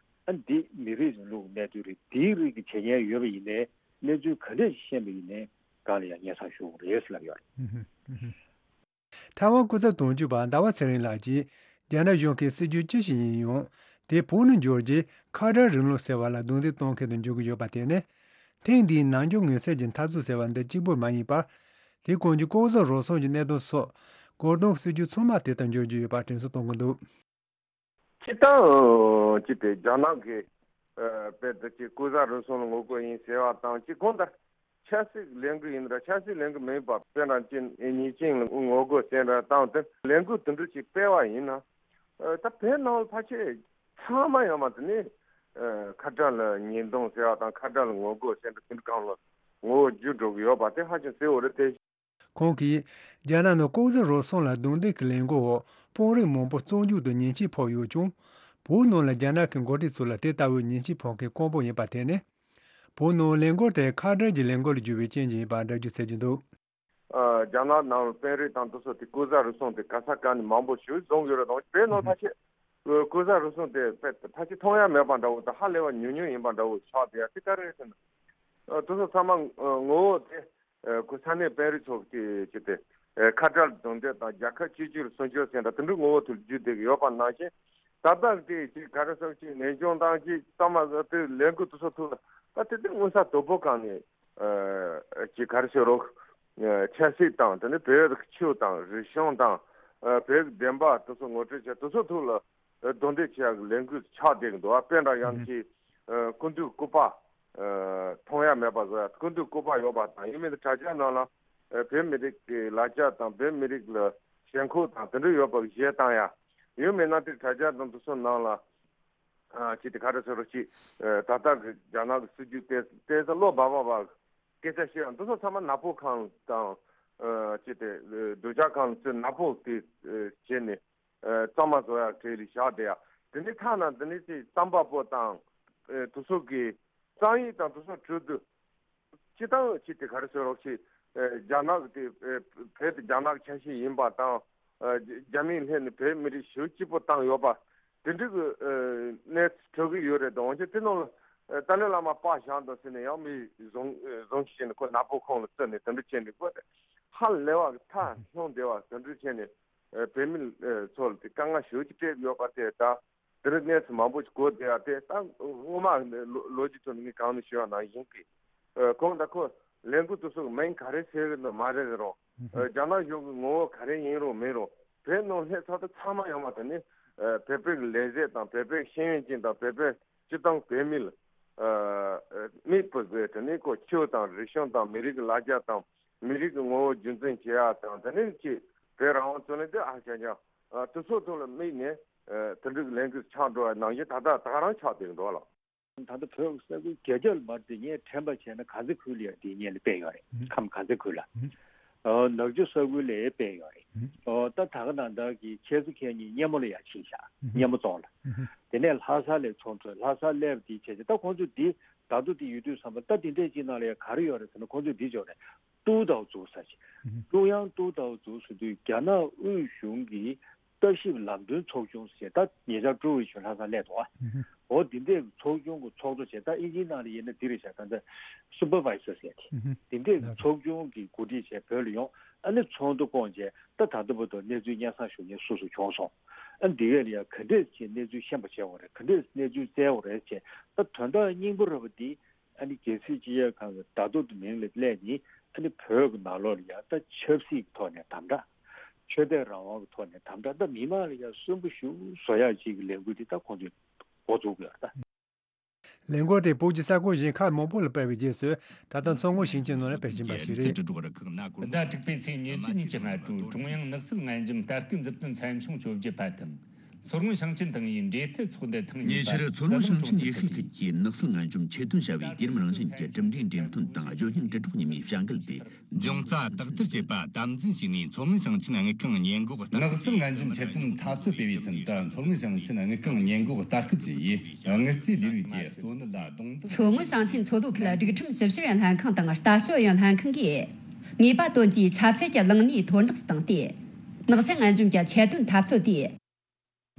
ཨ། འདི་མི་རིགས་རིང་ལུགས་གནས་ཚུལ་རེད། འདིའི་རིགས་ཀྱི་བྱེད་ཉེས་ཡོད་པ་ཡིན་ནའི་གནས་ཚུལ་ག་འདྲས་ཤིག་ཤེས་པ་ཡིན་ནའི་སྒང་ལ་ཡང་སྙན་སེང་ཞུ་དགོས་རེད་ཟེར་ལབ་ཡོད་རེད། ཐའེ་ཝན་སྐུ་ཚབ་དོན་གཅོད་པ་ཟླ་བ་ཚེ་རིང་ལགས་ཀྱིས། རྒྱ་ནག་གཞུང་གི་སྲིད་ཇུས་ཅི་ཞིག་ཡིན་ཡང་། དེ་བོད་ནང་འབྱོར་རྗེས་ཁ་བྲལ་རིང་ལུགས་ཟེར་བ་ལ་རྡུང་རྡེག་གཏོང་མཁན་དུ་འགྱུར་གྱི་ཡོད་པ་དེ་ནི། ཐེངས་འདིའི་ནམ་རྒྱུན་ངན་སེལ་གྱི་འཐབ་རྩོད་ཟེར་བ་འདི་གཅིག་པུ་མ་ཡིན་པར། དེ་གོང་གི་ལྐོག་ཟ་རུལ་སུངས་ཀྱི་གནད་དོན་སོགས་སྒོ་རྡུང་སྲིད་ཇུས་ཚང་མ་དེ་ལྟར་འགྱུར་གྱི་ཡོད་པ་དྲན་གསོ་གཏོང་གི་འདུག་སྤྱིར་བཏང་ཅི་སྟེ་རྒྱ་ནག་གི་ཨ་དཔེ་འདི་ཅིག་ལྐོག་ཟ་རུལ་སུངས་ལ་ངོ་རྒོལ་ཡིན་ཟེར་བ་དང་གཅིག་གོང་དང་ཆབ་སྲིད་ལས་འགུལ་ཡིན་ར་ཆབ་སྲིད་ལས་འགུལ་མིན་པ་དཔེར་ན་ཅིག་ཉེས་ཅན་ལ་ངོ་རྒོལ་ཟེར་ར་བཏང་སྟེ་ལས་འགུལ་དེ་འདྲ་ཅིག་སྤེལ་བ་ཡིན་ན། ཨ་ད་བོད་ནང་ལ་ཕལ་ཆེར་ཚང་མ་ཡོད་མ་དེ་ནི་ཨ་ཁ་བྲལ་ལ་ཉེས་རྡུང་ཟེར་བ་དང་ཁ་བྲལ་ལ་ངོ་རྒོལ་ཟེར་འདྲ་དེ་འདྲ་སྒང་ལ་ངོ་བོ་འགྱུར་འགྲོ་གི་ཡོད་པ་དེ་ཧ་ཅང་གསལ་བོ་རེད་དེ། ཁོང་གིས་རྒྱ་ནག་ནང་ལྐོག་ཟ་རུལ་སུངས་ལ་རྡུང་རྡེག་གི་ལས་འགུལ་འོག་དཔོན་རིགས་མང་པོ་བཙོན་འཇུག་དང་ཉེས་ཆད་ཕོག་ཡོད་ཀྱང་། བོད་ནང་ལ་རྒྱ་ནག་གི་འགོ་ཁྲིད་ཚོ་ལ་དེ་ལྟ་བུའི་ཉེས་ཆད་ཕོག་མཁན་དཀོན་པོ་ཡིན་པ་དེ་ནི། བོད་ནང་ལས་འགུལ་དེ་ཁ་བྲལ་གྱི་ལས་འགུལ་ལ་བསྒྱུར་བའི་རྐྱེན་གྱིས་ཡིན་པ་འགྲེལ་བརྗོད་བྱེད་ཀྱི་འདུག། ཨ། རྒྱ་ནག་ནང་དཔོན་རིགས་དང་དེ་ཚོ་དེ་ལྐོག་ཟ་རུལ་སུངས་དེ་ག་ས་ག་ནས་མང་པོ་ཞིག་བཟུང་ཡོད་རེད། དང་བོད་ནང་ཐ་ཆད་ལྐོག་ཟ་རུལ་སུངས་དེ་དཔེ་ཐ་ཆད་མཐོང་ཡ་མེད་པ་འདྲ་བོ་དང་ཧ་ལས་པ་ཉུང་ཉུང་ཡིན་པ་འདྲ་བོ་ཆགས་བསྡད་ཡ་དེ་ག་རེ་རེད་ཟེར་ན། ཨ། དེ་ཚོ་ཚང་མ་ངོ་བོ་དེ། ཨ། ཁོ་ས་གནས་དཔོན་རིགས་ཚོ་གི་ཅི་སྟེ། ཨ། ཁ་བྲལ་གདོང་དེད་དང་རྒྱལ་ཁབ་གཅིག་གྱུར་སྲུང་སྐྱོབ་ཟེར་འདྲ་དེ་འདྲའི་ངོ་བོ་དུ་བརྒྱུད་བསྡད་ཀྱི་ཡོད་པ་ནང་བཞིན། ད་ལྟ་དེ་ཅིག་ག་རེ་ཟེར་ཅིག་ནན་སྐྱོང་དང་ཅིག་གཙང་མ་བཟོ་དེ་ལས་འགུལ་དེ་ཚོ་ཐུག་ལ་ད་དེ་དེ་མངོན་གསལ་དོད་པོ་གང་ནས། ཨ། ཅིག་ག་རེ་ཟེར་རོགས། ཨ། ཆབ་སྲིད་དང་དེ་ནས་བོད་ཀྱི་ཆོས་དང་རིག་གཞུང་དང་། ཨ། བོད་ཀྱི་བདེན་པ་དེ་ཚོ་ངོ་སྤྲོད་བྱས་དེ་ཚོ་ཐུག་ལ། ཨ། རྡུང་རྡེག་བྱེད་ཡག་གི་ལས་འགུལ་ཆགས་བསྡད་ཀྱི་འདུག། ཨ། དཔེ་འདྲ་ཡང་ཅིག། ཨ། སྐུ་མདུན་སྐུ་པར། ཨ། མཐོང་ཡ་མེད་པ་བཟོ་ཡ། སྐུ་མདུན་སྐུ་པར་ཡོད་པ་དང་ཡིན་མིན་དྲ་རྒྱ་ནང་ལ། ཨ། བོད་མི་རིགས་ཀྱི་ལ་རྒྱ་དང་བོད་མི་རིགས་ལ་ཞེན་ཁོག་དང་དེ་འདྲ་ཡོད་པ་གཞས་བཏང་ཡ། ཡོད་མེད་ན་དེ་དྲ་རྒྱ་དང་དེ་ཚོ་ནང་ལ། ཨ། ཅིག་དེ་ག་རེ་ཟེར་རོ་ཅིག། ཨ། ད་ལྟ་གི་རྒྱ་ནག་གི་སྲིད་ཇུས་དེ་དེ་ཚོ་བློ་འབབ་པ་བ་སྐད་ཆ་བཤད་ཡ་འདི་ཚོ་ཚང་མ་ནག་པོ་ཁང་དང་། ཨ། ཅིག་དེ་སྡུག་ཅག་ཁང་ཚོས་ནག་པོ་དེ་བྱས་ནས། ཨ། གཙང་མ་བཟོ་ཡག་གྲས་ལ་བཞག་བསྡད་ཡ། དེ་ནས་ཐ་ན་དེ་ནས་ཅིག་རྩམ་པ་པོ་དང་། ཨ། དེ་ཚོ་གི་གཙང་ཡིག་དང་དེ་ཚོ་གྲོས་བསྡུར། སྤྱི་བཏང་ཅིག་དེ་ག་རེ་ཟེར་རོགས་ཞེས། ཨ། རྒྱ་ནག་གི་དེ། ཨ། བོད་དེ་རྒྱ་ནག་ཆ་ཤས་ཡིན་པ་དང་། ཨ། རྒྱ་མིས་སླེབས་ནས་བོད་མི་རིགས་ཞེ་པོ་གཅིག་པོ་བཏང་ཡོད་པ། དེ་འདྲ་གི། ཨ། གནས་ཚུལ་ཐོན་གི་ཡོད་རེད་དང་། འོན་ཀྱང་དེ་ནང་ལ། ཨ། ཏཱ་ལའི་བླ་མ་པར་བཞག་འདུག་ཟེར་ནས་ཡང་མི་བཟུང་། ཨ། བཟུང་བྱས་ནས་ཁོ་ནག་པོ་ཁང་ལ་བཙུགས་ནས་དེ་འདྲ་བྱས་ནས་དགོས་ཏེ། ཧ་ལས་པ་གི་ཐག་ལྷུང་བསྡད་པ་དེ་འདྲ་བྱས་ནས། ཨ། བོད་མི། ཨ། ཚོ་ལ་དེ་དཀའ་ངལ་ཞེ་པོ་ཅིག་སྤྲད་ཡོད་པ་དེ་ད། དེ་རིང་གནས་ཚུལ་མང་པོ་ཞིག་གོ་བསྡད་ཡ་དེ་ད་སྔོན་མ་ལོ་ལོ་རྒྱུས་ཐོག་ནས་ངས་གང་ནས་ཞུས་པ་ནང་བཞིན་གྱི། ཨ། ཁོང་ད་ཁོ་ལས་འགུལ་དེ་ཚོ་གི་མིང་ག་རེ་ཟེར་གི་འདུག་མ་རེད་རུང་། ཨ། རྒྱ་ནག་གཞུང་གི་ངོ་བོ་ག་རེ་ཡིན་རུང་མིན་རུང་བོད་ནང་སླེབས་ཚར་དུས་ཚང་མ་ཡོང་བ་དེ་ནི། ཨ། བོད་པའི་ལས་བྱེད་དང་བོད་པའི་ཤེས་ཡོན་ཅན་དང་བོད་པའི་སྤྱི་བཏང་བོད་མི་ལ། ཨ། མིག་དཔེ་བཟོས་དེ་ནི་ཁོ་ཆོས་དང་རིག་གཞུང་དང་མི་རིགས་ཀྱི་ལ་རྒྱ་དང་མི་རིགས་ཀྱི་ངོ་བོ་རྒྱུན་འཛིན་བྱེད་ཡ་དང་དེ་ནི་ཅིག་བོད་རང་དབང་རྩོད་ལེན་དེ་ཨ་ཅག་ཅག། ཨ། དེ་ཚོ་ཐོག་ལ་དམིགས་ནས། ཨ། དེ་འདྲའི་ལས་འགུལ་ཆགས་འགྲོ་བ་ནང་བཞིན་ད་ལྟ་ད་ག་རང་ཆགས་བསྡད་འགྲོ་ལ། ད་ལྟ་བོད་ས་ཁུལ་བརྒྱད་བརྒྱ་ལ་མར་དེ་ངས་དྲན་པ་བྱས་ན་གངས་ཚ་ཁུལ་ལ་ཡང་དེ་སྔོན་ལ་སྤེལ་ཡོད་རེད། ཨུ། ཁམས་གངས་ཚ་ཁུལ་ལ། ཨུ། ཨ། ནག་ཆུ་ས་ཁུལ་ལ་སྤེལ་ཡོད་རེད། ཨུ། ཨོ། ད་ད་ག་ནང་ལྟར་གྱི་ཁྱེད་ཚོ་ཁྱེད་གཉིས་སྙེ་མོ་ལ་ཡང་ཕྱིན་ཤག། ཨུ། སྙེ་མོ་རྫོང་ལ། ཨུ། དེ་ནས་ལྷ་ས་ལ་ཚོགས་འདུ། ལྷ་ས་སླེབས་དེ་བྱས་ཏེ་ད་ཁོང་ཚོ་འདི་ད་དུང་དེ་ཡོད་དུས་ཙམ་པ་ད་དེ་འདྲས་ཅིག་ནང་ལ་ཡང་ག་རེ་ཡོད་རེད་ཟེར་ན་ཁོང་ཚོས་འདི་བྱོས་རེད། ཏུའུ་ཏའོ་ཛུའུ་ཟེར་ཅིག། ཨུ། ཀྲུང་དབྱང་ཏུའུ་ཏའོ་ཛུའུ་ཟེར་དུས་རྒྱ་ནག་དབུས་གཞུང་གི་ལྟ་ཞིབ་ལམ་སྟོན་ཚོགས་ཆུང་ཟེར། ད་ཉེ་ཆར་ཀྲུའུ་ཝེ་ཆུན་ལྷ་ས་སླེབས་འདུག་ཨ། ཨུ་ཧུ། འོ་དེ་འདྲའི་ཚོགས་ཆུང་གི་ཚོགས་གཙོ་བྱས། ད་ཨིན་ཇིའི་ནང་ལ་ཡིན་ན་འདི་རེད་ཤག། ད་ལྟ་སུ་པར་ཝའི་ཟར་ཟེར་ཏེ། ཨུ་ཧུ། དེ་འདྲའི་ཚོགས་ཆུང་གི་འགོ་ཁྲིད་བྱས་བོད་ལ་ཡོང་། ཨ་ནི་ཚོགས་འདུ་བསྐོངས་བྱས་ད་ད་ལྟ་བར་དུ་གནས་ཚུལ་སྙན་སེང་ཞུ་མཁན་སུ་སུ་བྱུང་སོང་། ཨ་འདི་གས་ལ་ཡང་ག་འདྲས་ཀྱི་གནས་ཚུལ་ཤེས་པ་བྱས་འོང་རེད། ག་འདྲས་གནས་ཚུལ་བཙལ་འོང་རེད་བྱས། ད་དོན་དག་སྙིང་པོ་ར་བ་འདི། ཨ་ནི་རྒྱལ་སྲིད་སྤྱི་ཁྱབ་ཁང་གི་བརྡ་ཐོ་དེ་མིང་ལ་སླེབས་ནས། ཨ་ནི་བོད་ཀྱི་ནང་ལོགས་ལ་ཡང་ད་ཆབ་སྲིད་ཀྱི་ཐོག་ནས་དམ་དྲག། ཆོས་དད་རང་དབང་གི་ཐོག་ནས་དམ་དྲག། ད་མི་མང་ལ་ཡང་སུན་པོ་ཞེ་པོ་བཟོ་ཡག་ཅིག་གི་ལས་འགུལ་དེ་ད་ཁོང་ཚོས་འགོ་བཙུགས་ཡོད་རེད་ད། ལས་འགུལ་དེ་བོད་ཀྱི་ས་ཁུལ་གཞན་ཁག་མང་པོ་ལ་སྤེལ་བའི་རྗེས་སུ་ད་ལྟ་མཚོ་སྔོན་ཞིང་ཆེན་ནང་ལ་སྤེལ་བཞིན་པ་ཞིག་རེད། ཟླ་དྲུག་པའི་ཚེས་ཉེར་གཅིག་ཉིན་གྱི་སྔ་དྲོ་ཀྲུང་དབྱང་ནགས་ཚལ་ལྔ་འཇོམས་ལྟ་སྐུལ་མཛུབ་སྟོན་ཚན་ཆུང་བཅོ་བརྒྱད་པ་དང་། མཚོ་སྔོན་ཞིང་ཆེན་ཏང་ཨུའི་འབྲེལ་མཐུད་ཚོགས་འདུ་ཐེངས་གཉིས་པ། ཉེ་ཆར་མཚོ་སྔོན་ཞིང་ཆེན་ཡུལ་ཤུལ་ཁུལ་གྱི་ནགས་ཚལ་ལྔ་འཇོམས་ཆེད་དོན་བྱ་བའི་དུས་རིམ་རང་བཞིན་གྱི་གྲུབ་འབྲས་འགྲེམས་སྟོན་དང་ལྗོན་ཤིང་དྲིལ་སྒྲོག་གཉིས་པའི་བྱ་འགུལ་དེ། འབྱུང་རྩ་དག་ཐེར་བྱེད་པ་དམ་འཛིན་བྱས་ནས་མཚོ་སྔོན་ཞིང་ཆེན་དངུལ་ཁང་ཉེན་འགོག་ལྟ་སྐུལ། ནགས་ཚལ་ལྔ་འཇོམས་ཆེད་དོན་འཐབ་རྩོད་སྤེལ་བའི་ཚུན་དུ་མཚོ་སྔོན་ཞིང་ཆེན་དངུལ་ཁང་ཉེན་འགོག་ལྟ་སྐུལ་ཅུས་ཡིས་དངུལ་རྩིས་ལས་རིགས་ཀྱི་གཙོ་གནད་ལ་རྡུང་རྡེག། མཚོ་སྔོན་ཞིང་ཆེན་མཚོ་ལྷོ་ཁུལ་སྒྲིག་ཁྲིམས་ཞིབ་བཤེར་ལྷན་ཁང་དང་ལྟ་ཞིབ་ལྷན་ཁང་གིས་ནུས་པ་བཏོན་གྱིས་ཆབ་སྲིད་ཀྱི་གླིང་ནས་མཐོར་འདེགས་བཏང་སྟེ། ནགས་ཚལ་ལྔ་འཇོམས་ཀྱི་ཆེད་དོན་འཐབ་རྩོད་དེ།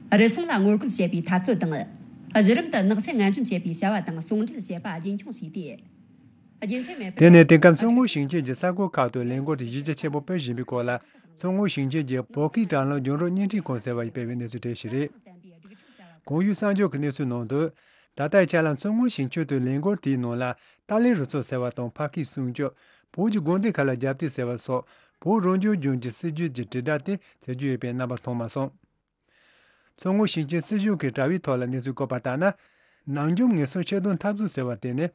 རུལ་སུངས་ལ་ངོ་རྒོལ་བྱེད་པའི་འཐབ་རྩོད་དང་། གཞི་རིམ་དུ་ནགས་ཚལ་ལྔ་འཇོམས་བྱེད་པའི་བྱ་བ་དང་ཟུང་འབྲེལ་བྱེད་པ་རྒྱུན་འཁྱོངས་བྱས་ཏེ། རྒྱུན་ཆད་མེད་པར། དེ་ནས་དེང་སྐབས་མཚོ་སྔོན་ཞིང་ཆེན་གྱི་ས་ཁུལ་ཁག་ཏུ་ལས་འགུལ་དེ་གཞི་རྒྱ་ཆེན་པོ་སྤེལ་བཞིན་པའི་སྐོར་ལ། མཚོ་སྔོན་ཞིང་ཆེན་གྱི་བོད་སྐད་དྲ་ལམ་རྒྱང་སྒྲོག་བརྙན་འཕྲིན་ཁང་ཟེར་བ་ཡིས་སྤེལ་བའི་གནས་ཚུལ་དེ་ཞིག་རེད། གོང་ཞུས་གསར་འགྱུར་གྱི་གནས་ཚུལ་ནང་དུ། ད་ལྟའི་ཆ་ལ་མཚོ་སྔོན་ཞིང་ཆེན་དུ་ལས་འགུལ་དེའི་ནང་ལ་ཏཱ་ལའི་རུ་ཚོགས་ཟེར་བ་དང་། ཕ་ཁི་སྲུང་སྐྱོབ། བོད་ཀྱི་དགོན་སྡེ་ཁག་ལ་རྒྱབ་གཏད་ཟེར་བ་སོགས་བོད་རང་སྐྱོང་ལྗོངས་ཀྱི་སྲིད་ཇུས་ཀྱི་དྲིལ་བསྒྲགས་དེ་མཛད་རྒྱུ་ཡོད་པའི་རྣམ་པ་མཐོང་མ་སོང་། མཚོ་སྔོན་ཞིང་ཆེན་སྲིད་གཞུང་གི་དྲ་བའི་ཐོག་ལ་གནས་ཚུལ་བཀོད་པ་ལྟར་ན། ནག་འཇོམས་ངན་སོང་ཆེད་དོན་འཐབ་རྩོད་ཟེར་བ་དེ་ནི།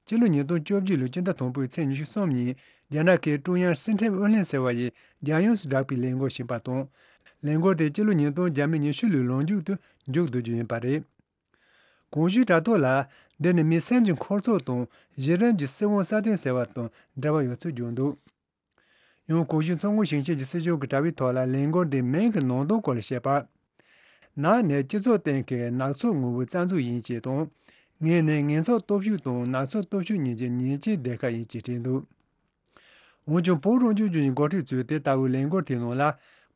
སྤྱི་ལོ་ཉིས་སྟོང་བཅོ་བརྒྱད་ལོའི་སྤྱི་ཟླ་དང་པོའི་ཚེས་ཉི་ཤུ་གསུམ་ཉིན་རྒྱ་ནག་གི་ཀྲུང་དབྱང་སྲིད་ཁྲིམས་ཨུ་ལྷན་ཟེར་བ་ཡིས་རྒྱལ་ཡོངས་སུ་བསྒྲགས་པའི་ལས་འགུལ་ཞིག་ཡིན་པ་དང་། ལས་འགུལ་དེ་སྤྱི་ལོ་ཉིས་སྟོང་ཉི་ཤུ་ལོའི་ལོ་མཇུག་ཏུ་མཇུག་བསྡུ་རྒྱུ་ཡིན་པ་རེད། གོང་ཞུས་དྲ་ཐོག་ལ། འདི་ནི་མི་སེམས་ཀྱི་འཁོར་ཚོགས་དང་གཞི་རིམ་གྱི་སྲིད་དབང་སྲ་བརྟན་ཟེར་བ་དང་འབྲེལ་བ་ཡོད་ཚུལ་བརྗོད་འདུག། ཡང་གོང་ཞུས་མཚོ་སྔོན་ཞིང་ཆེན་གྱི་སྲིད་གཞུང་གི་དྲ་བའི་ཐོག་ལ་ལས་འགུལ་འདིའི་མིང་གི་ནང་དོན་སྐོར་ལ་བཤད་པར། ནགས་ནི་སྤྱི་ཚོགས་སྟེང་གི་ནགས་ཚལ་ངོ་བོའི་རྩ་འཛུགས་ཡིན་ཅེས་དང་། ངས་ནི་ངན་ཚོགས་སྟོབས་ཤུགས་དང་ནག་ཚོགས་སྟོབས་ཤུགས་གཉིས་ཀྱི་ཉེས་ཅན་སྡེ་ཁག་ཡིན་ཅེས་བྲིས་འདུག་འོན་ཀྱང་བོད་རང་སྐྱོང་ལྗོངས་ཀྱི་འགོ་ཁྲིད་ཚོས་དེ་ལྟ་བུའི་ལས་འགུལ་དེའི་ནང་ལ་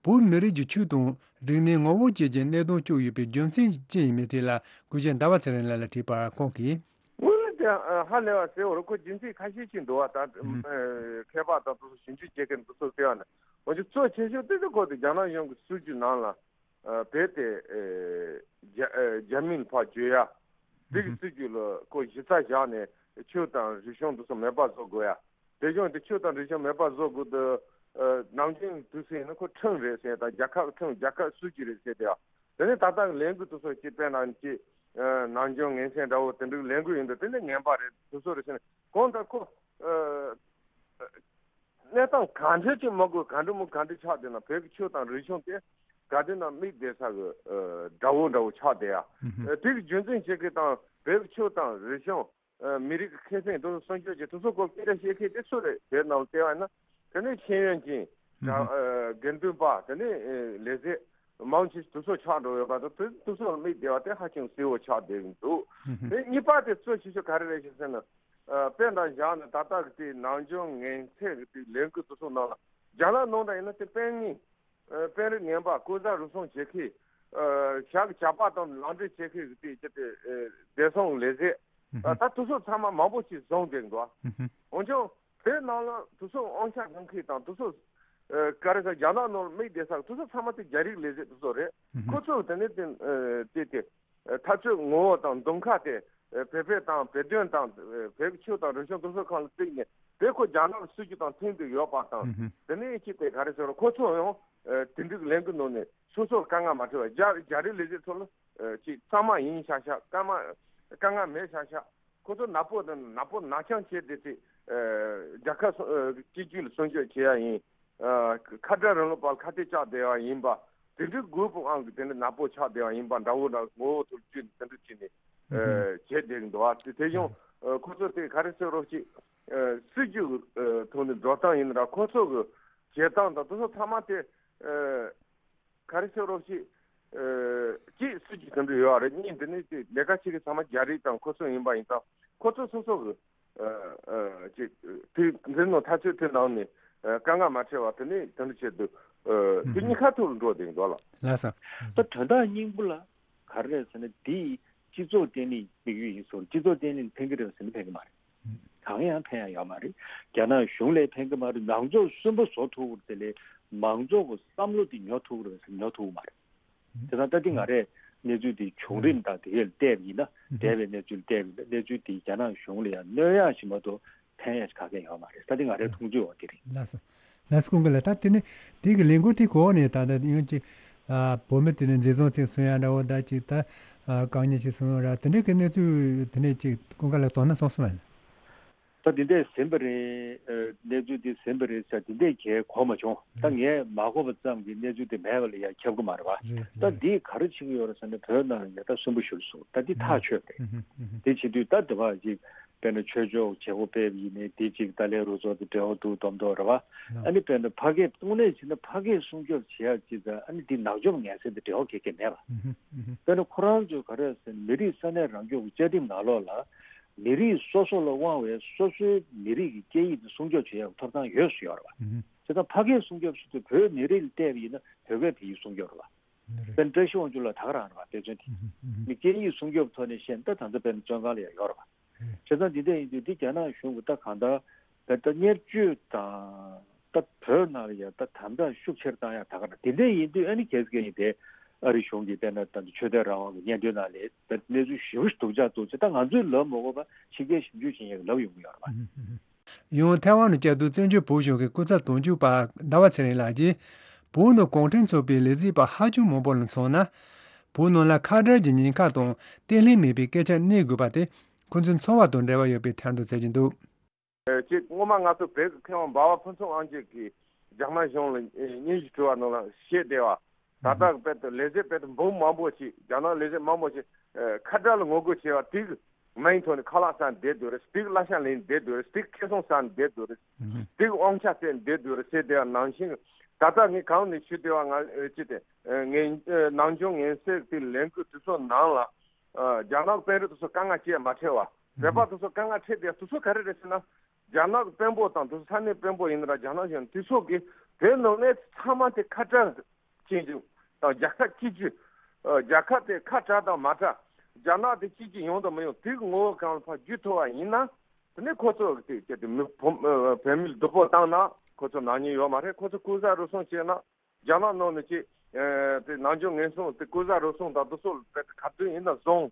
བོད་མི་རིགས་ཀྱི་ཆོས་དང་རིག་གནས་ངོ་བོ་བཅས་ཀྱི་གནད་དོན་བཅུག་ཡོད་པའི་རྒྱུ་མཚན་ཅི་ཡིན་མིན་ཐད་ལ་སྐུ་ཞབས་ཟླ་བ་ཚེ་རིང་ལགས་ལ་དྲིས་པར་ཁོང་གིས། དངོས་གནས་དེ་ཧ་ལས་པ་ཟེར་བར་ཁོ་རྒྱུ་མཚན་ཁ་ཤས་ཤིག་འདུག་བ། ད་མཁས་པ་དང་དེ་ཚོ་ཞིབ་འཇུག་བྱེད་མཁན་དེ་ཚོ་ལྟ་བ་ན་འོན་ཀྱང་གཙོ་ཆེ་ཤོས་དེ་ཚོ་ཁོ་དེ་རྒྱ་ནག་གཞུང་གི་སྲིད་ཇུས་ནང་ལ་བོད་དེ་རྒྱ་མིན་ཕར་བརྗོད་ཡ། དེ་གི་སྲིད་ཇུས་ལ་ཁོ་གཞི་རྩ་བཞག་ནས་ཆོས་དང་རིག་གཞུང་འདི་ཚོ་མེད་པ་བཟོ་དགོས་ཡ། དེ་བཞིན་དུ་ཆོས་དང་རིག་གཞུང་མེད་པ་བཟོ་དགོས་དུས། ནམ་རྒྱུན་དུས་ཟིན་ན་ཁོ་ཁྲིམས་རེད་ཟེར་དང་རྒྱལ་ཁབ་ཁྲིམས་རྒྱལ་ཁབ་སྲིད་ཇུས་རེད་ཟེར་དེ་ཡ། དེ་ནས་ད་ལྟ་གི་ལས་འགུལ་དེ་ཚོ་སྤྱི་དཔེར་ན་ཅི་ནང་སྦྱོང་ངན་སེམས་འདྲ་བོ་དེ་འདྲའི་ལས་འགུལ་ཡིན་དུས་དེ་ནས་ངན་པ་རེད་དེ་ཚོ་རེད་ཟེར་ནས་གང་ལྟར་ཁོ། གནས་སྟངས་ག་འདྲ་ཅིག་མ་དགོས་ག་འདྲ་མོ་ག་འདྲ་ཆགས་བསྡད་ན་བོད་ཀྱི་ཆོས་དང་རིག་གཞུང་དེ་ག་དུས་ན་མིག་བསྡད་ས་གི་དགྲ་བོ་འདྲ་བོ་ཆགས་བསྡད་ཡ། དེ་གི་རྒྱུ་མཚན་བྱེད་ཀྱི་དང་བོད་ཀྱི་ཆོས་དང་རིག་གཞུང་མི་རིགས་ཀྱི་ཁེ་ཕན་དེ་ཚོ་སྲུང་སྐྱོབ་བྱེད་དེ་ཚོ་སྐོར་སྐད་ཆ་བཤད་མཁན་དེ་སུ་རེད་བོད་ནང་ལ་བལྟས་པ་ཡིན་ན། དེ་ནས་ཤེས་ཡོན་ཅན་དགེ་འདུན་པ་དེ་ནས་ལས་བྱེད་མང་ཆེ་དེ་ཚོ་ཆགས་འགྲོ་ཡོད་པ་དང་དེ་ཚོ་ལ་མིག་བསྡད་པ་དེ་ཧ་ཅང་གསལ་བོ་ཆགས་བསྡད་ཀྱི་འདུག་དེ་གཉིས་པ་དེ་གཙོ་ཆེ་ཤོས་ག་རེ་རེད་ཞེས་ཟེར་ན། དཔེ་འདྲ་བཞག་ན་ད་ལྟ་གི་དེ་ནམ་རྒྱུན་ངན་ཚད་ཀྱི་དེ་ལས་འགུལ་དེ་ཚོ་ནང་ལ་རྒྱ་ནག་ནང་དུ་ཡིན་ན་དེ་དཔོན་ངན། དཔོན་རིགས་ངན་པ་ལྐོག་ཟ་རུལ་སུངས་བྱེད་མཁན། ཞག་གི་ཇག་པ་དང་ལག་འབྲེལ་བྱེད་མཁན་གྱི་དེ་དེ་བདེ་སྲུང་ལས་བྱེད། ད་དེ་ཚོ་ཚང་མ་མང་པོ་ཞིག་བཟུང་བསྡད་འདུག་འོན་ཀྱང་བོད་ནང་ལ་དེ་ཚོ་དབང་ཆ་འཛིན་མཁན་དང་དེ་ཚོ་ག་རེ་ཟེར་རྒྱ་ནག་ནང་ལ་མིག་བསྡད་ས་དེ་ཚོ་ཚང་མ་དེ་རྒྱ་རིགས་ལས་བྱེད་དེ་ཚོ་རེད། ཁོ་ཚོ་དེ་ནས་དེ་དེ་དེ། འཐབ་རྩོད་ངོ་བོ་དང་གདོང་ཁ་དེ་བོད་པའི་དང་བོད་དོན་དང་བོད་ཀྱི་ཆོས་དང་རིག་གཞུང་དེ་ཚོ་སྒང་ལ་བརྩིས་ནས་བོད་ཁོ་རྒྱ་ནག་གི་སྲིད་ཇུས་དང་མཐུན་དུ་ཡོད་པ་དང་དེ་ནས་ཅི་སྟེ་ག་རེ་ཟེར་རོ་ཁོ་ཚོ་ཡང་དེ་འདྲའི་ལས་འགུལ་ནང་ནས་སོ་སོར་དཀའ་ངལ་མ་འཕྲད་པར་རྒྱ་རྒྱ་རིགས་ལས་བྱེད་ཚོ་ལ་ཅིག་གཙང་མ་ཡིན་ཤག་ཤག་དཀའ་མ་དཀའ་ངལ་མེད་ཤག་ཤག་ཁོ་ཚོ་ནག་པོ་དང་ནག་པོ་ནག་རྐྱང་བྱས་ཏེ་ཅིག་རྒྱལ་ཁབ་སྲུང་སྤྱི་ཚོགས་ལ་སྲུང་སྐྱོབ་བྱེད་ཡ་ཡིན། ཁ་བྲལ་རིང་ལུགས་པ་ལ་ཁ་གཏད་བཅག་བསྡད་པ་ཡིན་པ། དེ་འདྲའི་རྒོད་པོའང་གི་དེ་འདྲ་ནག་པོ་ཆགས་བསྡད་པ་ཡིན་པ་འདྲ་བོ་འདྲ་ངོ་བོ་ཐུག་བཅུག་ནས་དེ་འདྲ་བྱས་ནས་བྱས་བསྡད་ཀྱི་འདུག་བ། དེ་དེ་བཞིན་ཁོ་ཚོ་དེ་ག་རེ་ཟེར་རོགས་ཅིག་སྲིད་ཇུས་ཐོག་ནས་འགྲོ་སྟངས་ཡིན་ན་ཁོ་ཚོ་གི་བྱེད་སྟངས་དང་དེ་ཚོ་ཚང་མ་དེ་ག་རེ་ཟེར་རོགས་ཅིག་གཅིག་སྲིད་ཇུས་དེ་འདྲ་ཡོད་རེད། གཉིས་འདི་ནི་དེ་ལས་ཀ་བྱེད་མཁན་ཚང་མ་རྒྱ་རིགས་དང་ཁོ་ཚོ་ཡིན་པ་ཡིན་ཙང་ཁོ་ཚོ་སོ་སོ་གི་ཅིག་དེ་འཛིན་ནོ་ཐག་ཆོད་དེ་ནང་ནས་དཀའ་ངལ་མ་འཕྲད་པ་དེ་ནས་དེ་འདྲ་བྱེད་དུས་དེ་གཉིས་ཁ་ཐུག་ལ་འགྲོ་བསྡད་འདུག་ལ། ལགས་སོ། ད་དོན་དག་སྙིང་པོ་ལ་ག་རེ་རེད་ཟེར་ན་འདི་སྤྱི་ཚོགས་བརྟན་ལྷིང་དམིགས་ཡུལ་ཡིན་སོང་སྤྱི་ཚོགས་བརྟན་ལྷིང་ཕན་གྱི་རེད་ཟེར་ན་ཕན་གྱི་མ་རེད། གང་ཡང་ཕན་ཡ་ཡོད་མ་རེད། རྒྱ་ནག་གཞུང་ལ་ཕན་གྱི་མ་རེད། མང་ཚོགས་གསོན་པོ་བཟོ་ཐུབ་ཀྱི་རེད་དེ་ལས་མང་ཚོགས་ཀྱི་བསམ་བློ་དེ་ཉོ་ཐུབ་ཀྱི་རེད་ཟེར་ན་ཉོ་ཐུབ་ཀྱི་མ་རེད། དེ་ཙང་ད་ལྟ་ང་རས་གནས་ཚུལ་འདི་བྱུང་རིམ་དང་དེ་གས་ལ་བལྟས་པ་ཡིན་ན་འདས་པའི་གནས་ཚུལ་བལྟས་པ་ཡིན་ན་གནས་ཚུལ་འདིས་རྒྱ་ནག་གཞུང་ལ་ཡང་གནོད་ཡག་ཞིག་མ་གཏོགས་ཕན་ཡག་ཞིག་ག་གེ་ཡོད་མ་རེད། ད་དེ་ང་རའི་མཐོང་ཚུལ་འོ་དེ་རེད། ལགས་སོ། ལགས་སོ་ཀུན་དགའ་ལགས། ད་དེ་ནི་དེ་གི་ལས་འགུལ་དེ་གོ་ནས་ད་ལྟ་ཡང་ཅིག་བོད་མི་དེ་ནི་འཛིན་བཟུང་ཚིག་གསུང་ཡ་འདྲ་བོ་ད་ཅིག་ད་རྐང་གཉིས་ཅིག་གསུང་ར་དེ་འདྲའི་གི་གནས་ཚུལ་དེ་ནས་ཅིག་ཀུན་དགའ་ལགས་དོ་སྣང་སོང་སོང་ཡ་ན། ད་འདི་འདྲས་ཟིན་པ་རེད། གནས་ཚུལ་འདི་ཟིན་པ་རེད་ཟེར་འདི་འདྲས་གས་གོ་མ་བྱུང་། ད་ངས་མ་གོ་བ་ཙམ་གྱིས་གནས་ཚུལ་འདི་མེད་པ་ལ་ཡང་ཁྱབ་ཀྱི་མ་རེད་བ། རེད་ད་རེད། འདིས་ག་རེ་བྱེད་ཀྱི་ཡོད་རེད་ཟེར་ན་བོད་ནང་ལ་ཡ་ད་སུན་པོ་ཞུ་སོང་ད་འདི་ཐག་ཆོད་པ་རེད། འདི་བྱེད་དུས་ད་འདི་བ་ཅིག་དཔེར་ན་ཆོས་ཕྱོགས་བྱེད་སྒོ་སྤེལ་བ་ཡིན་ནའི་འདི་ཅིག་ཏཱ་ལའི་རུ་ཚོགས་དེ་འབྲེལ་བ་འདུག་མདོག་མདོག་རེད་བ། ཨ་ནི་དཔེར་ན་ཕ་སྐད་དངོས་གནས་བྱས་ན་ཕ་སྐད་སྲུང་སྐྱོབ་བྱེད་ཡག་ཅིག་ད་ཨ་ནི་འདི་ནག་འཇོམས་ངན་སེལ་དེ་འབྲེལ་བ་ག་གེ་མེད་པ། དཔེར་ན་ཁོ་རང་ཚོས་ག་རེ་ཟེར་ན་མི་རིགས་ས་གནས་རང་སྐྱོང་གི་བཅའ་ཁྲིམས་ནང་ལོགས་ལ། མི་རིགས་སོ་སོ་ལ་དབང་བའི་སོ་སོའི་མི་རིགས་ཀྱི་སྐད་ཡིག་དེ་སྲུང་སྐྱོབ་བྱེད་ཡག་ཐོབ་ཐང་ཡོད་སུ་ཡོད་རེད་བ། བྱས་ཙང་ཕ་སྐད་སྲུང་སྐྱོབ་ཟེར་དུས་བོད་མི་རིགས་ལ་བལྟས་པ་ཡིན་ན་བོད་སྐད་བོད་ཡིག་སྲུང་སྐྱོབ་རེད་བ། དཔེར་ན་བཀྲ་ཤིས་དབང་ཕྱུག་ལགས་ད་ག་རང་རེད་བ་དཔེ་མཚོན་དེ། མི་སྐད་ཡིག་སྲུང་སྐྱོབ་ཐོག་ནས་བཤད་ན་ད་ད་ལྟ་དཔེར་ན་བཙོན་ཁང་ལ་ཡང་ཡོད་རེད་བ། བྱས་ཙང་འདི་འདྲ་ཡིན་དུས་འདི་རྒྱ་ནག་གཞུང་གིས་ད་གང་ལྟར་ད་ལྟ་བརྙས་བཅོས་དང་ད་བོད་ནང་ལ་ཡང་ད་དམ་དྲག་ཤུགས་ཆེར་བཏང་ཡག་ད་ག་རེད། འདི་འདྲ་ཡིན་དུས་ཨ་ནི་གལ་སྲིད་ཀྱི་ཡིན་དེ་ཨ་རི་གཞུང་གིས་དཔེར་ན་ད་ཆོས་དད་རང་དབང་གི་སྙན་ཐོའི་ནང་ལ་ད་གནས་ཚུལ་ཞེ་པོ་ཞིག་སྡུག་ཅག་འདུག་ཅེས་ད་ང་ཚོས་ལབ་མ་དགོས་པ་ཕྱི་རྒྱལ་ཞིབ་འཇུག་བྱེད་མཁན་གྱིས་ལབ་ཡོང་གི་ཡོད་རེད་པ། ཡང་ཐའེ་ཝན་དུ་བསྐྱབས་དུས་བཙན་བྱོལ་བོད་གཞུང་གི་སྐུ་ཚབ་དོན་གཅོད་པ་ཟླ་བ་ཚེ་རིང་ལགས་ཀྱིས་བོད་ནང་གུང་ཁྲན་ཚོགས་པའི་ལས་བྱེད་པ་ཧ་ཅང་མང་པོ་ལ་མཚོན་ན། བོད་ནང་ལ་ཁ་བྲལ་གྱི་ཉེན་ཁ་དང་བརྟན་ལྷིང་མེད་པའི་སྐད་ཆ་གནས་དགོས་པ་དེ་ཁོ་ཚོའི་འཚོ་བ་དང་འབྲེལ་བ་ཡོད་པའི་ཐད་དུ་བརྩི་གི་འདུག་ཅེས་སྔོན་མ་ང་ཚོ་བོད་ཀྱི་མཁས་དབང་འབའ་བ་ཕུན་ཚོགས་དབང་རྒྱལ་གྱིས་རྒྱ་ནག་གཞུང་ལ་སྙན་ཞུ་ཞུ་བ་ནང་ལ་བཤད་བསྡད་པ། ད་ལྟ་གི་དཔེ་དེ་ལས་བྱེད་དཔེ་དེ་འབུམ་མང་པོ་ཞིག་རྒྱ་ནག་ལས་བྱེད་མང་པོ་ཞིག་ཁ་བྲལ་ལ་ངོ་རྒོལ་བྱས་པ་དེ་གི་མིང་ཐོག་ནས་ཁ་ལག་ཟ་ནས་བསྡད་འདུག་རེད། དེ་གི་གླ་ཆ་ལེན་བསྡད་འདུག་རེད། དེ་གི་ཁེ་བཟང་ཟ་ནས་བསྡད་འདུག་རེད། དེ་གི་དབང་ཆ་བཙལ་ནས་བསྡད་འདུག་རེད་ཟེར་བསྡད་པ་ནང་བཞིན་ད་ལྟ་ངས་གང་ནས་ཞུ་བསྡད་པ་ང་ཅི་དེ་ངས་ནམ་རྒྱུན་ངན་སེལ་དེ་ལས་འགུལ་དེ་ཚོ་ནང་ལ། ཨ་རྒྱ་ནག་གི་དཔོན་རིགས་དེ་ཚོ་དཀའ་ངལ་སྤྱད་མ་ཁྲེལ་བ། བོད་པ་དེ་ཚོ་དཀའ་ངལ་འཕྲད་དེ་དེ་ཚོ་ག་རེ་རེད་ཟེར་ན། རྒྱ་ནག་གི་དཔོན་པོ་དང་དེ་ཚོ་ས་གནས་དཔོན་པོ་ཡིན་ན་ར་རྒྱ་ནག་གཞུང་དེ་ཚོ་གིས་བོད་ནང་གནས་ཚུལ་ཚང་མ་དེ་ཁ་བྲལ་བྱེད་རྒྱུ་དང་རྒྱལ་ཁབ་གཅིག་གྱུར། ཨ་རྒྱལ་ཁབ་དེ་ཁ་བྲལ་དང་མ་བྲལ། རྒྱ་ནག་དེ་གཅིག་གྱུར་ཡོང་དང་མི་ཡོང་དེ་གི་ངོ་བོ་གང་ལ་ཕར་བསྒྱུར་ཐུབ་པ་ཡིན་ན། དེ་ནས་ཁོ་ཚོ་གི་དེ་དེ་དེ་མི་བོད་ཨ་བོད་མིར་སྡུག་པོ་བཏང་ན་ཁོ་ཚོ་ནག་ཉེས་ཡོད་མ་རེད། ཁོ་ཚོ་ཀུན་བཟང་རུལ་སུངས་བྱས་ན། རྒྱ་ནག་ནང་ནས་ཅིག་ཨ་དེ་ནམ་རྒྱུན་ངན་སོང་དེ་ཀུན་བཟང་རུལ་སུངས་དང་དེ་ཚོ་དཔེ་ག་དུས་ཡིན་ན་བཟུང་།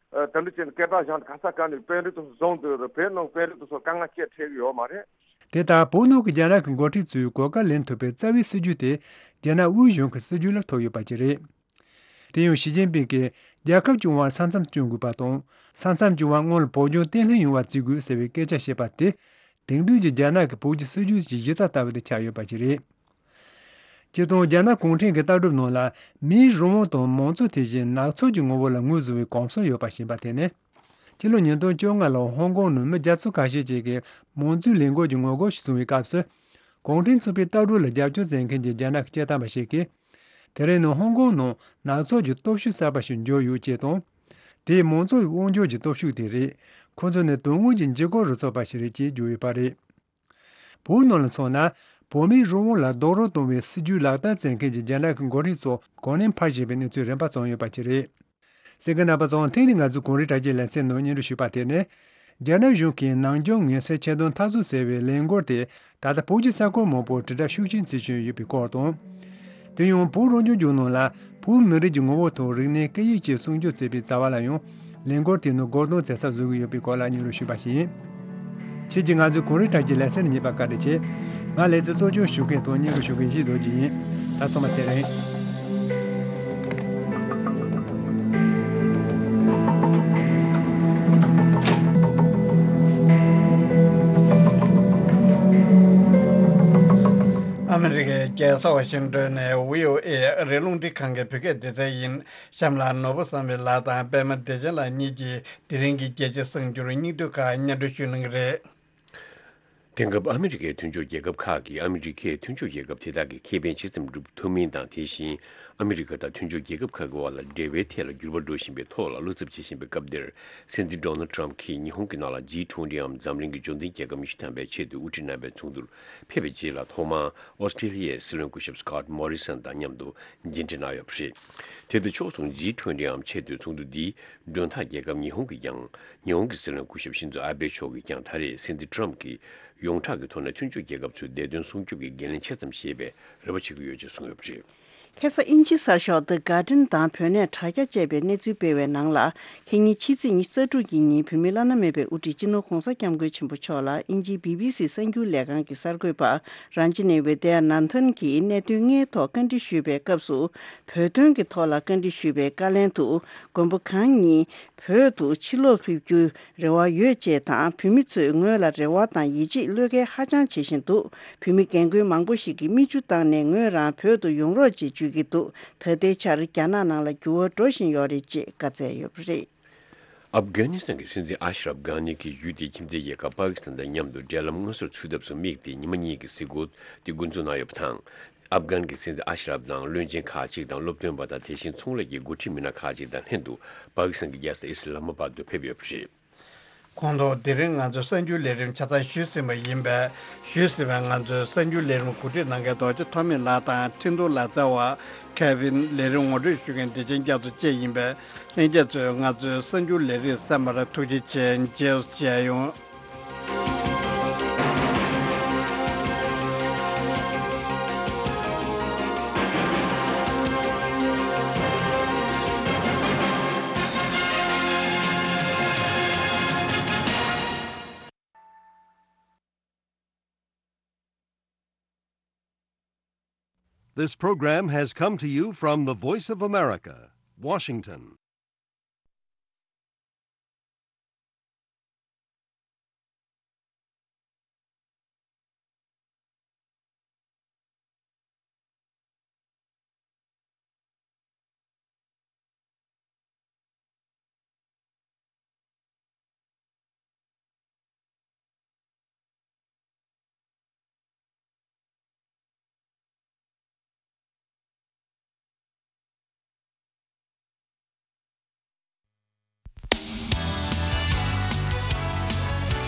ཨ་དེ་འདྲ་བྱས་ནས་སྐད་གྲགས་བཞག་ནས་ག་ས་ག་ནས་དཔོན་རིགས་དེ་ཚོ་བཟུང་སྡོད་རེད། བོད་ནང་དཔོན་རིགས་དེ་ཚོ་དཀའ་ངལ་སྤྱད་ཁྲེལ་གི་ཡོད་མ་རེད། དེ་ལྟར་བོད་ནང་གི་རྒྱ་ནག་གི་འགོ་ཁྲིད་ཚོས་གོ་སྐབས་ལེན་ཐུབ་པའི་རྩ་བའི་སྲིད་ཇུས་དེ་རྒྱ་ནག་དབུས་གཞུང་གི་སྲིད་ཇུས་ལ་ཐུག་ཡོད་པ་ཅིག་རེད། དེ་ཡང་ཞི་ཅིན་ཕིང་གིས་རྒྱལ་ཁབ་སྐྱོང་བར་ས་མཚམས་སྐྱོང་དགོས་པ་དང་། ས་མཚམས་སྐྱོང་བའི་སྔོན་ལ་བོད་ལྗོངས་བརྟན་ལྷིང་ཡོང་བ་བརྩི་དགོས་ཟེར་བའི་སྐད་ཆ་བཤད་པ་དེ། དེང་དུས་ཀྱི་རྒྱ་ནག་གི་བོད་ཀྱི་སྲིད་ཇུས་ཀྱི་གཞི་རྩ་ལྟ་བུ་དེ་ཆགས་ཡོད་པ་ཞིག་རེད། སྤྱིར་བཏང་རྒྱ་ནག་གུང་ཁྲན་གྱི་ལྟ་གྲུབ་ནང་ལ་མིའི་རང་དབང་དང་མང་གཙོ་དེ་བཞིན་ནག་ཚོགས་ཀྱི་ངོ་བོ་ལ་ངོས་བཟུང་བའི་གོམས་སྲོལ་ཡོད་པ་ཞིག་ཡིན་པ་དེ་ནི། ཕྱི་ལོ་ཉིས་སྟོང་བཅོ་ལྔ་ལོར་ཧོང་ཀོང་ནང་མི་བརྒྱ་ཚོ་ཁ་ཤས་ཅིག་གིས་མང་གཙོའི་ལས་འགུལ་གྱི་ངོ་རྒོལ་ཞིག་བཟུང་བའི་སྐབས་སུ། གུང་ཁྲན་ཚོགས་པའི་ལྟ་གྲུབ་ལ་རྒྱབ་སྐྱོར་མཛད་མཁན་གྱི་རྒྱ་ནག་གི་སྐད་བཏང་བ་ཞིག་གིས། དེ་རིང་ནི་ཧོང་ཀོང་ནང་ནག་ཚོགས་ཀྱི་སྟོབས་ཤུགས་གསར་པ་ཞིག་འབྱོར་ཡོད་ཅེས་དང་། དེས་མང་གཙོའི་དབང་སྒྱུར་གྱི་སྟོབས་ཤུགས་དེ་རེད། ཁོ་ཚོ་ནི་དོན་དངོས་ཀྱི་འཇིགས་སྐུལ་རུ་ཚོགས་པ་ཞིག་རེད་ཅེས་བརྗོད་ཡོད་པ་རེད། བོད་ནང་ལ་མཚོན་ན། བོད་མིའི་རང་དབང་ལ་རྡོག་རོལ་གཏོང་བའི་སྲིད་ཇུས་ལག་བསྟར་མཛད་མཁན་གྱི་རྒྱ་ནག་གི་འགོ་ཁྲིད་ཚོ་གོ་གནས་འཕར་བཞིན་པའི་གནས་ཚུལ་རིམ་པ་བྱུང་ཡོད་པ་ཅིག་རེད། གསན་མཁན་རྣམ་པ་ཚོ་ཐེངས་འདིའི་ང་ཚོའི་གངས་རིའི་བྲག་ཅའི་ལེ་ཚན་ནང་སྙན་སྒྲོན་ཞུས་པ་དེ་ནི། རྒྱ་ནག་གཞུང་གིས་ནམ་རྒྱུན་ངན་སེལ་ཆེད་དོན་འཐབ་རྩོད་ཟེར་བའི་ལས་འགུལ་དེ་ད་ལྟ་བོད་ཀྱི་ས་ཁུལ་མང་པོར་དྲིལ་བསྒྲགས་ཤུགས་ཆེན་བྱེད་བཞིན་ཡོད་པའི་སྐོར་དང་། དེ་ཡང་བོད་རང་སྐྱོང་ལྗོངས་ནང་ལ་བོད་མི་རིགས་ཀྱི་ངོ་བོ་དང་རིག་གནས་སྐད་ཡིག་བཅས་སྲུང་སྐྱོབ་བྱེད་པའི་རྩ་བ་ལ་ཡང་ལས་འགུལ་དེ་ནི་མགོ་རྟིང་བྱེད་ས་བཟོ་གི་ཡོད་པའི་སྐོར་ལ་སྙན་སྒྲོན་ཞུས་པ་ཞིག་ཡིན། ཁྱེད་ཀྱིས་ང་ཚོའི་གངས་རིའི་བྲག་ཅའི་ལེ་ཚན་གཉིས་པ་བཀའ་དྲིན་ཆེ། ང་ལེ་ཚན་གཙོ་སྐྱོང་ཞུ་མཁན་དང་སྙན་སྒྲོན་ཞུ་མཁན་ཡེ་ཤེས་རྡོ་རྗེ་ཡིན། ད་ཚང་མ་ཚེ་རིང་། ཨ་མི་རི་ཀའི་རྒྱལ་ས་ཝ་ཤིང་ཏོན་ནས་བྷི་ཨོ་ཨེ་ཨ་རིའི་རླུང་འཕྲིན་ཁང་གི་བོད་སྐད་སྡེ་ཚན་ཡིན། གཤམ་ལ་ནོར་བུ་བསམ་འཕེལ་ལགས་དང་པད་མ་བདེ་ཆེན་ལགས་གཉིས་ཀྱིས་དེ་རིང་གི་རྒྱལ་སྤྱིའི་གསར་འགྱུར་སྙིང་བསྡུས་ཁག་སྙན་སྒྲོན་ཞུ་གནང་གི་རེད། དེང་སྐབས་ཨ་མི་རི་ཀའི་མཐུན་ཕྱོགས་རྒྱལ་ཁབ་ཁག་གིས་ཨ་མི་རི་ཀས་མཐུན་ཕྱོགས་རྒྱལ་ཁབ་དེ་དག་གི་ཁེ་ཕན་ཇི་ཙམ་སྒྲུབ་ཐུབ་མིན་དང་། དེ་བཞིན་ཨ་མི་རི་ཀ་དང་མཐུན་ཕྱོགས་རྒྱལ་ཁབ་ཁག་གི་དབར་ལ་འབྲེལ་བའི་ཐད་ལ་འགྱུར་བ་འགྲོ་བཞིན་པའི་ཐོག་ལ་བློ་འཚབ་བྱེད་བཞིན་པའི་སྐབས་འདིར། སྲིད་འཛིན་ཌོ་ནལ་ཌི་ཊརམ་ཕ་གྱིས་ཉི་ཧོང་གི་ནང་ལ་ཇི་ཊུ་ཝེན་ཊི་འམ་འཛམ་གླིང་གི་འབྱོར་ལྡན་རྒྱལ་ཁབ་ཉི་ཤུ་ཐམ་པའི་ཆེད་དུ་དབུ་ཁྲིད་རྣམ་པའི་ཚོགས་འདུར་ཕེབས་པའི་རྗེས་ལ། ཐོག་མར་ཨོ་སི་ཀྲེ་ལི་ཡའི་སྲིད་བློན་སྐུ་ཞབས་སི་ཀོཊ་མོ་རི་སན་དང་མཉམ་དུ་མཇལ་འཕྲད་གནང་ཡོད་པ་རེད། དེ་དང་ཕྱོགས་མཚུངས་ཇི་ཊུ་ཝེན་ཊི་འམ་ཆེད་དུ་ཚོགས་འདུ་འདིའི་མགྲོན་བདག་རྒྱལ་ཁབ་ཉི་ཧོང་གིས་ཀྱང་། ཉི་ཧོང་གི་སྲིད་བློན་སྐུ་ཞབས་ཤིན་ཛོ་ཨ་བྷེ་མཆོག་གིས་ཀྱང་ད་རེས་སྲིད་འཛིན་ཊརམ་ཕ་གྱིས་ཡོངས་གྲགས་ཀྱི་ཐོག་ནས་མཐུན་ཕྱོགས་རྒྱལ་ཁབ་ཚོའི་བདེ་དོན་སྲུང་སྐྱོབ་ཀྱི་འགན་ལེན་ཆེ་ཙམ་བཞེས་པའི་རེ་བ་བྱེད་ཀྱི་ཡོད་ཅེས་གསུངས་ཡོད་པ་རེད། ཁ་སང་དབྱིན་ཇིའི་གསར་ཤོག་The Guardian་དང་བོད་གནས་དྲ་རྒྱ་ཅེས་པའི་གནས་ཚུལ་སྤེལ་བའི་ནང་ལ། ཁ་ཉིན་ཕྱི་ཚེས་ཉི་ཤུ་རྩ་དྲུག་གི་ཉིན་བོད་མིའི་བླ་ན་མེད་པའི་དབུ་ཁྲིད་སྤྱི་ནོར་༧གོང་ས་༧སྐྱབས་མགོན་ཆེན་པོ་མཆོག་ལ་དབྱིན་ཇིའི་བི་བི་སི་གསར་འགྱུར་ལས་ཁང་གི་གསར་འགོད་པ་རན་ཇི་ནི་ཝི་དེ་ཡ་ནན་ཐན་གྱིས་གནད་དོན་ལྔའི་ཐོག་བཀའ་འདྲི་ཞུས་པའི་སྐབས་སུ། བོད་དོན་གྱི་ཐོག་ལ་བཀའ་འདྲི་ཞུས་པའི་བཀའ་ལན་དུ། མགོན་པོ་གང་ཉིད་བོད་དུ་ཕྱིར་ལོག་ཕེབས་རྒྱུའི་རེ་བ་ཡོད་ཅེས་དང་། བོད་མི་ཚོས་ངོས་ལ་རེ་བ་དང་ཡིད་ཆེས་བློས་འགེལ་ཧ་ཅང་བྱེད་བཞིན་འདུག་བོད་མི་རྒན་རྒོན་མང་པོ་ཞིག་གིས་མིག་ཆུ་བཏང་ནས་ངོས་རང་བོད་དུ་ཡོང་རོགས་ཅེས་བརྗོད་ཀྱི་འདུག་ད་ལྟའི་ཆར་རྒྱ་ནག་ནང་ལ་འགྱུར་བ་འགྲོ་བཞིན་ཡོད་རེད་ཅེས་བཀའ་སྩལ་ཡོད་པ་རེད། ཨབ་གྷ་ནི་སི་ཐན་གྱི་སྲིད་འཛིན་ཨ་ཤ་རབ་གྷ་ནི་གིས་ཡུལ་དེའི་ཁྱིམ་མཚེས་རྒྱལ་ཁབ་པ་ཀི་སི་ཐན་དང་མཉམ་དུ་འབྲེལ་ལམ་མངོན་གསལ་ཚུགས་ཐབས་སུ་དམིགས་ཏེ་ཉི་མ་གཉིས་ཀྱི་གཟིགས་སྐོར་དེ་འགོ་འཛུགས་གནང་ཡོད་པ་དང་། ཨབ་གྷན་གྱི་སྲིད་འཛིན་ཨ་ཤ་རབ་དང་བློན་ཆེན་ཁག་ཅིག་དང་སློབ་སྟོན་པ་དང་། དེ་བཞིན་ཚོང་ལས་ཀྱི་འགོ་ཁྲིད་མི་སྣ་ཁག་ཅིག་དང་ལྷན་དུ་པ་ཀི་སི་ཐན་གྱི་རྒྱལ་ས་ཨི་སི་ལ་མ་བཱད་དུ་ཕེབས་ཡོད་པ་རེད། ཁོང་ཚོ་དེ་རིང་ང་ཚོའི་གསར་འགྱུར་ལས་རིམ་ཆ་ཚང་ཞུས་ཟིན་པ་ཡིན་པས། ཞུས་ཟིན་པའི་ང་ཚོའི་གསར་འགྱུར་ལས་རིམ་གོ་སྒྲིག་གནང་མཁན་རྡོ་རྗེ་ཐོགས་མེད་ལགས་དང་ཁྲིན་ཏུའུ་ལག་རྩལ་བ་ཁེ་ཝིན། ལས་རིམ་ངོ་སྤྲོད་ཞུ་མཁན་བདེ་ཆེན་རྒྱ་མཚོ་བཅས་ཡིན་པས། ལྷན་རྒྱས་ཚོས་ང་ཚོའི་གསར་འགྱུར་ལས་རིམ་གསན་པར་ཐུགས་རྗེ་ཆེ། མཇལ་ཡོང་། This program has come to you from the Voice of America, Washington.